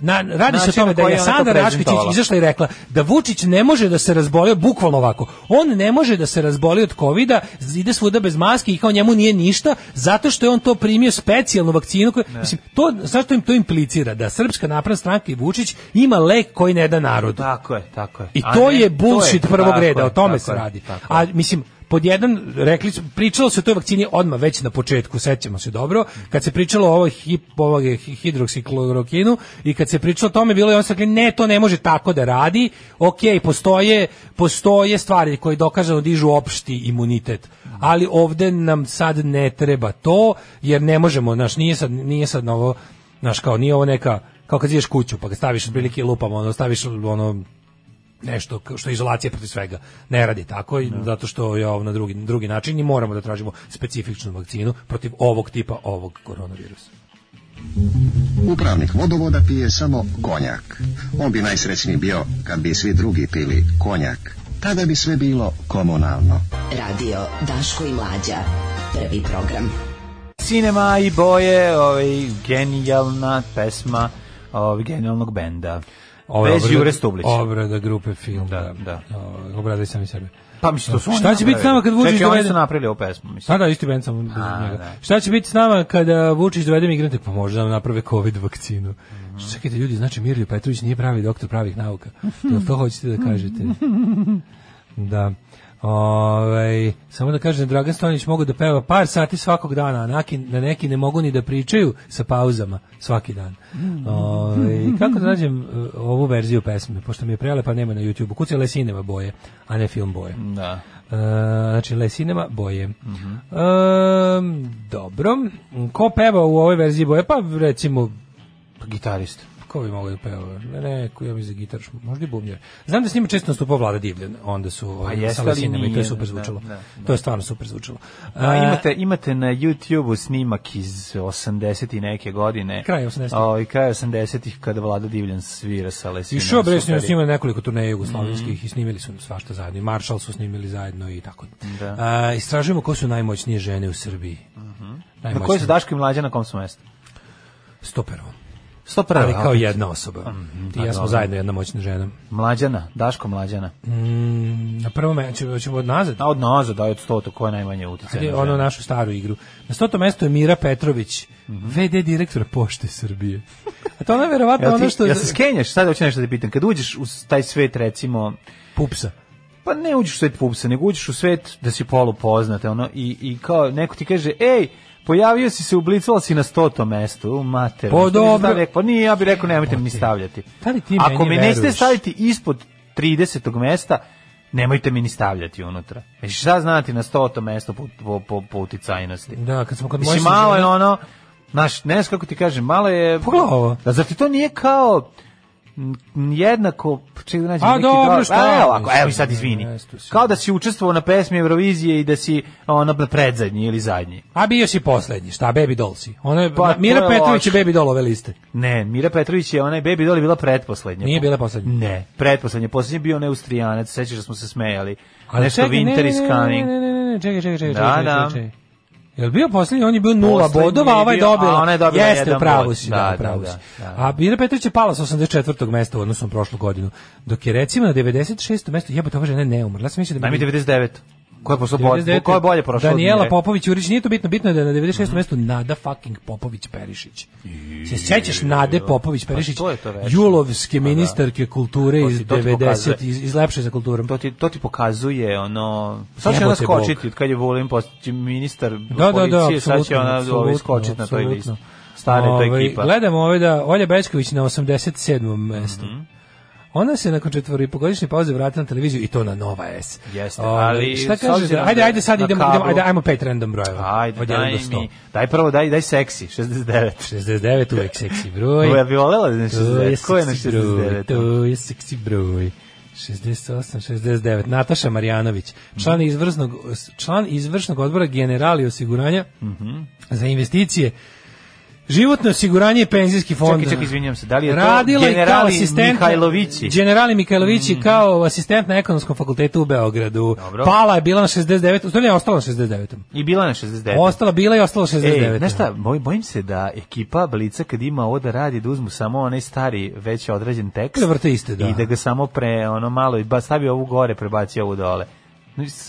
Speaker 7: Na, radi se o tome da je Sanda Rašković izašla i rekla da Vučić ne može da se razboli, bukvalno ovako, on ne može da se razboli od kovida, ide svuda bez maske i kao njemu nije ništa, zato što je on to primio specijalnu vakcinu, koju, mislim, to, zašto im to implicira? Da Srpska napredna stranka i Vučić ima lek koji ne da narodu.
Speaker 6: Tako je, tako je.
Speaker 7: I to je bullshit prvog reda, o tome se radi. A mislim, pod jedan, rekli su, pričalo se o toj vakcini odmah već na početku, sećamo se dobro, kad se pričalo o ovoj hip, ovoj hidroksiklorokinu i kad se pričalo o tome, bilo je on rekli, ne, to ne može tako da radi, ok, postoje, postoje stvari koje dokazano dižu opšti imunitet, ali ovde nam sad ne treba to, jer ne možemo, znaš, nije sad, nije sad novo, znaš, kao nije ovo neka, kao kad ideš kuću, pa ga staviš od prilike lupama, ono, staviš ono, nešto što je izolacija protiv svega. Ne radi tako, no. zato što je ovo na drugi, drugi način i moramo da tražimo specifičnu vakcinu protiv ovog tipa, ovog koronavirusa.
Speaker 14: Upravnik vodovoda pije samo konjak. On bi najsrećniji bio kad bi svi drugi pili konjak. Tada bi sve bilo komunalno.
Speaker 8: Radio Daško i Mlađa. Prvi program.
Speaker 6: Cinema i boje, ovaj, genijalna pesma ovaj, genijalnog benda. Bez Jure Stublića.
Speaker 7: Obrada grupe film.
Speaker 6: Da, da.
Speaker 7: Obradaj sami sebe.
Speaker 6: Pa mislim, to su
Speaker 7: šta će biti s nama kad Vučić
Speaker 6: dovede...
Speaker 7: dovede...
Speaker 6: Čekaj, oni su napravili ovu pesmu, mislim.
Speaker 7: Da, da, isti band sam bez njega. Šta će biti s nama kada Vučić dovede migrante? Pa možda nam naprave COVID vakcinu. Mm. Čekajte, ljudi, znači Mirlju Petrović nije pravi doktor pravih nauka. To, to hoćete da kažete. Da. Ove, samo da kažem, Dragan Stojanić mogu da peva par sati svakog dana, a neki, na neki ne mogu ni da pričaju sa pauzama svaki dan. Ove, kako da nađem ovu verziju pesme, pošto mi je prelepa, nema na YouTube-u. Kuci Lesinema boje, a ne film boje.
Speaker 6: Da.
Speaker 7: E, znači Lesinema boje. Mm-hmm. e, dobro. Ko peva u ovoj verziji boje? Pa recimo
Speaker 6: gitarist.
Speaker 7: Ko bi mogao da peva? Ne, ne, ja mi za gitar, možda i bubnjar. Znam da s njima često nastupao Vlada Divljan, onda su
Speaker 6: pa
Speaker 7: sa Lesinama i to je super zvučalo. Da, da, da. To je stvarno super zvučalo.
Speaker 6: A, imate, imate na YouTube-u snimak iz osamdeset i neke godine.
Speaker 7: Kraj osamdesetih.
Speaker 6: O, i kraj osamdesetih kada Vlada Divljan svira sa Lesinama.
Speaker 7: I što bre, snimali nekoliko turneja jugoslovenskih mm. i snimili su svašta zajedno. I Marshall su snimili zajedno i tako. Da. A, istražujemo ko su najmoćnije žene u Srbiji.
Speaker 6: Mm-hmm. Na koji su Daško i Mlađa, na kom su mestu?
Speaker 7: sto prvo.
Speaker 6: sto prvo.
Speaker 7: Ali kao jedna osoba. Mm, Ti i ja smo zajedno jedna moćna žena.
Speaker 6: Mlađana, Daško Mlađana.
Speaker 7: Mm, na prvom mestu ćemo od nazad.
Speaker 6: A od nazad, da, od stoto, ko je najmanje uticaj.
Speaker 7: Ono našu staru igru. Na stotom mestu je Mira Petrović, mm-hmm. ve de direktor Pošte Srbije. A to ona je verovatno ono što...
Speaker 6: Ja se skenjaš, sad hoću nešto da pitam. Kad uđeš u taj svet, recimo...
Speaker 7: Pupsa.
Speaker 6: Pa ne uđeš u svet Pupsa, nego uđeš u svet da si polupoznate, ono, i, i kao neko ti kaže, ej, pojavio si se, ublicvala si na stotom mestu, u mater.
Speaker 7: Pa dobro.
Speaker 6: Pa nije, ja bih rekao, nemojte mi stavljati. Ako me nećete staviti ispod tridesetog mesta, nemojte mi ni stavljati unutra. Znači, šta znati na stotom mestu po, po, po, po uticajnosti?
Speaker 7: Da, kad smo kod
Speaker 6: moje žene... malo je ono, znaš, ne znam kako ti kažem, malo je...
Speaker 7: Pogledaj ovo.
Speaker 6: Da, zar ti to nije kao... jednako, ček da nađem
Speaker 7: A,
Speaker 6: neki
Speaker 7: dobro,
Speaker 6: dobar,
Speaker 7: šta?
Speaker 6: Evo, ovako, evo i sad izvini. Kao da si učestvovao na pesmi Eurovizije i da si ono predzadnji ili zadnji.
Speaker 7: A bio si poslednji, šta, Baby Doll si? Ona je,
Speaker 6: pa,
Speaker 7: Mira
Speaker 6: je
Speaker 7: Petrović je
Speaker 6: loš.
Speaker 7: Baby Doll ove liste.
Speaker 6: Ne, Mira Petrović je, ona je Baby Doll je bila pretposlednja.
Speaker 7: Nije bila poslednja?
Speaker 6: Ne, pretposlednja. Poslednji je bio onaj Austrijanac, sećaš da smo se smejali. Ali nešto čekaj, Winter is coming.
Speaker 7: Ne, ne, ne, ne, čekaj, čekaj, čekaj,
Speaker 6: da,
Speaker 7: čekaj,
Speaker 6: da.
Speaker 7: čekaj. Je bio poslednji, on je bio nula bodova, a ovaj je dobila.
Speaker 6: A ona je dobila
Speaker 7: jeste,
Speaker 6: jedan
Speaker 7: pravo
Speaker 6: bod.
Speaker 7: si,
Speaker 6: da,
Speaker 7: da,
Speaker 6: da,
Speaker 7: pravo
Speaker 6: da,
Speaker 7: si.
Speaker 6: da, da.
Speaker 7: A Mira Petrović je pala sa osamdeset četvrtog mesta u odnosu na prošlu godinu. Dok je recimo na devedeset šestom mestu, jebote, ova žena ne umrla. Ja sam mislio da
Speaker 6: mi devedeset devet. Ko je posle bolje? Ko je bolje prošao?
Speaker 7: Daniela Popović Jurić, nije to bitno, bitno je da je na devedeset šestom mestu Nada fucking Popović Perišić. Se sećaš Nade Popović Perišić? Julovske ministarke kulture iz devedesetih iz, iz lepše za kulturom.
Speaker 6: To ti to ti pokazuje ono. Sad će ona skočiti od kad je Vulin postao ministar
Speaker 7: da,
Speaker 6: policije,
Speaker 7: da,
Speaker 6: sad će ona skočiti na toj listi. Stare to ekipa.
Speaker 7: Gledamo ove da Olja Bećković na osamdeset sedmom mestu. Ona se nakon četvoripogodišnje pauze vratila na televiziju i to na Nova S.
Speaker 6: Jeste, ali
Speaker 7: šta kaže? Ajde, ajde sad idemo, idemo, ajde, ajmo pet random brojeva.
Speaker 6: Ajde, daj mi. Daj prvo, daj, daj seksi, šezdeset devet.
Speaker 7: šezdeset devet uvek seksi broj.
Speaker 6: Ja bih volela na šezdeset devet. Ko je na šezdeset devet?
Speaker 7: To je seksi broj. šezdeset osam, šezdeset devet. Nataša Marjanović, član izvršnog član izvršnog odbora Generali osiguranja mm-hmm. za investicije, životno osiguranje i penzijski fond.
Speaker 6: Čekaj, čekaj, izvinjam se. Da li je
Speaker 7: radila
Speaker 6: to generali
Speaker 7: Mihajlovići? Generali Mihajlovići mm. kao asistent na ekonomskom fakultetu u Beogradu. Dobro. Pala je bila na šezdeset devet. U stvari je ostala na šezdeset devetom.
Speaker 6: I bila na šezdeset devet.
Speaker 7: Ostala, bila i ostala šezdeset devet.
Speaker 6: Ej, znaš šta, boj, bojim se da ekipa Blica kad ima ovo da radi, da uzmu samo onaj stari, već određen tekst.
Speaker 7: Da vrte iste, da.
Speaker 6: I da ga samo pre, ono malo, i ba, stavi ovu gore, prebaci ovu dole.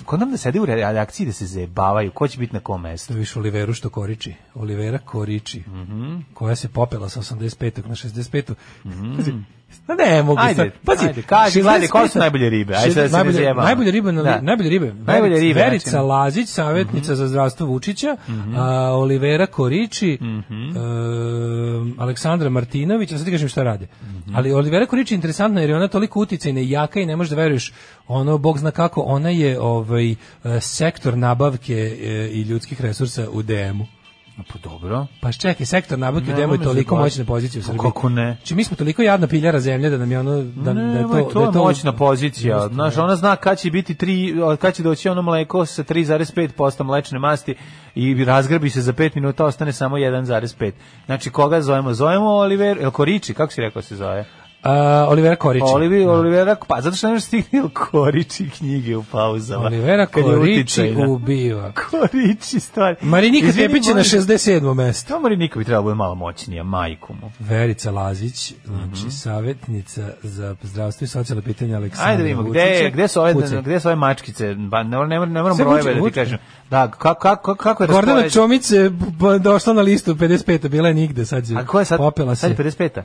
Speaker 6: Kod nam da sede u redakciji da se zajebavaju, ko će biti na kom mestu?
Speaker 7: Viš Oliveru što koriči, Olivera Koriči, mm-hmm. koja se popela sa osamdeset petog na šezdeset petu. Mm-hmm. No ne, mogu
Speaker 6: ajde,
Speaker 7: sad. Pazi,
Speaker 6: ajde, kaži, gledaj, koje su najbolje ribe? Ajde, sad se ne zjebamo.
Speaker 7: Najbolje ribe,
Speaker 6: da.
Speaker 7: najbolje ribe.
Speaker 6: Najbolje ribe.
Speaker 7: Verica znači. Lazić, savjetnica mm-hmm. za zdravstvo Vučića, mm-hmm. a, Olivera Koriči, mm-hmm. a, Aleksandra Martinović, a sad ti kažem šta rade. Mm-hmm. Ali Olivera Koriči je interesantna jer je ona toliko uticajna i jaka i ne možeš da veruješ, ono, Bog zna kako, ona je ovaj, sektor nabavke i ljudskih resursa u D M-u.
Speaker 6: Pa dobro.
Speaker 7: Pa čekaj, sektor nabavke demo je toliko moćna pozicija u Srbiji.
Speaker 6: Kako ne?
Speaker 7: Znači mi smo toliko jadna piljara zemlje da nam je ono da,
Speaker 6: ne,
Speaker 7: da je to,
Speaker 6: to,
Speaker 7: da je
Speaker 6: to moćna pozicija. Znaš, ona zna kad će biti tri, kad će doći ono mleko sa tri zarez pet posto mlečne masti i razgrabi se za pet minuta, ostane samo jedan zarez pet. Znači koga zovemo? Zovemo Oliver, El Koriči, kako si rekao se zove?
Speaker 7: Uh, Olivera Koriči.
Speaker 6: Olivi, Olivera, pa zato što ne možeš stigni Koriči knjige u pauzama.
Speaker 7: Olivera Koriči ubiva.
Speaker 6: Koriči stvari.
Speaker 7: Marinika Tepić je na šezdeset sedmom mestu.
Speaker 6: To Marinika bi trebalo bude malo moćnija, majku mu.
Speaker 7: Verica Lazić, znači mm-hmm. savjetnica za zdravstvo i socijalne pitanja Aleksandra
Speaker 6: Ajde vidimo, gde, gde su ove, gde su ove mačkice? Ba, ne, ne, ne moram brojeve da ti kažem. Da, kako, kako, kako je raspoređeno?
Speaker 7: Gordana Čomić je došla na listu pedeset peta, bila je nigde, sad je
Speaker 6: A ko je sad?
Speaker 7: Popela se.
Speaker 6: Sad je pedeset peta?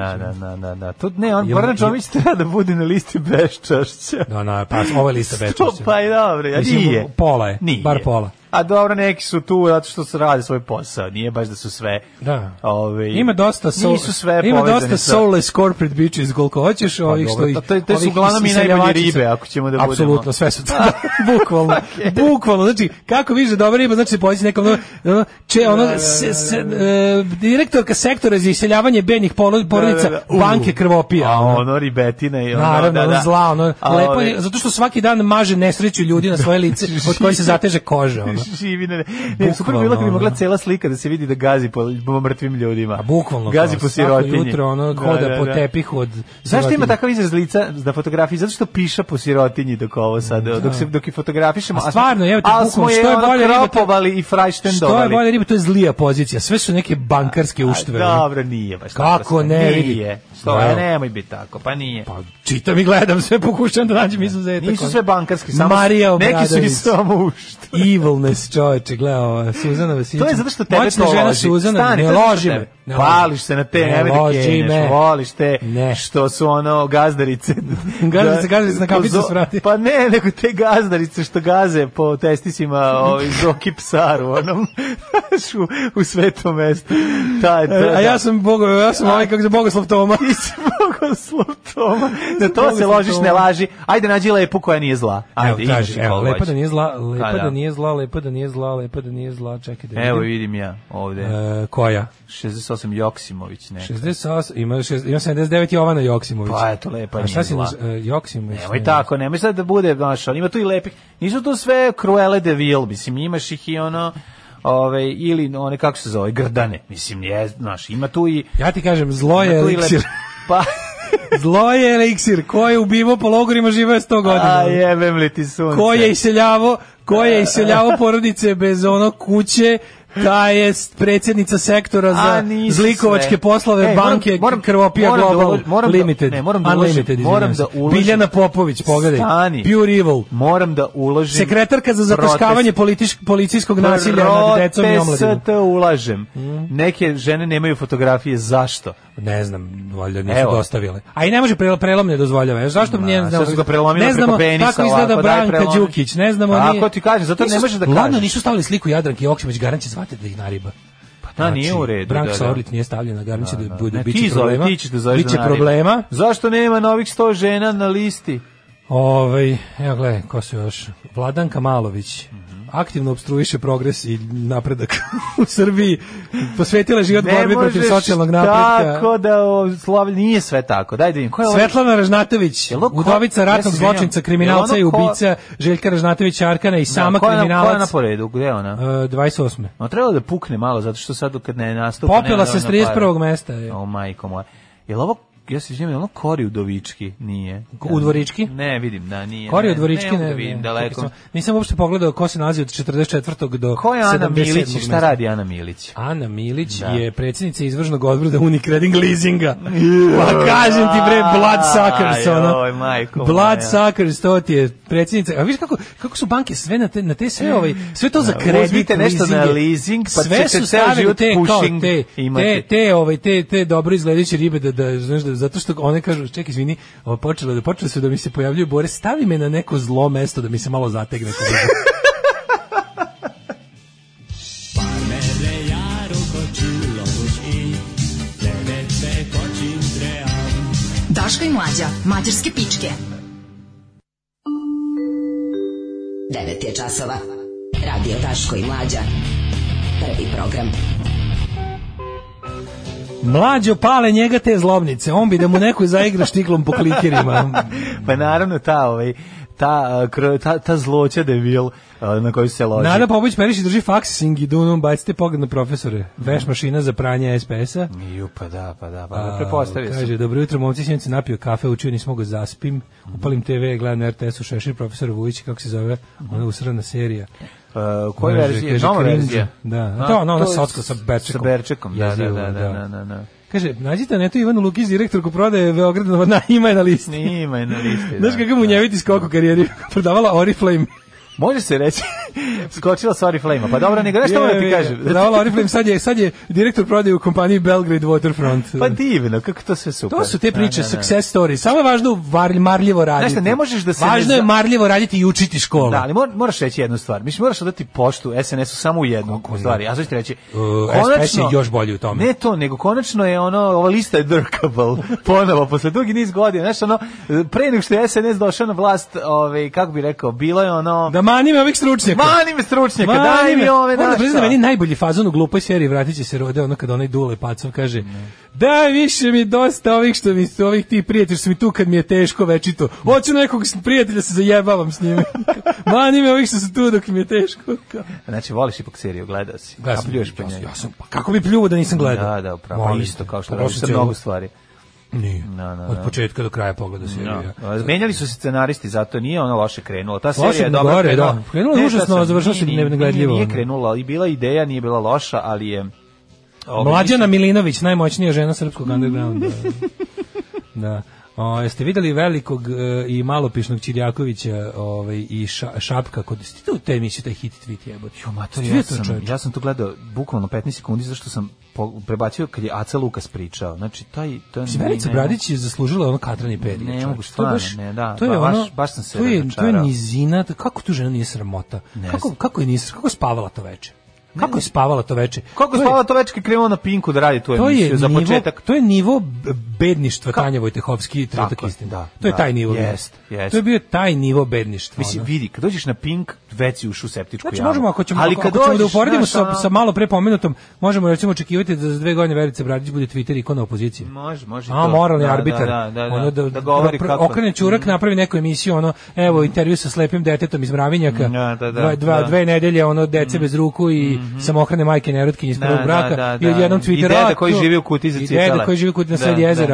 Speaker 6: Da, da, da, da, da. To ne, on Gordana Čomić treba da bude na listi beščašća.
Speaker 7: Da, no, pa ovo je lista beščašća.
Speaker 6: Pa i dobro, ja nije.
Speaker 7: Pola je,
Speaker 6: nije.
Speaker 7: Bar pola.
Speaker 6: A dobro, neki su tu zato što se rade svoj posao, nije baš da su sve.
Speaker 7: Da.
Speaker 6: Ove,
Speaker 7: ima dosta soul,
Speaker 6: nisu sve
Speaker 7: ima dosta
Speaker 6: sa...
Speaker 7: soulless corporate bitches koliko hoćeš, pa, ovih što ih.
Speaker 6: To, to su uglavnom i najbolje ribe, ako ćemo da budemo.
Speaker 7: Apsolutno, sve su to. Bukvalno. Okay. Bukvalno, znači kako vidiš da dobra riba, znači se pođe nekom ono, če ono da, s, s, uh, direktorka sektora za iseljavanje benjih porodica da, da, da. Banke krvopija.
Speaker 6: A ono ribetina i ono.
Speaker 7: Naravno,
Speaker 6: da, da.
Speaker 7: zla, ono lepo je, zato što svaki dan maže nesreću ljudi na svoje lice od kojih se zateže koža, ono.
Speaker 6: Živi ne. Ne, super bilo kad bi mogla cela slika da se vidi da gazi po, po mrtvim ljudima.
Speaker 7: A bukvalno.
Speaker 6: Gazi po sirotinji.
Speaker 7: Svako jutro ono hoda da, da, da. po tepihu od
Speaker 6: Zašto ima takav izraz lica na fotografiji? Zato što piša po sirotinji dok ovo sad, da. dok se dok i fotografišemo.
Speaker 7: A stvarno, evo te bukvalno, što je bolje
Speaker 6: riba i frajštendovali.
Speaker 7: Što je bolje riba, to je zlija pozicija. Sve su neke bankarske uštve.
Speaker 6: Dobro, nije baš
Speaker 7: tako. Kako ne,
Speaker 6: nije. Što je, nemoj biti tako, pa nije.
Speaker 7: Pa čitam i gledam, sve pokušam da nađem izuzetak.
Speaker 6: Nisu sve bankarski, samo
Speaker 7: Marija
Speaker 6: neki su i samo uštve.
Speaker 7: Evilness, čoveče, gledao, Suzana Vesinić.
Speaker 6: To je zato što tebe
Speaker 7: moćna
Speaker 6: to
Speaker 7: žena
Speaker 6: loži.
Speaker 7: Suzana,
Speaker 6: Stani,
Speaker 7: ne loži me.
Speaker 6: Ne Hvališ se na te, ne nemoj da kenješ, voliš te,
Speaker 7: ne.
Speaker 6: Što su ono gazdarice.
Speaker 7: gazdarice, gazdarice na kapicu svrati.
Speaker 6: Pa ne, nego te gazdarice što gaze po testisima ovaj, Zoki Psaru, onom, u, u svetom mestu. Taj, taj,
Speaker 7: a ja sam Bogo, ja sam ovaj kako se Bogoslav Toma.
Speaker 6: Ti si Bogoslav Toma. Na to se ložiš, ne laži. Ajde, nađi lepu koja nije zla. Ajde,
Speaker 7: evo, traži, evo, lepa da nije zla, lepa da nije zla, lepa da nije zla, lepa da nije zla, čekaj da
Speaker 6: evo vidim ja ovde.
Speaker 7: E, koja?
Speaker 6: šezdeset osam Joksimović neka.
Speaker 7: šezdeset osam, ima, šest, ima sedamdeset devet Jovana Joksimović.
Speaker 6: Pa eto, lepa nije
Speaker 7: šta si
Speaker 6: zla.
Speaker 7: Uh, Joksimović?
Speaker 6: Nemoj tako, nemoj sad da bude, znaš, ali ima tu i lepih. Nisu tu sve Cruelle de Vil, mislim, imaš ih i ono... Ove, ili one, kako se zove, grdane. Mislim, je, znaš, ima tu i...
Speaker 7: Ja ti kažem, zlo je eliksir.
Speaker 6: Pa...
Speaker 7: Zlo je eliksir. Ko je ubivo po logorima živeo sto godina.
Speaker 6: A jebem li ti sunce.
Speaker 7: Ko je iseljavo, ko je iseljavo porodice bez ono kuće, ta je predsjednica sektora za zlikovačke sve. Poslove Ej, banke moram, Krvopija moram Global da moram Limited.
Speaker 6: Da, ne, moram da
Speaker 7: Unlimited,
Speaker 6: uložim, moram da uložim.
Speaker 7: Biljana Popović, pogledaj.
Speaker 6: Stani.
Speaker 7: Pure Evil.
Speaker 6: Moram da uložim.
Speaker 7: Sekretarka za zataškavanje politič, policijskog nasilja nad decom i omladinom.
Speaker 6: Protest ulažem. Mm. Neke žene nemaju fotografije, zašto?
Speaker 7: Ne znam, valjda nisu Evo. dostavile. A i ne može prelom ne dozvoljava. Zašto
Speaker 6: Ma,
Speaker 7: ne znamo?
Speaker 6: Ne znamo
Speaker 7: kako izgleda Branka Đukić, ne znamo ni.
Speaker 6: Ako ti kažeš, zato ne može da kaže.
Speaker 7: Ladno nisu stavili sliku Jadranke Joksimović, garant će zvati da ih nariba.
Speaker 6: Pa da, nije u redu.
Speaker 7: Branka Sorlić nije stavljena, garant će da bude biće problema. Biće
Speaker 6: da
Speaker 7: problema.
Speaker 6: Zašto nema novih sto žena na listi?
Speaker 7: Ovaj, evo gledaj, ko su još? Vladanka Malović. Aktivno opstruiše progres i napredak u Srbiji, posvetila život borbi protiv socijalnog napretka.
Speaker 6: Tako da Slavlj nije sve tako. Daj da vidim. Ko je
Speaker 7: Svetlana Ražnatović, udovica ratnog zločinca, kriminalca i ubica Željka Ražnatovića Arkana i sama
Speaker 6: da,
Speaker 7: kriminalac.
Speaker 6: Ko je na poredu? Gde je ona?
Speaker 7: Uh, dvadeset osme.
Speaker 6: No, trebalo da pukne malo, zato što sad kad ne nastupa...
Speaker 7: Popela se s trideset prvog mesta. Je.
Speaker 6: O, majko moja. Je li ovo ja se izvinjam, ono Kori Udovički nije.
Speaker 7: Udvorički?
Speaker 6: Ne, vidim, da nije.
Speaker 7: Kori Udvorički, ne,
Speaker 6: ne, vidim, daleko.
Speaker 7: Nisam, nisam uopšte pogledao ko se nalazi od četrdeset četvrtog do
Speaker 6: ko je Ana
Speaker 7: sedamdeset sedmog
Speaker 6: Milić i šta radi Ana Milić?
Speaker 7: Ana Milić
Speaker 6: da.
Speaker 7: je predsjednica izvršnog odbora Unicredit leasinga. Pa kažem ti bre, bloodsuckers, ono. Bloodsuckers, to ti je predsjednica. A vidiš kako, kako su banke sve na te, na te sve, ovaj, sve to za kredit,
Speaker 6: uzmite nešto na leasing, pa
Speaker 7: sve
Speaker 6: ćete
Speaker 7: su
Speaker 6: ceo život
Speaker 7: te,
Speaker 6: pushing
Speaker 7: te, te, te, ovaj, te, te dobro izgledajuće ribe, da, da, znaš, da, zato što one kažu, čekaj, izvini, ovo počelo, da počelo su da mi se pojavljuju bore, stavi me na neko zlo mesto da mi se malo zategne.
Speaker 11: Daško i Mlađa, mađarske pičke.
Speaker 8: devet je časova. Radio Daško i Mlađa. Prvi program.
Speaker 7: Mlađo pale njega te zlobnice. On bi da mu neko zaigra štiklom po klikerima.
Speaker 6: Pa naravno ta ovaj ta ta ta zloća debil na koju se loži.
Speaker 7: Nada Popović Perišić drži faksing i dunom, bacite pogled na profesore. Veš mašina za pranje es pe es-a.
Speaker 6: Ju, pa da, pa da, pa da prepostavio sam.
Speaker 7: Kaže, dobro jutro, momci, sinoć sam napio kafe, učio, nisam mogao zaspim. Upalim te ve, gledam na er te es-u Šešir, profesor Vujić, kako se zove, ona usrana serija.
Speaker 6: Uh, koja verzija? Nova verzija?
Speaker 7: Da, A, to ona, ona socka sa Berčekom.
Speaker 6: Sa Berčekom, da, da, da, da, da, da.
Speaker 7: Kaže, nađite na netu Ivanu Lukić, direktorku prodaje Beograda, na, ima je na listi.
Speaker 6: Ima je na listi, da.
Speaker 7: Znaš kako mu njeviti skok u karijeri, prodavala Oriflame.
Speaker 6: Može se reći, skočila sa Oriflame-a, pa dobro, nego nešto moram ti kažem.
Speaker 7: Prodavala Oriflame, sad je, sad je direktor prodaje u kompaniji Belgrade Waterfront.
Speaker 6: Pa divno, kako to sve super.
Speaker 7: To su te priče, da, da, da. Success story, samo je važno marljivo raditi.
Speaker 6: Znaš, ne možeš da se...
Speaker 7: Važno je marljivo raditi i učiti školu.
Speaker 6: Da, ali moraš reći jednu stvar, mislim, moraš odati poštu es en es-u samo u jednu stvari, a sad ću ti reći...
Speaker 7: Uh, es pe es je još bolji u tome.
Speaker 6: Ne to, nego konačno je ono, ova lista je drkable, ponovo, posle dugi niz godina, znaš, ono, pre nego što je es en es došao na vlast, ovaj, kako bi rekao, bilo je ono...
Speaker 7: Da mani me ovih stručnjaka.
Speaker 6: Mani me stručnjaka, daj mi ove naša.
Speaker 7: Moram da meni najbolji fazon u glupoj seriji Vratit će se rode, ono kad onaj Dule Pacov kaže, daj više mi dosta ovih što mi su, ovih ti prijatelji što mi tu kad mi je teško večito. Hoću nekog prijatelja se zajebavam s njime. Mani me ovih što su tu dok mi je teško.
Speaker 6: Znači, voliš ipak seriju, gledao si.
Speaker 7: A pljuješ po njoj. Ja sam, pa kako bi pljuo da nisam gledao?
Speaker 6: Da, da, upravo. Pa isto kao što radiš sa mnogo stvari.
Speaker 7: Nije. No, no, no. Od početka do kraja pogleda serija.
Speaker 6: No. Menjali su se scenaristi, zato nije ono loše krenulo. Ta serija je dobra.
Speaker 7: Gore, da. Krenulo je užasno, završilo se negledljivo.
Speaker 6: Nije krenula, i bila ideja, nije bila loša, ali je...
Speaker 7: Mlađana Milinović, najmoćnija žena srpskog undergrounda. Da. O, jeste videli velikog uh, i malopišnog Ćirjakovića ovaj, i ša, Šapka kod ste u te emisije taj hit tweet jebote.
Speaker 6: Jo, mater, ja sam, ja sam to gledao bukvalno petnaest sekundi zašto sam po, prebacio kad je Aca Lukas pričao. Znači taj to
Speaker 7: je Verica Bradić je zaslužila ono katrani period.
Speaker 6: Ne mogu stvarno, ne, da.
Speaker 7: To je
Speaker 6: ba,
Speaker 7: ono,
Speaker 6: baš, baš sam se
Speaker 7: to je, to je nizina, kako tu žena nije sramota. Ne kako kako je nije, kako je spavala to veče? Kako je spavala to veče?
Speaker 6: Kako je spavala to veče kad krenuo na Pinku da radi tu emisiju za
Speaker 7: nivo,
Speaker 6: početak?
Speaker 7: To je nivo bedništva Tanja Vojtehovski i Trenutak istine.
Speaker 6: Da,
Speaker 7: to je
Speaker 6: da,
Speaker 7: taj nivo.
Speaker 6: Jest, jest.
Speaker 7: To je bio taj nivo bedništva.
Speaker 6: Mislim, vidi, kad dođeš na Pink, već si ušao u septičku
Speaker 7: znači,
Speaker 6: jamu.
Speaker 7: Možemo, ako ćemo,
Speaker 6: ali
Speaker 7: ako,
Speaker 6: kad
Speaker 7: ako ćemo
Speaker 6: dođeš,
Speaker 7: da uporedimo
Speaker 6: naš,
Speaker 7: sa, sa malo pre pomenutom, možemo recimo očekivati da za dve godine Verica Bradić bude Twitter ikona opozicije.
Speaker 6: Može, može.
Speaker 7: A, moralni
Speaker 6: da,
Speaker 7: arbitar.
Speaker 6: Da, da, da,
Speaker 7: ono da,
Speaker 6: da govori
Speaker 7: pro,
Speaker 6: kako.
Speaker 7: Okrene Ćurak, mm. napravi neku emisiju, ono, evo, intervju sa slepim detetom iz Mravinjaka,
Speaker 6: da, da, da,
Speaker 7: dva, dva,
Speaker 6: da.
Speaker 7: dve nedelje, ono, dece mm. bez ruku i mm-hmm. samohrane majke nerotkinje iz prvog braka. Da, da, i odjednom Twitter.
Speaker 6: I deda koji živi u kuti za cicale.
Speaker 7: I deda koji živi u kuti na sred jezera.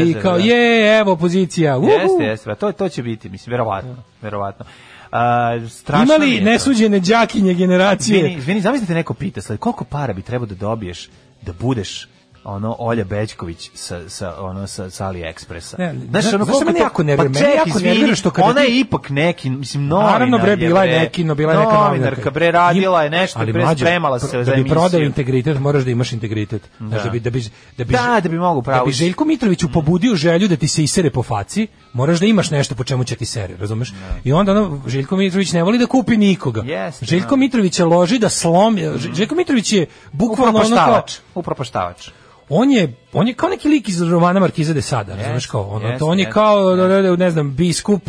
Speaker 7: I kao,
Speaker 6: da.
Speaker 7: je, evo, opozicija. Uhu.
Speaker 6: Jeste, jeste. To, to će biti, mislim, verovatno. verovatno. A, strašno
Speaker 7: imali nesuđene đakinje generacije.
Speaker 6: Zvini, zvini, zamislite neko pita, sled, koliko para bi trebao da dobiješ da budeš ono Olja Bećković sa sa ono sa, sa AliExpressa.
Speaker 7: Znaš, ono kako to jako nervira, pa meni jako nervira što kada
Speaker 6: ona
Speaker 7: ti...
Speaker 6: je ipak neki, mislim, novinar.
Speaker 7: Naravno bre, bila je neki, no bila je neka
Speaker 6: novinarka, bre, radila je nešto,
Speaker 7: ali
Speaker 6: bre, spremala se za emisiju.
Speaker 7: Da bi prodao integritet, moraš da imaš integritet.
Speaker 6: Da,
Speaker 7: da bi da bi da bi
Speaker 6: da, da bi mogao pravo.
Speaker 7: Da bi Željko Mitroviću pobudio želju da ti se isere po faci, moraš da imaš nešto po čemu će ti sere, razumeš? I onda ono Željko Mitrović ne voli da kupi nikoga. Željko Mitrović je loži da slomi. Željko Mitrović je bukvalno ono kao
Speaker 6: upropaštavač.
Speaker 7: On je on je kao neki lik iz romana Markiza de Sada, razumeš kao ono,
Speaker 6: yes,
Speaker 7: to on je
Speaker 6: yes,
Speaker 7: kao
Speaker 6: yes.
Speaker 7: ne znam biskup,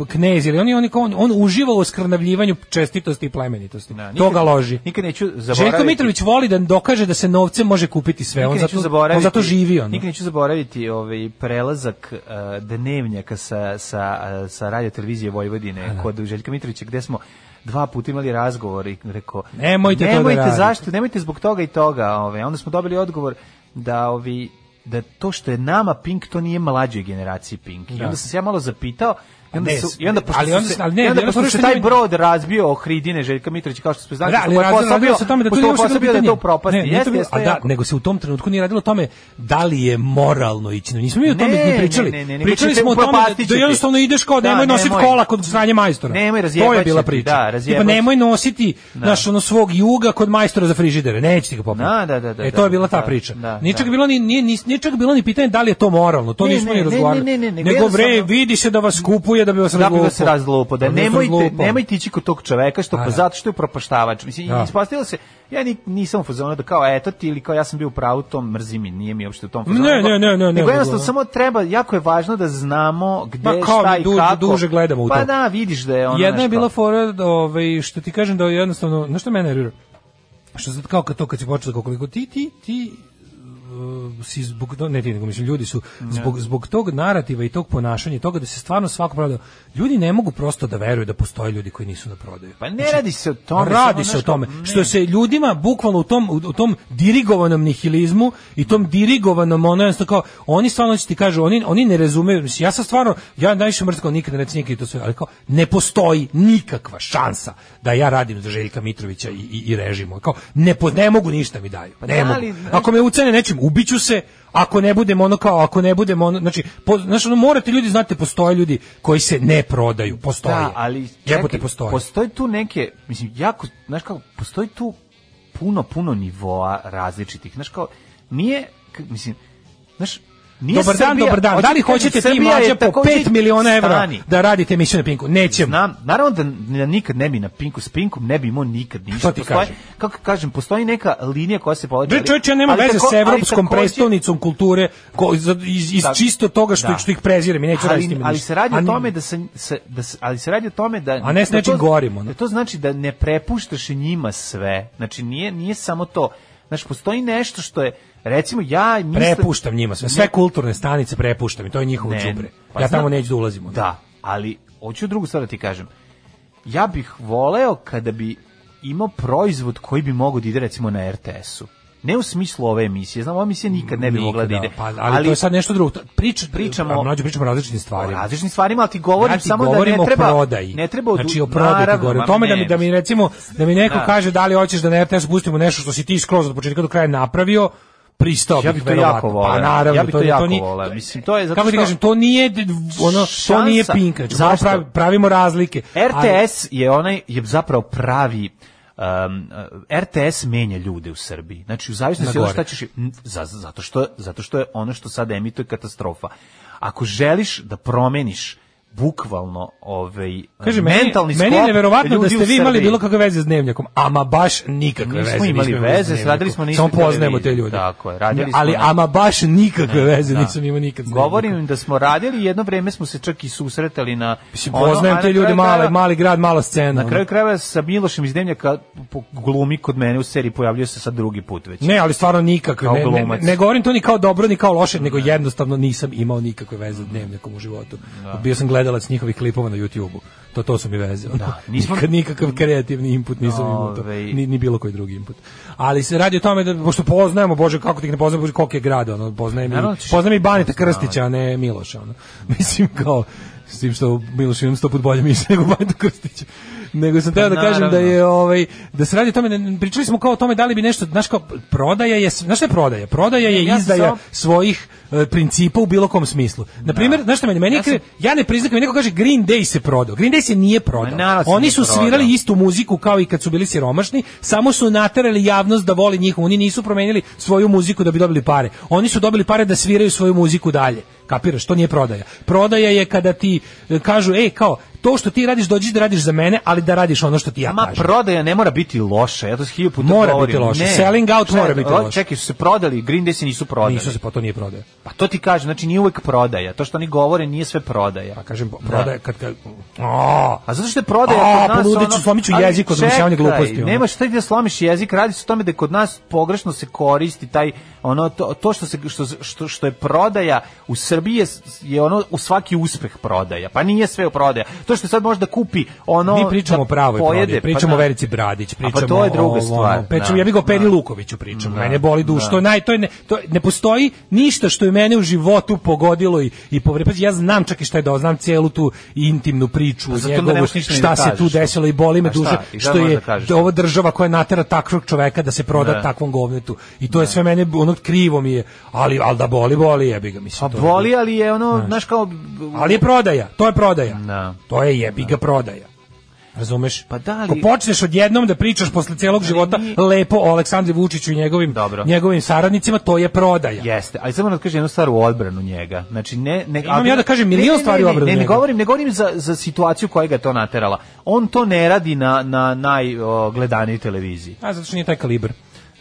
Speaker 7: knez ili on je on, je, on, on uživa u skrnavljivanju čestitosti i plemenitosti. Da,
Speaker 6: nikad,
Speaker 7: toga loži.
Speaker 6: Nikad neću zaboraviti.
Speaker 7: Željko Mitrović voli da dokaže da se novcem može kupiti sve, on zato, on zato živi on.
Speaker 6: Nikad neću zaboraviti ovaj prelazak uh, dnevnjaka sa sa uh, sa radio televizije Vojvodine da. Kod Željka Mitrovića gde smo dva puta imali razgovor i rekao
Speaker 7: nemojte,
Speaker 6: nemojte
Speaker 7: to da
Speaker 6: zašto, nemojte zbog toga i toga, ovaj onda smo dobili odgovor da ovi da to što je nama Pink, to nije mlađoj generaciji Pink. I onda sam se ja malo zapitao, I onda, su, i onda pošto
Speaker 7: ali onda,
Speaker 6: se,
Speaker 7: ali ne,
Speaker 6: i onda
Speaker 7: ne,
Speaker 6: pošto
Speaker 7: ne,
Speaker 6: se
Speaker 7: ne,
Speaker 6: taj
Speaker 7: ne,
Speaker 6: brod razbio o Hridine Željka Mitrovića, kao što smo znali,
Speaker 7: da, ali razbio se o tome da to nije uopšte bilo pitanje.
Speaker 6: Da to propasti.
Speaker 7: Ne,
Speaker 6: jeste,
Speaker 7: bilo,
Speaker 6: jeste,
Speaker 7: a da, nego se u tom trenutku nije radilo o tome da li je moralno ići. Nismo mi o tome
Speaker 6: ne,
Speaker 7: ni pričali.
Speaker 6: Ne, ne, ne,
Speaker 7: pričali smo o tome da, da jednostavno ideš kao nemoj da, nositi kola kod stranje majstora.
Speaker 6: Nemoj
Speaker 7: to je bila priča.
Speaker 6: Da,
Speaker 7: Tipa nemoj nositi
Speaker 6: da.
Speaker 7: naš ono svog juga kod majstora za frižidere. Neće ti ga popiti.
Speaker 6: Da, da, da, da,
Speaker 7: e to je bila ta priča. Nije čak bilo ni nije nije čak bilo ni pitanje da li je to moralno. To nismo ni razgovarali. Nego bre, vidi se da vas kupuje da bi vas
Speaker 6: razlupio. Da nemojte, nemojte ići kod tog čoveka što pa zato što je propaštavač. Mislim, da. Ispostavilo se, ja ni, nisam u fazonu da kao eto ti ili kao ja sam bio u pravu, to mrzi mi, nije mi uopšte u tom fazonu.
Speaker 7: Ne, ne, ne, ne.
Speaker 6: Nego jednostavno samo treba, jako je važno da znamo gde,
Speaker 7: pa, kao
Speaker 6: šta i
Speaker 7: duže,
Speaker 6: kako.
Speaker 7: duže gledamo u to.
Speaker 6: Pa da, vidiš da je ono
Speaker 7: jedna je bila fora, ovaj, što ti kažem da je jednostavno, znaš što mene nervira? Što sad kao kad to kad si počeo koliko ti, ti, ti, si zbog ne ti nego mislim ljudi su zbog zbog tog narativa i tog ponašanja i toga da se stvarno svako prodaje. Ljudi ne mogu prosto da veruju da postoje ljudi koji nisu na prodaju.
Speaker 6: Pa ne znači, radi se o tome,
Speaker 7: radi se o tome ne. Što se ljudima bukvalno u tom u tom dirigovanom nihilizmu i tom dirigovanom ono jednostavno kao oni stvarno ti kažu oni oni ne razumeju. Mislim, ja sam stvarno ja najviše mrsko nikada ne cijenim to sve, ali kao ne postoji nikakva šansa da ja radim za Željka Mitrovića i i, i režimu. Kao ne ne mogu ništa mi daju. Pa ne mogu. Ako me ucene nečim ubiću se, ako ne budemo ono kao, ako ne budemo ono, znači, po, znači ono, morate ljudi, znate, postoje ljudi koji se ne prodaju, postoje.
Speaker 6: Da, ali,
Speaker 7: jebote, postoje.
Speaker 6: Postoji tu neke, mislim, jako, znaš kao, postoji tu puno, puno nivoa različitih, znaš kao, nije, mislim, znaš, Nije
Speaker 7: dobar dan,
Speaker 6: Srbija,
Speaker 7: dobar dan. Da li hoćete ti mlađe po pet miliona evra da radite emisiju na Pinku? Nećemo.
Speaker 6: Znam, naravno da, da nikad ne bi na Pinku, s Pinkom ne bi imao nikad ništa.
Speaker 7: Što ti
Speaker 6: postoji,
Speaker 7: kažem?
Speaker 6: Kako kažem, postoji neka linija koja se povlači.
Speaker 7: Bre, čovječe, ja nema veze s evropskom prestolnicom kulture ko, iz, iz tak, čisto toga što, da. što ih prezirem i neću raditi s tim.
Speaker 6: Ali se radi o tome da se, se, da se, ali se radi o tome da...
Speaker 7: A ne s nečim gorimo.
Speaker 6: Da to znači da ne prepuštaš njima sve. Znači, nije, nije samo to. Znači, postoji nešto što je, recimo, ja mislim...
Speaker 7: Prepuštam njima sve, sve kulturne stanice prepuštam i to je njihovo đubre. Pa ja tamo neću da ulazimo.
Speaker 6: Da, ali, hoću drugu stvar da ti kažem. Ja bih voleo kada bi imao proizvod koji bi mogao da ide, recimo, na er te esu. Ne u smislu ove emisije, znam, ova emisija nikad ne bi mogla da ide.
Speaker 7: Pa, ali, ali to je sad nešto drugo. Prič,
Speaker 6: pričamo,
Speaker 7: mlađe pričamo o različitim stvarima.
Speaker 6: O različitim stvarima, ali ti govorim
Speaker 7: ja ti
Speaker 6: samo da ne treba...
Speaker 7: Prodaji.
Speaker 6: Ne treba...
Speaker 7: Znači o prodaji ti govorim. O tome da mi, da mi recimo, da mi neko da. kaže da li hoćeš da na er te es pustimo nešto što si ti skroz od početka do kraja napravio, pristao
Speaker 6: ja
Speaker 7: bih
Speaker 6: to jako voleo.
Speaker 7: Pa naravno,
Speaker 6: ja bih to, to jako
Speaker 7: to nije,
Speaker 6: voleo. Mislim, to je zato
Speaker 7: kako ti kažem, to nije ono, šansa, to nije Pink. Znači, pravi, pravimo razlike.
Speaker 6: er te es ali, je onaj, je zapravo pravi Um, er te es menja ljude u Srbiji. Znači u zavisnosti od šta ćeš za, zato što zato što je ono što sad emituje katastrofa. Ako želiš da promeniš bukvalno ovaj
Speaker 7: Kaže,
Speaker 6: mentalni
Speaker 7: meni, meni je neverovatno da ste vi imali bilo kakve veze s Dnevnjakom, ama baš nikakve
Speaker 6: nismo
Speaker 7: veze
Speaker 6: imali
Speaker 7: nismo
Speaker 6: veze, radili smo
Speaker 7: samo poznajemo te ljude.
Speaker 6: Tako je, radili smo.
Speaker 7: Ali
Speaker 6: na...
Speaker 7: ama baš nikakve ne, veze da. nisam imao nikad.
Speaker 6: Govorim im da smo radili, jedno vreme smo se čak i susretali na
Speaker 7: Mislim, poznajem ono, te ljude, mali, mali grad, mala scena.
Speaker 6: Na kraju krajeva sa Milošem iz Dnevnjaka glumi kod mene u seriji, pojavljuje se sad drugi put već.
Speaker 7: Ne, ali stvarno nikakve. Ne, ne, ne govorim to ni kao dobro, ni kao loše, nego jednostavno nisam imao nikakve veze s Dnevnjakom u životu. Bio sam gledalac njihovih klipova na YouTubeu. To to su mi veze. Da, nismo nikad nikakav kreativni input nisam imao to. Ni, ni bilo koji drugi input. Ali se radi o tome da pošto poznajemo, bože kako ti ih ne poznajemo, bože koliko je grada, ono poznajem i poznajem i Baneta Krstića, a ne Miloša, ono. Mislim kao s tim što Miloš imam sto put bolje mišljenje nego Baneta Krstića. Nego sam teo da kažem da je ovaj da se radi o tome da pričali smo kao o tome da li bi nešto, znaš kao prodaja je, znaš šta je prodaja? Prodaja je ja izdaja sam... svojih uh, principa u bilo kom smislu. Na primjer, znaš šta meni, meni ja, sam... ja ne priznam, neko kaže Green Day se prodao. Green Day se nije prodao. Ma, oni su svirali prodao. Istu muziku kao i kad su bili siromašni, samo su naterali javnost da voli njih. Oni nisu promenili svoju muziku da bi dobili pare. Oni su dobili pare da sviraju svoju muziku dalje. Kapiraš, to nije prodaja. Prodaja je kada ti kažu, ej, kao, to što ti radiš, dođi da radiš za mene, ali da radiš ono što ti ja
Speaker 6: Ma,
Speaker 7: kažem.
Speaker 6: Ma prodaja ne mora biti loša, ja to s hilju puta
Speaker 7: mora
Speaker 6: govorim.
Speaker 7: Biti loša.
Speaker 6: Ne.
Speaker 7: Selling out
Speaker 6: Sve,
Speaker 7: mora biti loša.
Speaker 6: Čekaj, su se prodali, Green Day se nisu prodali.
Speaker 7: Nisu se, pa to nije prodaja.
Speaker 6: Pa to ti kažem, znači nije uvek prodaja. To što oni govore nije sve prodaja.
Speaker 7: Pa kažem, prodaja kad... kad...
Speaker 6: A, a zato što je prodaja
Speaker 7: a,
Speaker 6: kod nas...
Speaker 7: Poludeću, ono... slomiću jezik od domišljavanja gluposti. Ono.
Speaker 6: Nema šta ti da slomiš jezik, radi se o tome da kod nas pogrešno se koristi taj, ono, to, to što, se, što, što, što je prodaja u Srbiji je, je ono u svaki uspeh prodaja. Pa nije sve u prodaja. To što sad može da kupi ono
Speaker 7: mi pričamo o pravoj prodaji, pričamo o
Speaker 6: pa,
Speaker 7: Verici Bradić, pričamo
Speaker 6: pa to je druga
Speaker 7: o,
Speaker 6: stvar.
Speaker 7: Ono, pričamo, ja bih o Peri Lukoviću pričam. Mene boli duša, to naj to je ne, to ne postoji ništa što je mene u životu pogodilo i i povredio. Ja znam čak i šta je da znam celu tu intimnu priču,
Speaker 6: pa
Speaker 7: njegovu, šta se tu desilo i boli me duša što je ova država koja natera takvog čoveka da se proda ne. takvom govnetu. I to ne. je sve mene ono krivo mi je, ali al da boli, boli jebi ga mislim.
Speaker 6: Pa boli, ali je ono, znaš kao
Speaker 7: ali je prodaja, to je prodaja.
Speaker 6: Ne.
Speaker 7: To je jebi ga prodaja. Razumeš?
Speaker 6: Pa da li...
Speaker 7: Ko počneš odjednom da pričaš posle celog života mi... lepo o Aleksandru Vučiću i njegovim Dobro. njegovim saradnicima, to je prodaja.
Speaker 6: Jeste, ali samo da kažem jednu stvar u odbranu njega. Znači ne ne
Speaker 7: Imam ja da kažem milion stvari u odbranu
Speaker 6: njega.
Speaker 7: Ne,
Speaker 6: ne govorim, ne govorim za za situaciju koja ga to naterala. On to ne radi na na najgledanijoj televiziji.
Speaker 7: A zato što nije taj kalibar.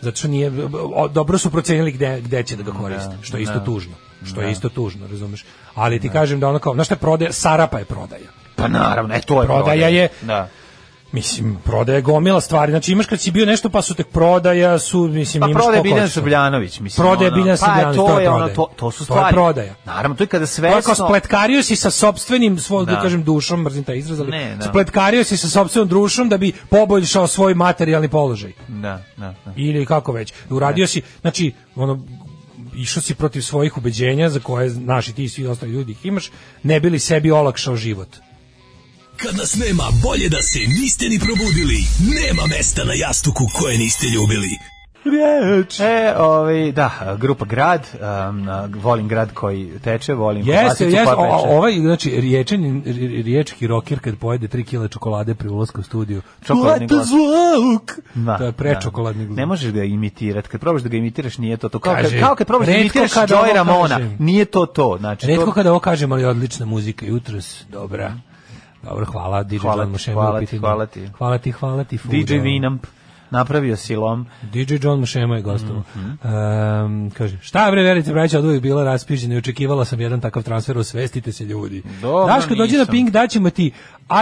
Speaker 7: Zato što nije o, dobro su procenili gde gde će da ga koriste, što je isto tužno. Što je isto tužno, razumeš? Ali ti da. kažem da ono kao, znaš šta je prodaja, Sarapa je prodaja.
Speaker 6: Pa naravno, e, to je
Speaker 7: prodaja.
Speaker 6: Prodaja
Speaker 7: je,
Speaker 6: da.
Speaker 7: Mislim, prodaja je gomila stvari. Znači imaš kad si bio nešto pa su tek prodaja, su, mislim,
Speaker 6: pa
Speaker 7: imaš
Speaker 6: prodaja Biljana Srbljanović, mislim.
Speaker 7: Prodaja Biljana Srbljanović,
Speaker 6: pa,
Speaker 7: to, to je
Speaker 6: ono,
Speaker 7: prodaja.
Speaker 6: to, to su stvari.
Speaker 7: To je prodaja.
Speaker 6: Naravno, to je kada svesno...
Speaker 7: To je kao spletkario si sa sopstvenim, svoj, da. da kažem, dušom, mrzim taj izraz, ali ne, da. spletkario si sa sopstvenom dušom da bi poboljšao svoj materijalni položaj.
Speaker 6: Da, da, da.
Speaker 7: Ili kako već. Uradio si, znači, ono, išao si protiv svojih ubeđenja za koje naši ti i svi ostali ljudi ih imaš, ne bili sebi olakšao život.
Speaker 9: Kad nas nema, bolje da se niste ni probudili. Nema mesta na jastuku koje niste ljubili.
Speaker 7: Riječ.
Speaker 6: E, ovaj, da, grupa Grad, um, volim grad koji teče, volim
Speaker 7: jeste, jeste, ovaj, znači, riječan, riječki roker kad pojede tri kile čokolade pri ulasku u studiju.
Speaker 6: Čokoladni glas.
Speaker 7: Zvuk! Da, to je prečokoladni glas.
Speaker 6: Ne možeš ga imitirati, kad probaš da ga imitiraš nije to to. Kao, kaže, kao kad probaš da imitiraš Joy Ramona, kažem, nije to to. Znači,
Speaker 7: retko
Speaker 6: to...
Speaker 7: kada ovo kažem, ali odlična muzika, jutros, dobra. Dobro, hvala, D J John Mušema.
Speaker 6: Hvala ti, hvala ti.
Speaker 7: Hvala ti, hvala ti.
Speaker 6: D J Vinamp. Napravio silom.
Speaker 7: D J John Mušema je gostovo. Mm -hmm. um, kaže, šta bre, Verica Braća, od uvijek bila raspižena i očekivala sam jedan takav transfer, osvestite se ljudi.
Speaker 6: Dobro,
Speaker 7: Daško, dođi na Pink, daćemo ti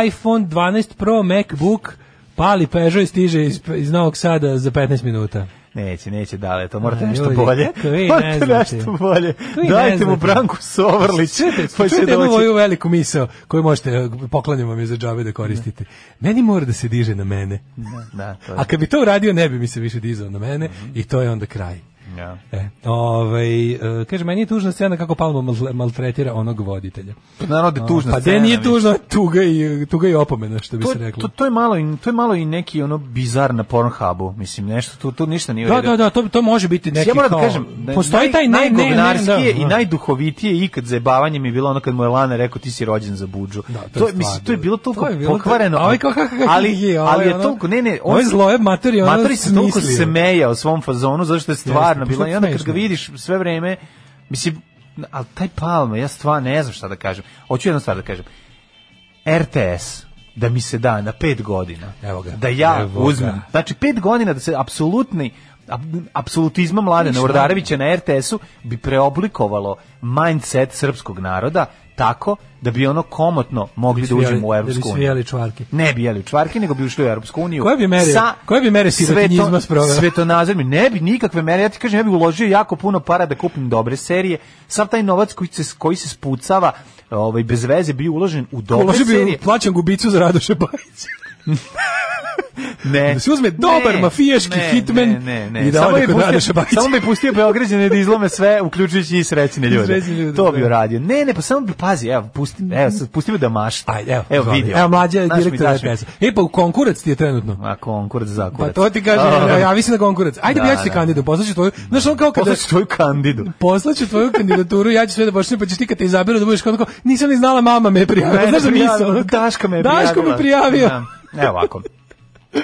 Speaker 7: iPhone dvanaest Pro, MacBook, pali Peugeot i stiže iz, iz Novog Sada za petnaest minuta.
Speaker 6: Neće, neće dale, to morate nešto bolje. Morate nešto bolje.
Speaker 7: Vi
Speaker 6: Dajte mu Branku Sovrlić.
Speaker 7: Pa čujete jednu moju veliku misao koju možete, poklanjamo mi za džabe da koristite. Ne. Meni mora da se diže na mene.
Speaker 6: Da, da, to je.
Speaker 7: A kad bi to uradio, ne bi mi se više dizao na mene mm-hmm. i to je onda kraj.
Speaker 6: Ja.
Speaker 7: E, ovaj, uh, kaže, meni je tužna scena kako Palma mal, maltretira onog voditelja.
Speaker 6: Pa naravno da je tužna
Speaker 7: pa
Speaker 6: scena.
Speaker 7: Pa nije tužna, tuga i, tuga i opomena, što bi
Speaker 6: to,
Speaker 7: se reklo.
Speaker 6: To, to, je malo i, to je malo i neki ono bizar na Pornhubu, mislim, nešto, tu, tu ništa nije u
Speaker 7: redu.
Speaker 6: redu.
Speaker 7: Da, da, da, to, to može biti neki
Speaker 6: ja moram
Speaker 7: kao...
Speaker 6: Da kažem,
Speaker 7: postoji taj ne, ne, ne,
Speaker 6: da, i najduhovitije ikad zajebavanje mi je bilo ono kad mu je Lana rekao ti si rođen za budžu. Da, to, to, je, mislim, to je bilo toliko pokvareno,
Speaker 7: ali, kao, kako, kako,
Speaker 6: ali, ali je toliko, ne, ne,
Speaker 7: on je zloje materi, ono
Speaker 6: Matori se toliko semeja o svom fazonu, zato što je stvarno bilo, i onda kad ga vidiš sve vreme, mislim, ali taj Palma, ja stvarno ne znam šta da kažem. Hoću jednu stvar da kažem. R T S, da mi se da na pet godina,
Speaker 7: evo ga,
Speaker 6: da ja
Speaker 7: evo
Speaker 6: uzmem,
Speaker 7: ga.
Speaker 6: znači pet godina da se apsolutni apsolutizma Mladena Urdarevića na R T S-u bi preoblikovalo mindset srpskog naroda tako da bi ono komotno mogli da, da uđemo u Evropsku uniju.
Speaker 7: Da bi čvarke.
Speaker 6: Ne bi jeli čvarke, nego bi ušli u Evropsku uniju.
Speaker 7: Koje bi mere, sa koje bi mere sirotinjizma sprovela?
Speaker 6: Svetonazorni, ne bi nikakve mere. Ja ti kažem, ja bih uložio jako puno para da kupim dobre serije. Sav taj novac koji se, koji se spucava ovaj, bez veze bi uložen u dobre
Speaker 7: Uloži
Speaker 6: serije.
Speaker 7: Uloži bi plaćan gubicu za Radoša Bajića.
Speaker 6: Ne.
Speaker 7: Da se uzme dobar
Speaker 6: ne,
Speaker 7: mafijaški
Speaker 6: ne,
Speaker 7: hitman
Speaker 6: ne, ne, ne.
Speaker 7: i da ode kod Radoša Bajića.
Speaker 6: Samo bi pustio Beograđane da izlome sve, uključujući i srećne ljude. ljude to bi uradio. Ne, ne, pa samo bi, pazi, evo, pusti, evo, pusti me da mašta.
Speaker 7: Ajde, evo,
Speaker 6: evo vidio.
Speaker 7: Evo, mlađa je direktor R T S-a. E, pa u konkurac ti je trenutno.
Speaker 6: A konkurac za kurac.
Speaker 7: Pa to ti kaže, oh. ja mislim na konkurac. Ajde, da, ja ću ti kandidu, poslaću tvoju, znaš, on kao kada...
Speaker 6: Poslaću tvoju kandidu.
Speaker 7: Poslaću tvoju kandidaturu, ja ću sve da pošlim, pa ćeš ti kad te izaberu da budeš kao, nisam ni znala, mama me je prijavila. Znaš da nisam?
Speaker 6: Daška me je prijavila.
Speaker 7: Daško me prijavio.
Speaker 6: Evo ovako.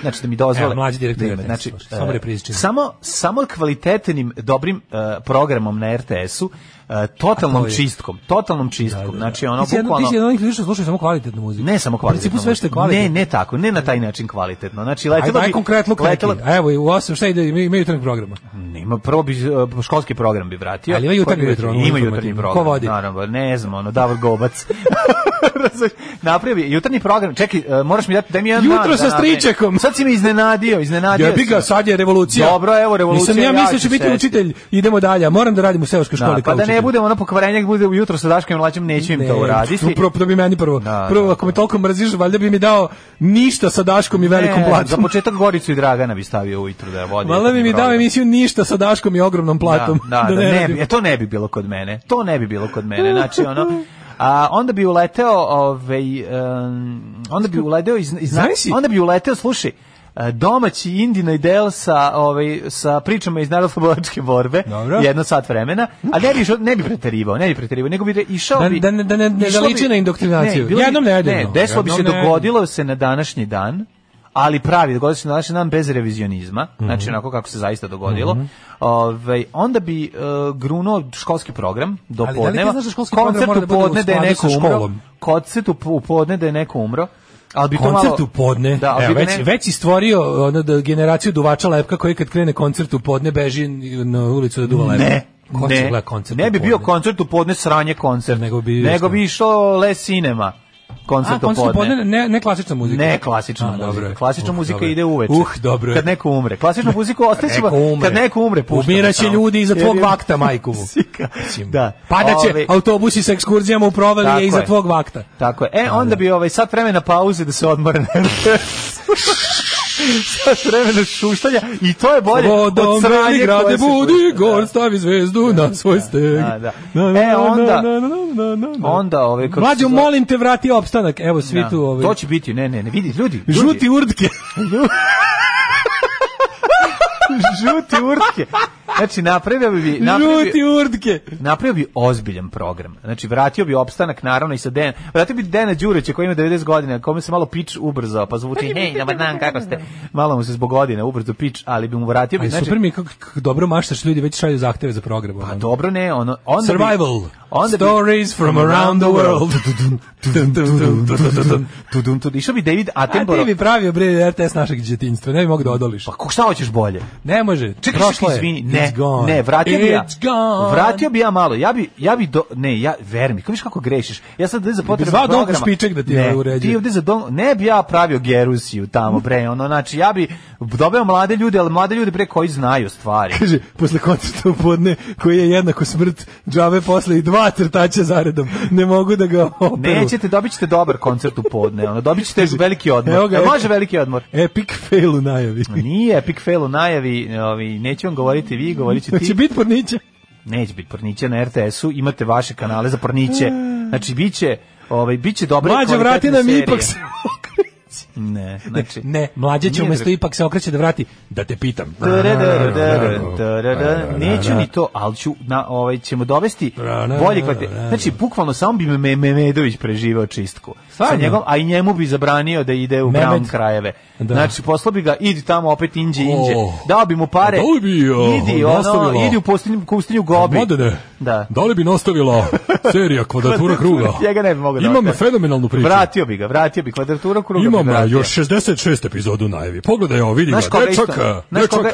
Speaker 6: Znači da mi dozvole.
Speaker 7: Evo, mlađi direktor
Speaker 6: da, znači,
Speaker 7: samo reprizični.
Speaker 6: Samo samo kvalitetnim dobrim uh, programom na R T S-u, uh, totalnom čistkom, totalnom čistkom. Da, da, da. Znači ono
Speaker 7: ti
Speaker 6: bukvalno.
Speaker 7: Ti si onih ljudi što slušaju samo kvalitetnu muziku.
Speaker 6: Ne samo kvalitetnu.
Speaker 7: U principu sve što je kvalitetno.
Speaker 6: Ne, ne tako, ne na taj način kvalitetno. Znači letelo
Speaker 7: bi konkretno
Speaker 6: letelo.
Speaker 7: A evo i u osam šta ide, imaju jutarnji program.
Speaker 6: Nema, prvo bi uh, školski program bi vratio.
Speaker 7: Ali ima jutarnji program.
Speaker 6: Ima jutarnji program.
Speaker 7: Ko vodi?
Speaker 6: Naravno, ne znam, ono Davor Gobac. Napravi jutarnji program. Čekaj, uh, moraš mi dati, daj mi jedan dan.
Speaker 7: Jutro sa stričekom.
Speaker 6: Sad si me iznenadio, iznenadio.
Speaker 7: Ja bih ga, sad je revolucija.
Speaker 6: Dobro, evo revolucija.
Speaker 7: Nisam ja mislio da će biti učitelj. Idemo dalje. Moram da radim u seoskoj školi
Speaker 6: kao učitelj. Pa da ne bude ono pokvarenje, bude ujutro sa Daškom i Mlađom, neću im ne, to uraditi.
Speaker 7: Upravo da bi meni prvo. Da, prvo, ako me toliko mrziš, valjda bi mi dao ništa sa Daškom i velikom ne, platom.
Speaker 6: Za početak Goricu i Dragana bi stavio ujutro da vodi.
Speaker 7: Valjda bi mi dao emisiju ništa sa Daškom i ogromnom platom.
Speaker 6: Da, da, da, da ne, ne, to ne bi bilo kod mene. To ne bi bilo kod mene. Znači, ono... A onda bi uleteo, ovaj, um, onda bi uleteo iz, iz onda bi uleteo, slušaj, domaći Indina idel sa ovaj sa pričama iz narodnooslobodilačke borbe, dobro, jedno sat vremena, a ne bi ne bi preterivao, ne bi preterivao, nego bi išao
Speaker 7: da,
Speaker 6: bi
Speaker 7: da ne da ne, ne zaliči na indoktrinaciju. Ne, jednom nedeljno.
Speaker 6: Ne, desilo bi se dogodilo se na današnji dan, ali pravi, dogodilo se na današnji dan bez revizionizma, mm-hmm. znači onako kako se zaista dogodilo. Mm-hmm. Ovaj onda bi uh, grunuo školski program do ali podneva.
Speaker 7: Da li ti znaš da koncert u podne
Speaker 6: da je neko umro? Koncert u podne da je neko umro.
Speaker 7: Al bi koncert malo, u podne. Da, evo, već ne... već si stvorio ono da generaciju duvača lepka koji kad krene koncert u podne beži na ulicu da duva lepka.
Speaker 6: Ne. Ko ne, ne bi bio koncert u podne sranje koncert, nego bi nego bi išao Le Cinema. Koncert u podne,
Speaker 7: ne, ne klasična muzika.
Speaker 6: Ne klasična A, muzika. Klasična uh, muzika dobro. Ide uveče.
Speaker 7: Uh, dobro.
Speaker 6: Kad neko umre. Klasičnu muziku ostaćemo kad neko umre.
Speaker 7: Umiraće ljudi iza tvog vakta, majku mu.
Speaker 6: Da.
Speaker 7: Padaće Ove... autobusi sa ekskurzijama u provalije iza tvog vakta.
Speaker 6: Tako je. E, onda da. bi ovaj sat vremena pauze da se odmore. Sat vremena šuštanja i to je bolje
Speaker 7: Vodom od sranje grade budi, gor stavi zvezdu na svoj steg.
Speaker 6: Da, da. E, onda onda ove
Speaker 7: Mlađo, molim te, vrati opstanak. Evo svi da. Tu ove.
Speaker 6: To će biti, ne, ne, ne, vidi, ljudi. ljudi.
Speaker 7: Žuti urdke.
Speaker 6: Žuti urdke. Znači, napravio bi... Napravio,
Speaker 7: Žuti urdke.
Speaker 6: Napravio bi ozbiljan program. Znači, vratio bi opstanak, naravno, i sa Den... Vratio bi Dena Đurića, koji ima devedeset godina, kome se malo pič ubrzao, pa zvuči, hej, dobar dan, kako ste? Malo mu se zbog godine ubrzo pič, ali bi mu vratio... Bi,
Speaker 7: znači, super mi, kako, kako dobro maštaš, ljudi već šalju zahteve za program.
Speaker 6: Pa dobro, ne, ono... Onda
Speaker 7: Survival.
Speaker 6: Bi, onda
Speaker 7: Stories bi, from around the world.
Speaker 6: Išao bi David Attenborough.
Speaker 7: A ti bi pravio, bre, R T S našeg djetinjstva, ne bi mogu da odoliš.
Speaker 6: Pa šta hoćeš bolje?
Speaker 7: Ne može.
Speaker 6: Čekaj, izvini, ne, ne, vratio bi ja. Vratio bi ja malo. Ja bi ja bi do, ne, ja ver mi, kako viš kako grešiš. Ja sad za potrebe programa.
Speaker 7: Dva špiček da ti ne uređuje.
Speaker 6: Ti ovde za dom, ne bi ja pravio Gerusiju tamo bre, ono, znači ja bi doveo mlade ljude, al mlade ljude bre koji znaju stvari.
Speaker 7: Kaže, posle koncerta u podne koji je jednako smrt džabe posle i dva crtača zaredom. Ne mogu da ga operu.
Speaker 6: Nećete, dobićete dobar koncert u podne, ono, dobićete veliki odmor. Ga, može veliki odmor.
Speaker 7: Epic fail u najavi.
Speaker 6: Nije epic fail u najavi, ovi, neću vam govoriti vi, govorit ću ti.
Speaker 7: Hoće biti porniće?
Speaker 6: Neće biti porniće na R T S-u, imate vaše kanale za porniće. Znači, biće, ovaj, biće dobre
Speaker 7: kvalitetne serije. Mlađe, vrati nam ipak se okreće.
Speaker 6: Ne, znači...
Speaker 7: Ne, ne mlađe će umjesto ipak se okreće da vrati, da te pitam.
Speaker 6: Neću ni to, ali ću, na, ovaj, ćemo dovesti bolje kvalitet. Znači, bukvalno samo bi me Memedović preživao čistku. Sa njegom, a i njemu bi zabranio da ide u brown krajeve. Da. Znači, poslao bi ga, idi tamo opet inđe, inđe. Oh. Dao bi mu pare.
Speaker 7: Da li bi uh,
Speaker 6: idi, ono, idi u pustinju, pustinju Gobi.
Speaker 7: Mladene, da. Da li bi nastavila serija Kvadratura kruga?
Speaker 6: Njega ne bi mogo da.
Speaker 7: Imam fenomenalnu priču.
Speaker 6: Vratio bi ga, vratio bi Kvadratura kruga.
Speaker 7: Imam još šezdeset šest epizodu najavi. Pogledaj ovo, vidi ga.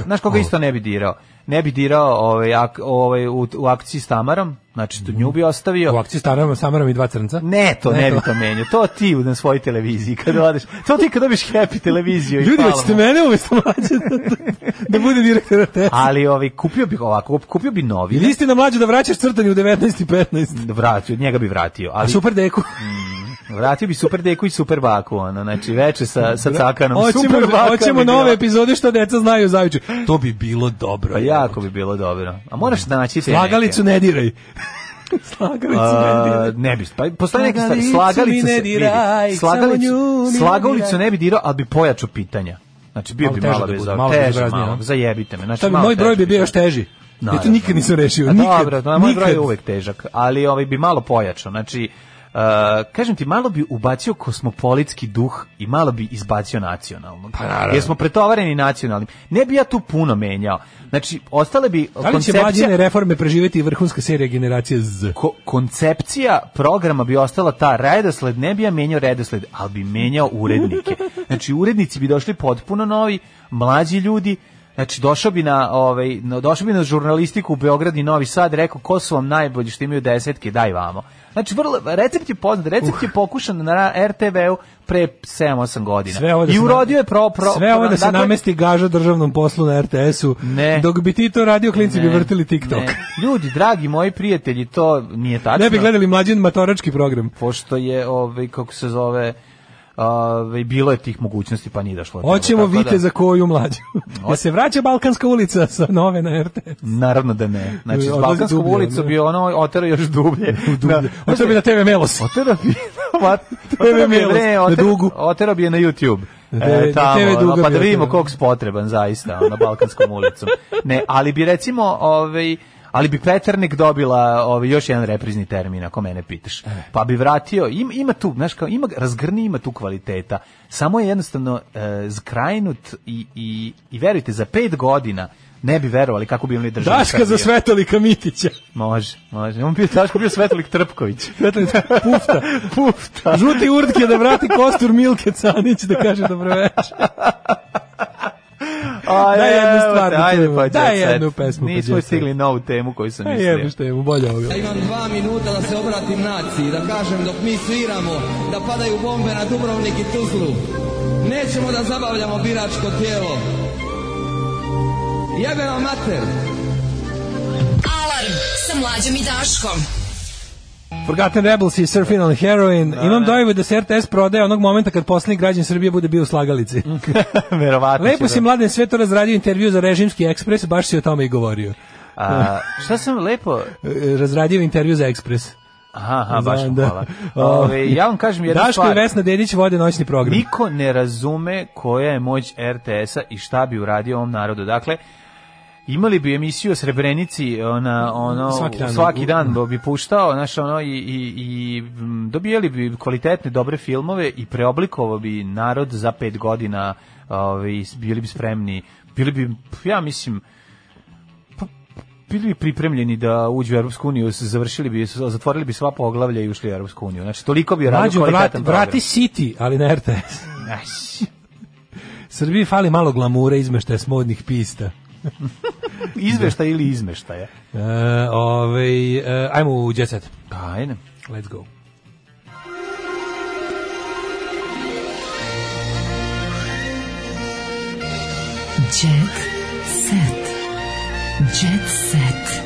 Speaker 6: Znaš koga isto ne bi dirao? Ne bi dirao ovaj, ak, ovaj, u, u akciji s Tamarom, znači tu nju bi ostavio.
Speaker 7: U akciji s Tamarom, Samarom i dva crnca?
Speaker 6: Ne, to ne, ne bi to menio. To ti na svojoj televiziji kad odeš. To ti kad dobiš Happy televiziju.
Speaker 7: Ljudi, hoćete mene umjesto mlađe da, da bude direktor R T S.
Speaker 6: Ali ovaj, kupio bih ovako, kupio bi novi.
Speaker 7: Ili istina mlađe da vraćaš crtanje u devetnaest i petnaest?
Speaker 6: Vratio, njega bi vratio. Ali,
Speaker 7: a Super Deku?
Speaker 6: Mm, vratio bi Super Deku i Super Baku, ono, znači veče sa, sa cakanom.
Speaker 7: Hoćemo,
Speaker 6: super baka
Speaker 7: hoćemo nove epizode što deca znaju zajuče. To bi bilo dobro.
Speaker 6: Pa jako bi bilo dobro. A moraš naći te
Speaker 7: slagalicu neke. Ne diraj. Slagalicu ne diraj.
Speaker 6: Ne bi, pa postoji neki stvari. Slagalicu ne diraj. Slagalicu, slagalicu ne bi dirao, ali bi pojačao pitanja. Znači bio bi malo bez
Speaker 7: malo
Speaker 6: teže, malo, zajebite me. Znači
Speaker 7: moj broj bi bio još teži. Ja to nikad nisam rešio, nikad.
Speaker 6: Dobro, moj broj je uvek težak, ali ovaj bi malo pojačao. Znači Uh, kažem ti, malo bi ubacio kosmopolitski duh i malo bi izbacio nacionalno. Pa, jer smo pretovareni nacionalnim. Ne bi ja tu puno menjao. Znači, ostale bi
Speaker 7: da li koncepcija... će mlađine reforme preživjeti vrhunska serija generacije Z?
Speaker 6: Ko, koncepcija programa bi ostala ta redosled, ne bi ja menjao redosled, ali bi menjao urednike. Znači, urednici bi došli potpuno novi, mlađi ljudi, Znači, došao bi na, ovaj, došao bi na žurnalistiku u Beograd i Novi Sad, rekao, ko su vam najbolji što imaju desetke, daj vamo. Znači, vrlo, recept je poznat, recept uh. je pokušan na er te ve u pre sedam osam godina.
Speaker 7: Da
Speaker 6: I urodio je pro... pro
Speaker 7: sve ovo da se
Speaker 6: dakle,
Speaker 7: namesti gaža državnom poslu na er te esu,
Speaker 6: ne,
Speaker 7: dok bi ti to radio, klinci ne, bi vrtili TikTok.
Speaker 6: Ne. Ljudi, dragi moji prijatelji, to nije tačno.
Speaker 7: Ne bi gledali Mlađin matorački program.
Speaker 6: Pošto je, ovaj, kako se zove... Ove, bilo je tih mogućnosti, pa nije došlo.
Speaker 7: Hoćemo vidite da, za koju mlađu. Da se vraća Balkanska ulica sa nove na er te es.
Speaker 6: Naravno da ne. Znači, s Balkansku ulicu bi ono otero još dublje.
Speaker 7: dublje. Otero bi na te ve Melos.
Speaker 6: Otero bi, otero bi, ne, otero, otero bi je na YouTube. E, tamo, ono, pa da vidimo koliko je potreban zaista na Balkanskom ulicom. Ne, ali bi recimo... Ovaj, ali bi Peternik dobila ovaj još jedan reprizni termin, ako mene pitaš. Pa bi vratio, ima, ima tu, znaš kao, ima, razgrni, ima tu kvaliteta. Samo je jednostavno e, zkrajnut i, i, i verujte, za pet godina ne bi verovali kako bi oni držali.
Speaker 7: Daška za Svetolika Mitića.
Speaker 6: Može, može. On bio Daško bio Svetolik Trpković.
Speaker 7: Svetolik Pufta.
Speaker 6: Pufta.
Speaker 7: Žuti Urtke da vrati kostur Milke Canić da kaže dobroveče.
Speaker 6: A,
Speaker 7: daj jednu stvar,
Speaker 6: ajde, pa
Speaker 7: daj jednu pesmu.
Speaker 6: Nismo stigli novu temu koju sam mislio.
Speaker 7: Ajde, što je mu bolje ovoga.
Speaker 15: Ja imam dva minuta da se obratim naciji, da kažem dok mi sviramo, da padaju bombe na Dubrovnik i Tuzlu. Nećemo da zabavljamo biračko tijelo. Jebe vam mater.
Speaker 4: Alarm sa Mlađom i Daškom.
Speaker 7: Forgotten Rebels i Surfing on Heroin. Da, imam dojavu da se er te es prodaje onog momenta kad poslednji građan Srbije bude bio u slagalici.
Speaker 6: Verovatno.
Speaker 7: Lepo si, Mladen, sve to razradio intervju za Režimski ekspres, baš si o tome i govorio.
Speaker 6: A, šta sam lepo...
Speaker 7: Razradio intervju za Ekspres.
Speaker 6: Aha, aha, baš vam hvala. Ove, ja vam kažem jednu
Speaker 7: Daško
Speaker 6: stvar.
Speaker 7: Daško i Vesna Dedić vode noćni program.
Speaker 6: Niko ne razume koja je moć er te esa i šta bi uradio ovom narodu. Dakle, imali bi emisiju o Srebrenici, ona, ono, svaki dan, svaki dan bi puštao, znaš, ono, i, i, i dobijali bi kvalitetne, dobre filmove i preoblikovao bi narod za pet godina, ovaj, bili bi spremni, bili bi, ja mislim, pa, bili bi pripremljeni da uđu u Europsku uniju, završili bi, zatvorili bi sva poglavlja i ušli u Europsku uniju. Znači, toliko bi radio kvalitetan program.
Speaker 7: Vrati City, ali na er te es. Srbiji fali malo glamura, izmeštaja s modnih pista.
Speaker 6: Izveštaj ili izmeštaja?
Speaker 7: Uh, ovaj, uh, ajmo u Jet Set.
Speaker 6: Ajde.
Speaker 7: Let's go.
Speaker 4: Jet Set. Jet Set.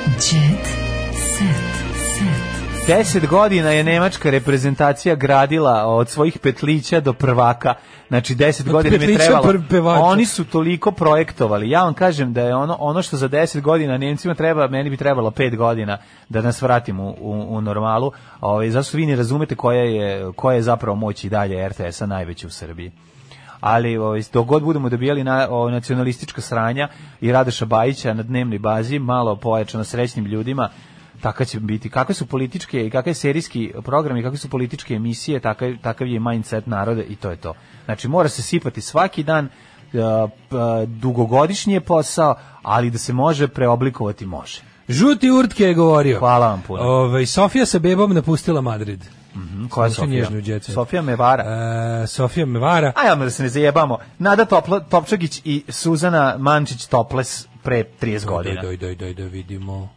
Speaker 4: Jet Set. Set.
Speaker 6: Deset godina je nemačka reprezentacija gradila od svojih petlića do prvaka. Znači deset godina mi je trebalo. Oni su toliko projektovali. Ja vam kažem da je ono ono što za deset godina Nemcima treba, meni bi trebalo pet godina da nas vratimo u, u, u normalu. Ovaj zašto vi ne razumete koja je koja je zapravo moć i dalje er te esa najveća u Srbiji. Ali ovaj dok god budemo dobijali na o, nacionalistička sranja i Radoša Bajića na dnevnoj bazi, malo pojačano srećnim ljudima, tako će biti. Kakve su političke i kakve serijski programi, kakve su političke emisije, takav, takav je mindset naroda i to je to. Znači, mora se sipati svaki dan, uh, uh, dugogodišnji je posao, ali da se može preoblikovati, može.
Speaker 7: Žuti Urtke je govorio.
Speaker 6: Hvala vam puno.
Speaker 7: Ove, Sofija sa bebom napustila Madrid.
Speaker 6: Mm-hmm. Koja je Sofija? Sofija Mevara.
Speaker 7: E, Sofija Mevara.
Speaker 6: A ja da se ne zajebamo. Nada Topla, Topčagić i Suzana Mančić Toples pre trideset godina.
Speaker 7: Doj, doj, doj, da vidimo.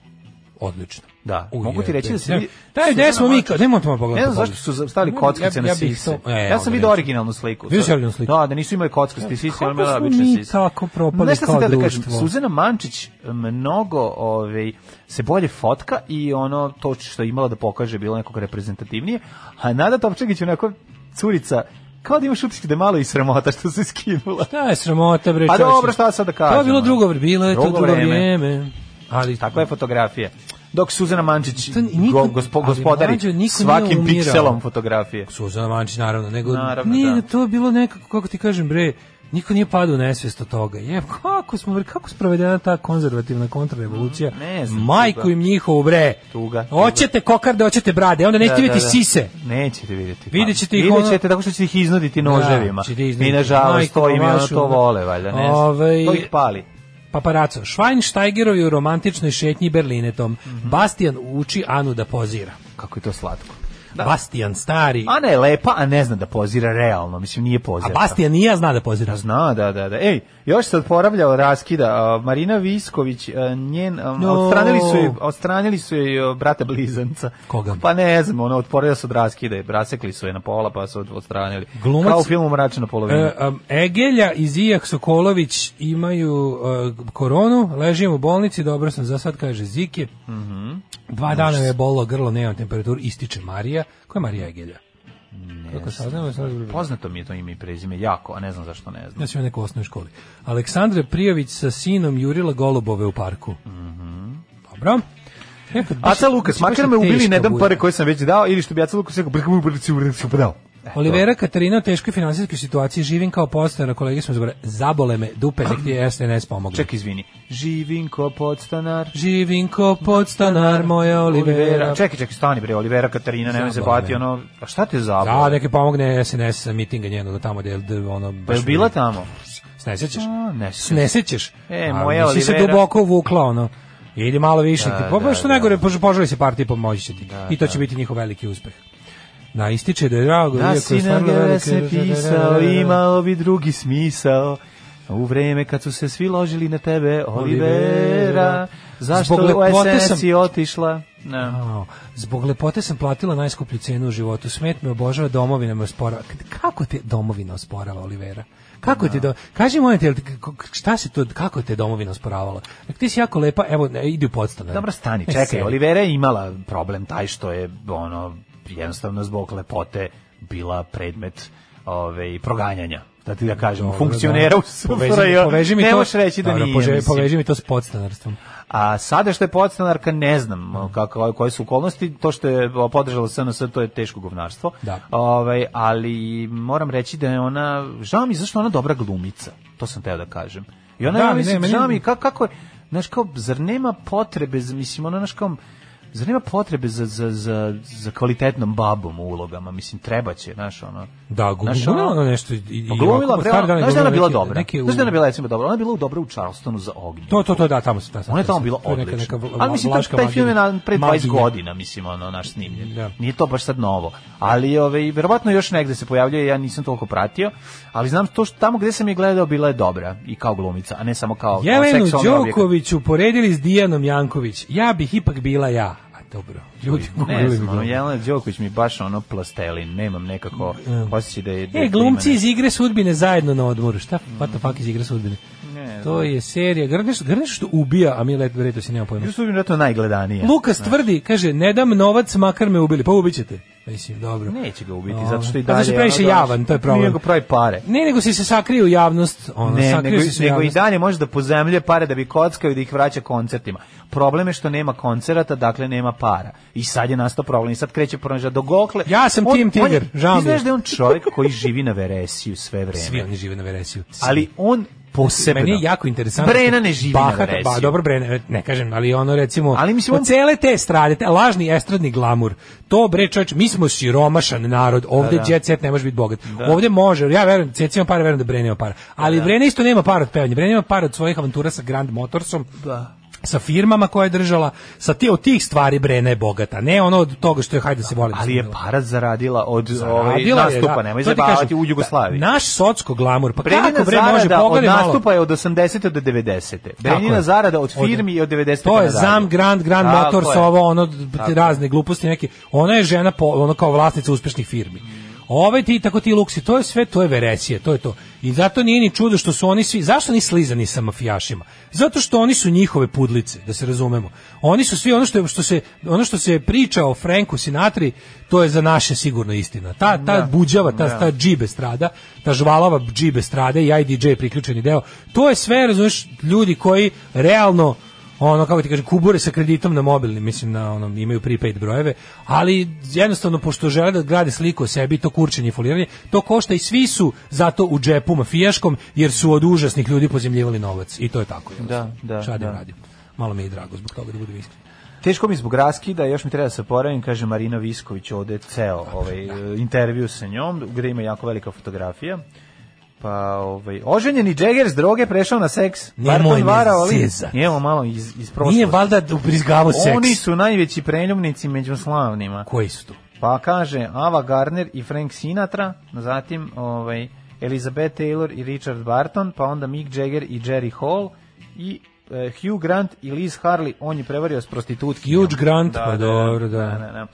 Speaker 7: Odlično.
Speaker 6: Da, U, mogu ti reći da se...
Speaker 7: Daj, gde smo mi, kao, nemoj to pogledati.
Speaker 6: Ne znam zašto su stavili kockice na sise. Ja sam vidio originalnu sliku.
Speaker 7: Vidio originalnu sliku?
Speaker 6: Da, da nisu imali kockaste sise, ali imali obične sise.
Speaker 7: Kako smo mi tako propali kao društvo? Da kažem,
Speaker 6: Suzana Mančić mnogo ovaj, se bolje fotka i ono, to što je imala da pokaže bilo nekog reprezentativnije, a Nada Topčagić onako curica, kao da imaš utisak da je malo i sramota što se skinula.
Speaker 7: Šta je sramota, bre?
Speaker 6: Pa dobro, šta sad da kažem?
Speaker 7: To je bilo drugo vreme, bilo je to drugo vrijeme.
Speaker 6: Ali takva je fotografija. Dok Suzana Mančić niko, gospo, gospodari mlađo, svakim pikselom fotografije.
Speaker 7: Suzana Mančić naravno, nego
Speaker 6: naravno,
Speaker 7: nije
Speaker 6: da.
Speaker 7: To je bilo nekako, kako ti kažem, bre, niko nije padao u nesvijest od toga. Je, kako smo, bre, kako sprovedena ta konzervativna kontrarevolucija?
Speaker 6: Ne znam.
Speaker 7: Majku im njihovu, bre.
Speaker 6: Tuga.
Speaker 7: Hoćete kokarde, hoćete brade, onda nećete da, vidjeti da, da. sise.
Speaker 6: Nećete vidjeti.
Speaker 7: Vidjet ćete ih
Speaker 6: Vidjet ćete tako što ćete ih iznuditi noževima.
Speaker 7: Da,
Speaker 6: I nažalost to im je ono to vole, valjda, ne znam. Ove... To ih pali.
Speaker 7: Paparaco, Schweinsteigerovi u romantičnoj šetnji Berlinetom. Mm-hmm. Bastian uči Anu da pozira.
Speaker 6: Kako je to slatko.
Speaker 7: Da. Bastian stari.
Speaker 6: Ana je lepa, a ne zna da pozira realno, mislim nije pozira.
Speaker 7: A Bastian nije zna da pozira.
Speaker 6: Zna, da, da, da. Ej, još se odporavlja od raskida. Uh, Marina Visković, uh, njen, um, no. odstranili su je, odstranili su je uh, brata blizanca.
Speaker 7: Koga?
Speaker 6: Pa ne znam, ono, odporavlja se od raskida i rasekli su je na pola, pa su odstranili.
Speaker 7: Glumac,
Speaker 6: kao u filmu Mračna polovina.
Speaker 7: Uh, um, Egelja i Zijak Sokolović imaju uh, koronu, ležim u bolnici, dobro sam za sad, kaže Ziki.
Speaker 6: Mhm.
Speaker 7: Dva dana je bolilo grlo, nemam temperaturu, ističe Marija. Ko je Marija Egelja? Kako saznamo,
Speaker 6: poznato mi je to ime i prezime, jako, a ne znam zašto ne znam.
Speaker 7: Ja sam u nekoj osnovnoj školi. Aleksandra Prijović sa sinom jurila golubove u parku.
Speaker 6: Mhm.
Speaker 7: Dobro.
Speaker 6: Aca Lukas, makar me ubili, ne dam pare koje sam već dao, ili što bi Aca Lukas rekao, dao.
Speaker 7: Olivera Katarina u teškoj finansijskoj situaciji, živim kao podstanar, kolege smo zbore, zabole me dupe, nek ti je S N S pomogli.
Speaker 6: Ček, izvini. Živim kao podstanar.
Speaker 7: Živim kao podstanar, moja Olivera. Olivera.
Speaker 6: Čekaj, čekaj, stani bre, Olivera Katarina, nemoj se bati, ono, a šta te zabole?
Speaker 7: Da, neke pomogne S N S mitinga njenog tamo, gde je ono...
Speaker 6: Pa je bila tamo?
Speaker 7: Snesećeš?
Speaker 6: Ne
Speaker 7: Snesećeš?
Speaker 6: E, moja Olivera...
Speaker 7: Si se duboko uvukla, ono. Idi malo više, da, pa da, što da, najgore, poželi se partiji, pomoći će ti. Da, I to će da. biti njihov veliki uspeh. Da, ističe da je drago.
Speaker 6: Da si na gere se pisao, imao bi drugi smisao. U vreme kad su se svi ložili na tebe, Olivera, zašto u S N S si otišla?
Speaker 7: No. Zbog lepote sam platila najskuplju cenu u životu. Smet me obožava, domovina me osporava. Kako te domovina osporava, Olivera? Kako no. te do... Kaži moje te, šta se to, kako te domovina osporavala? Dakle, ti si jako lepa, evo, idi u podstanar.
Speaker 6: Dobro, stani, čekaj, Olivera je imala problem taj što je, ono, jednostavno zbog lepote bila predmet ove, proganjanja. Da ti da kažemo, dobro, funkcionera da. U
Speaker 7: poveži mi
Speaker 6: ne
Speaker 7: to,
Speaker 6: možeš reći da dobro, nije.
Speaker 7: Poveži, poveži mi to s podstanarstvom.
Speaker 6: A sada što je podstanarka, ne znam kako, koje su okolnosti, to što je podržala S N S, to je teško govnarstvo.
Speaker 7: Da.
Speaker 6: Ove, ali moram reći da je ona, žao mi zašto ona dobra glumica, to sam teo da kažem. I ona, da, ja mislim, ne, žao mi, kako, kako je, znaš, kao, zar nema potrebe, mislim, ona, znaš, kao, zar nema potrebe za, za, za, za kvalitetnom babom u ulogama? Mislim, treba će, znaš, ono...
Speaker 7: Da, glumila ona nešto...
Speaker 6: Glumila, znaš da ona bila dobra? Znaš da ona bila, recimo, dobra? Ona je bila dobra u Charlestonu za ognju.
Speaker 7: To, to, to, da, tamo se...
Speaker 6: Ona je tamo bila odlična. Ali mislim, taj film je na pre dvadeset godina, mislim, ono, naš snimljen. Nije to baš sad novo. Ali, ove, verovatno još negde se pojavljuje, ja nisam toliko pratio, ali znam to što tamo gde sam je gledao bila je dobra i kao glumica, a ne samo kao
Speaker 7: Jelenu Đoković uporedili s Dijanom Janković. Ja bih ipak bila ja. Dobro. Ljudi,
Speaker 6: ne znam, ono, Jelena Đoković mi baš ono plastelin, nemam nekako osjećaj da je...
Speaker 7: Da je e, glumci iz Igre sudbine zajedno na odmoru, šta? What the fuck iz Igre sudbine? Ne, to je serija, Grneš, Grneš što ubija, a mi leto si nema pojma.
Speaker 6: Igre sudbine je to najgledanije.
Speaker 7: Lukas ne. tvrdi, kaže, ne dam novac, makar me ubili, pa ubićete. Mislim, dobro.
Speaker 6: Neće ga ubiti, zato što i dalje...
Speaker 7: Pa zato previše javan, to je problem.
Speaker 6: Nije ga pravi pare.
Speaker 7: Ne, nego si se sakrije u javnost. Ono,
Speaker 6: ne, nego, se nego i dalje može da pozemlje pare da bi kockao i da ih vraća koncertima. Problem je što nema koncerata, dakle nema para. I sad je nastao problem. I sad kreće pronaža do gokle.
Speaker 7: Ja sam on, Tim Tiger, žao mi.
Speaker 6: Ti znaš da je on čovjek koji živi na Veresiju sve vreme.
Speaker 7: Svi oni žive na Veresiju. Svi.
Speaker 6: Ali on posebno.
Speaker 7: Meni je jako interesantno.
Speaker 6: Brena ne živi Bahat, na Veresiju.
Speaker 7: Ba, dobro, Brena, ne kažem, ali ono recimo,
Speaker 6: ali mislim, on...
Speaker 7: cele te strade, te lažni estradni glamur, to bre čovječ, mi smo siromašan narod, ovde da, da. Jet set ne može biti bogat. Da. Ovde može, ja verujem, Ceci ima para, verujem da Brena ima para. Ali da. Brena isto nema para od pevanja. Brena ima para od svojih avantura sa Grand Motorsom. Da. Sa firmama koje je držala, sa ti od tih stvari Brena je bogata, ne ono od toga što je hajde da se voli.
Speaker 6: Ali je para zaradila od ovaj nastupa, da. Nemoj zabavati u Jugoslaviji.
Speaker 7: Naš socsko glamur, pa
Speaker 6: Brenina
Speaker 7: kako bre može
Speaker 6: pogledati malo. Od nastupa je od osamdesete do devedesete. Brenina zarada od firmi je od devedesete.
Speaker 7: To je Zam Grand Grand Motors, ovo ono razne gluposti neke. Ona je žena po, ono kao vlasnica uspešnih firmi. Ove ti tako ti luksi, to je sve, to je Veresije, to je to. I zato nije ni čudo što su oni svi, zašto ni slizani sa mafijašima? Zato što oni su njihove pudlice, da se razumemo. Oni su svi ono što je, što se ono što se priča o Franku Sinatri, to je za naše sigurno istina. Ta ta da, buđava, ta da. ta džibe strada, ta žvalava džibe strade i I D J priključeni deo. To je sve, razumeš, ljudi koji realno ono, kako ti kažem, kubure sa kreditom na mobilni, mislim, na onom, imaju prepaid brojeve, ali jednostavno, pošto žele da grade sliku o sebi, to kurčenje i foliranje, to košta i svi su zato u džepu mafijaškom, jer su od užasnih ljudi pozemljivali novac. I to je tako.
Speaker 6: Da, da,
Speaker 7: Šta da.
Speaker 6: radim?
Speaker 7: Malo mi je drago zbog toga da budu iskren.
Speaker 6: Teško mi zbog raskida, još mi treba da se poravim, kaže Marina Visković, ovde ceo ovaj, da. intervju sa njom, gde ima jako velika fotografija. Pa, ovaj, oženjeni Džeger s droge prešao na seks.
Speaker 7: Nemoj me zezat.
Speaker 6: Njemo malo iz, iz prošlosti.
Speaker 7: Nije valjda ubrizgavo seks.
Speaker 6: Oni su najveći preljubnici među slavnima.
Speaker 7: Koji su to?
Speaker 6: Pa kaže Ava Gardner i Frank Sinatra, zatim ovaj, Elizabeth Taylor i Richard Barton, pa onda Mick Jagger i Jerry Hall i uh, Hugh Grant i Liz Harley, on je prevario s prostitutkinjom.
Speaker 7: Hugh Grant,
Speaker 6: da,
Speaker 7: pa
Speaker 6: da,
Speaker 7: dobro, da.
Speaker 6: da, da, da.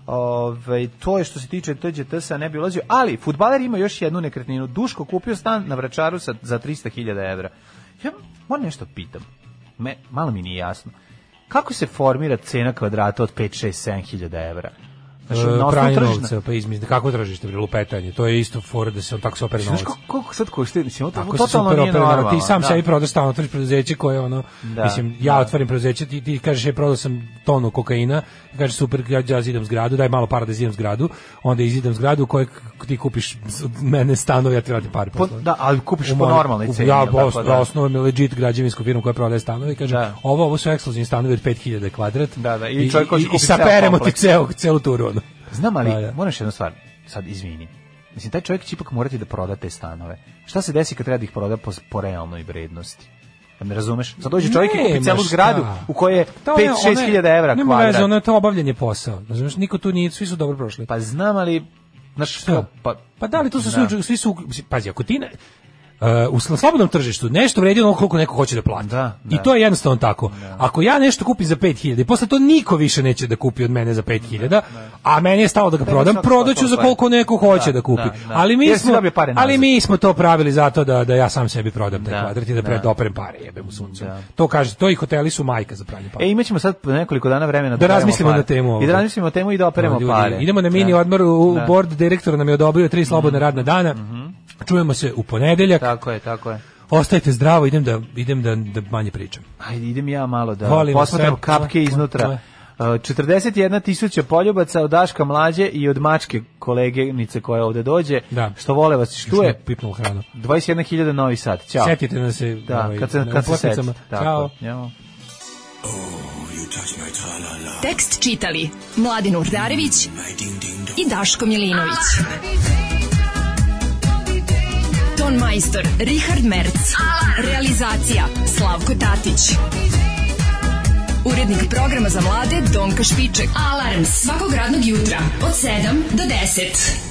Speaker 6: Ove, to je što se tiče T Đ T S-a, ne bi ulazio, ali fudbaler ima još jednu nekretninu. Duško kupio stan na Vračaru sa, za trista hiljada evra. Ja moram nešto pitam, Me, malo mi nije jasno. Kako se formira cena kvadrata od pet, šest, sedam hiljada evra?
Speaker 7: Znači, e, pranje novca, pa izmisli, kako tražište, bre, lupetanje, to je isto fora da se on tako se opere novac.
Speaker 6: Znaš koliko sad košta, mislim, to
Speaker 7: tako
Speaker 6: totalno nije normalno.
Speaker 7: Ti sam
Speaker 6: da.
Speaker 7: sebi prodaš stan, otvoriš preduzeće koje ono,
Speaker 6: da,
Speaker 7: mislim, ja
Speaker 6: da.
Speaker 7: otvorim preduzeće, ti, ti kažeš, je prodao sam tonu kokaina, kažeš, super, ja, ja zidam zgradu, daj malo para da zidam zgradu, onda izidam zgradu u kojoj ti kupiš od mene stanove, ja ti vratim pare.
Speaker 6: Po, da, ali kupiš po normalnoj ceni.
Speaker 7: Ja, ja osnovujem legit građevinsku firmu koja prodaje stanove i kaže, da. ovo, ovo su ekskluzivni stanovi od pet hiljada kvadrat.
Speaker 6: Da, da, i,
Speaker 7: i,
Speaker 6: čovjek
Speaker 7: i, i saperemo ti celu, celu turu, ono.
Speaker 6: Znam, ali
Speaker 7: da, da.
Speaker 6: moraš jednu stvar, sad izvini. Mislim, taj čovjek će ipak morati da proda te stanove. Šta se desi kad treba da ih proda po, po realnoj vrednosti? Da me razumeš? Sad dođe čovjek i kupi celu zgradu u kojoj je pet do šest hiljada evra kvadrat.
Speaker 7: Nema veze, ono je to obavljanje posao. Znaš, niko tu nije, svi su dobro prošli.
Speaker 6: Pa znam, ali... Znaš, što? Pa,
Speaker 7: pa da li to su svi, svi su... Pazi, ako ti ne... Uh, u slobodnom tržištu nešto vredi ono koliko neko hoće da plati.
Speaker 6: Da, da.
Speaker 7: I to je jednostavno tako. Da. Ako ja nešto kupim za pet hiljada i posle to niko više neće da kupi od mene za pet hiljada, a meni je stalo da ga prodam, prodaću za koliko neko hoće da, da kupi. Da, da. Ali mi smo ali mi smo to pravili zato da da ja sam sebi prodam taj da, kvadrat i da pred operem pare, jebem u suncu. Da. To kaže, to i hoteli su majka za pranje para.
Speaker 6: E, imaćemo sad nekoliko dana vremena
Speaker 7: da, da razmislimo na temu.
Speaker 6: I da razmislimo o temu i da operemo no, pare.
Speaker 7: Idemo na mini odmor, u board direktor nam je odobrio tri slobodna radna dana. Čujemo se u ponedeljak.
Speaker 6: Tako je, tako je.
Speaker 7: Ostajte zdravo, idem da idem da, da manje pričam.
Speaker 6: Ajde, idem ja malo da posmatram kapke iznutra. četrdeset jedna tisuća poljubaca od Daška Mlađe i od mačke koleginice koja ovde dođe,
Speaker 7: da.
Speaker 6: Što vole vas štuje.
Speaker 7: Pipnul hranu.
Speaker 6: dvadeset jedna hiljada Novi Sad. Ćao.
Speaker 7: Setite nas se
Speaker 6: da, ovaj, kad se, kad se seti.
Speaker 7: Ćao.
Speaker 6: Ćao.
Speaker 4: Tekst čitali Mladin Urdarević i Daško Milinović. Ton majstor Richard Merc. Realizacija Slavko Tatić. Urednik programa za mlade Donka Špiček. Alarms svakog radnog jutra od sedam do deset.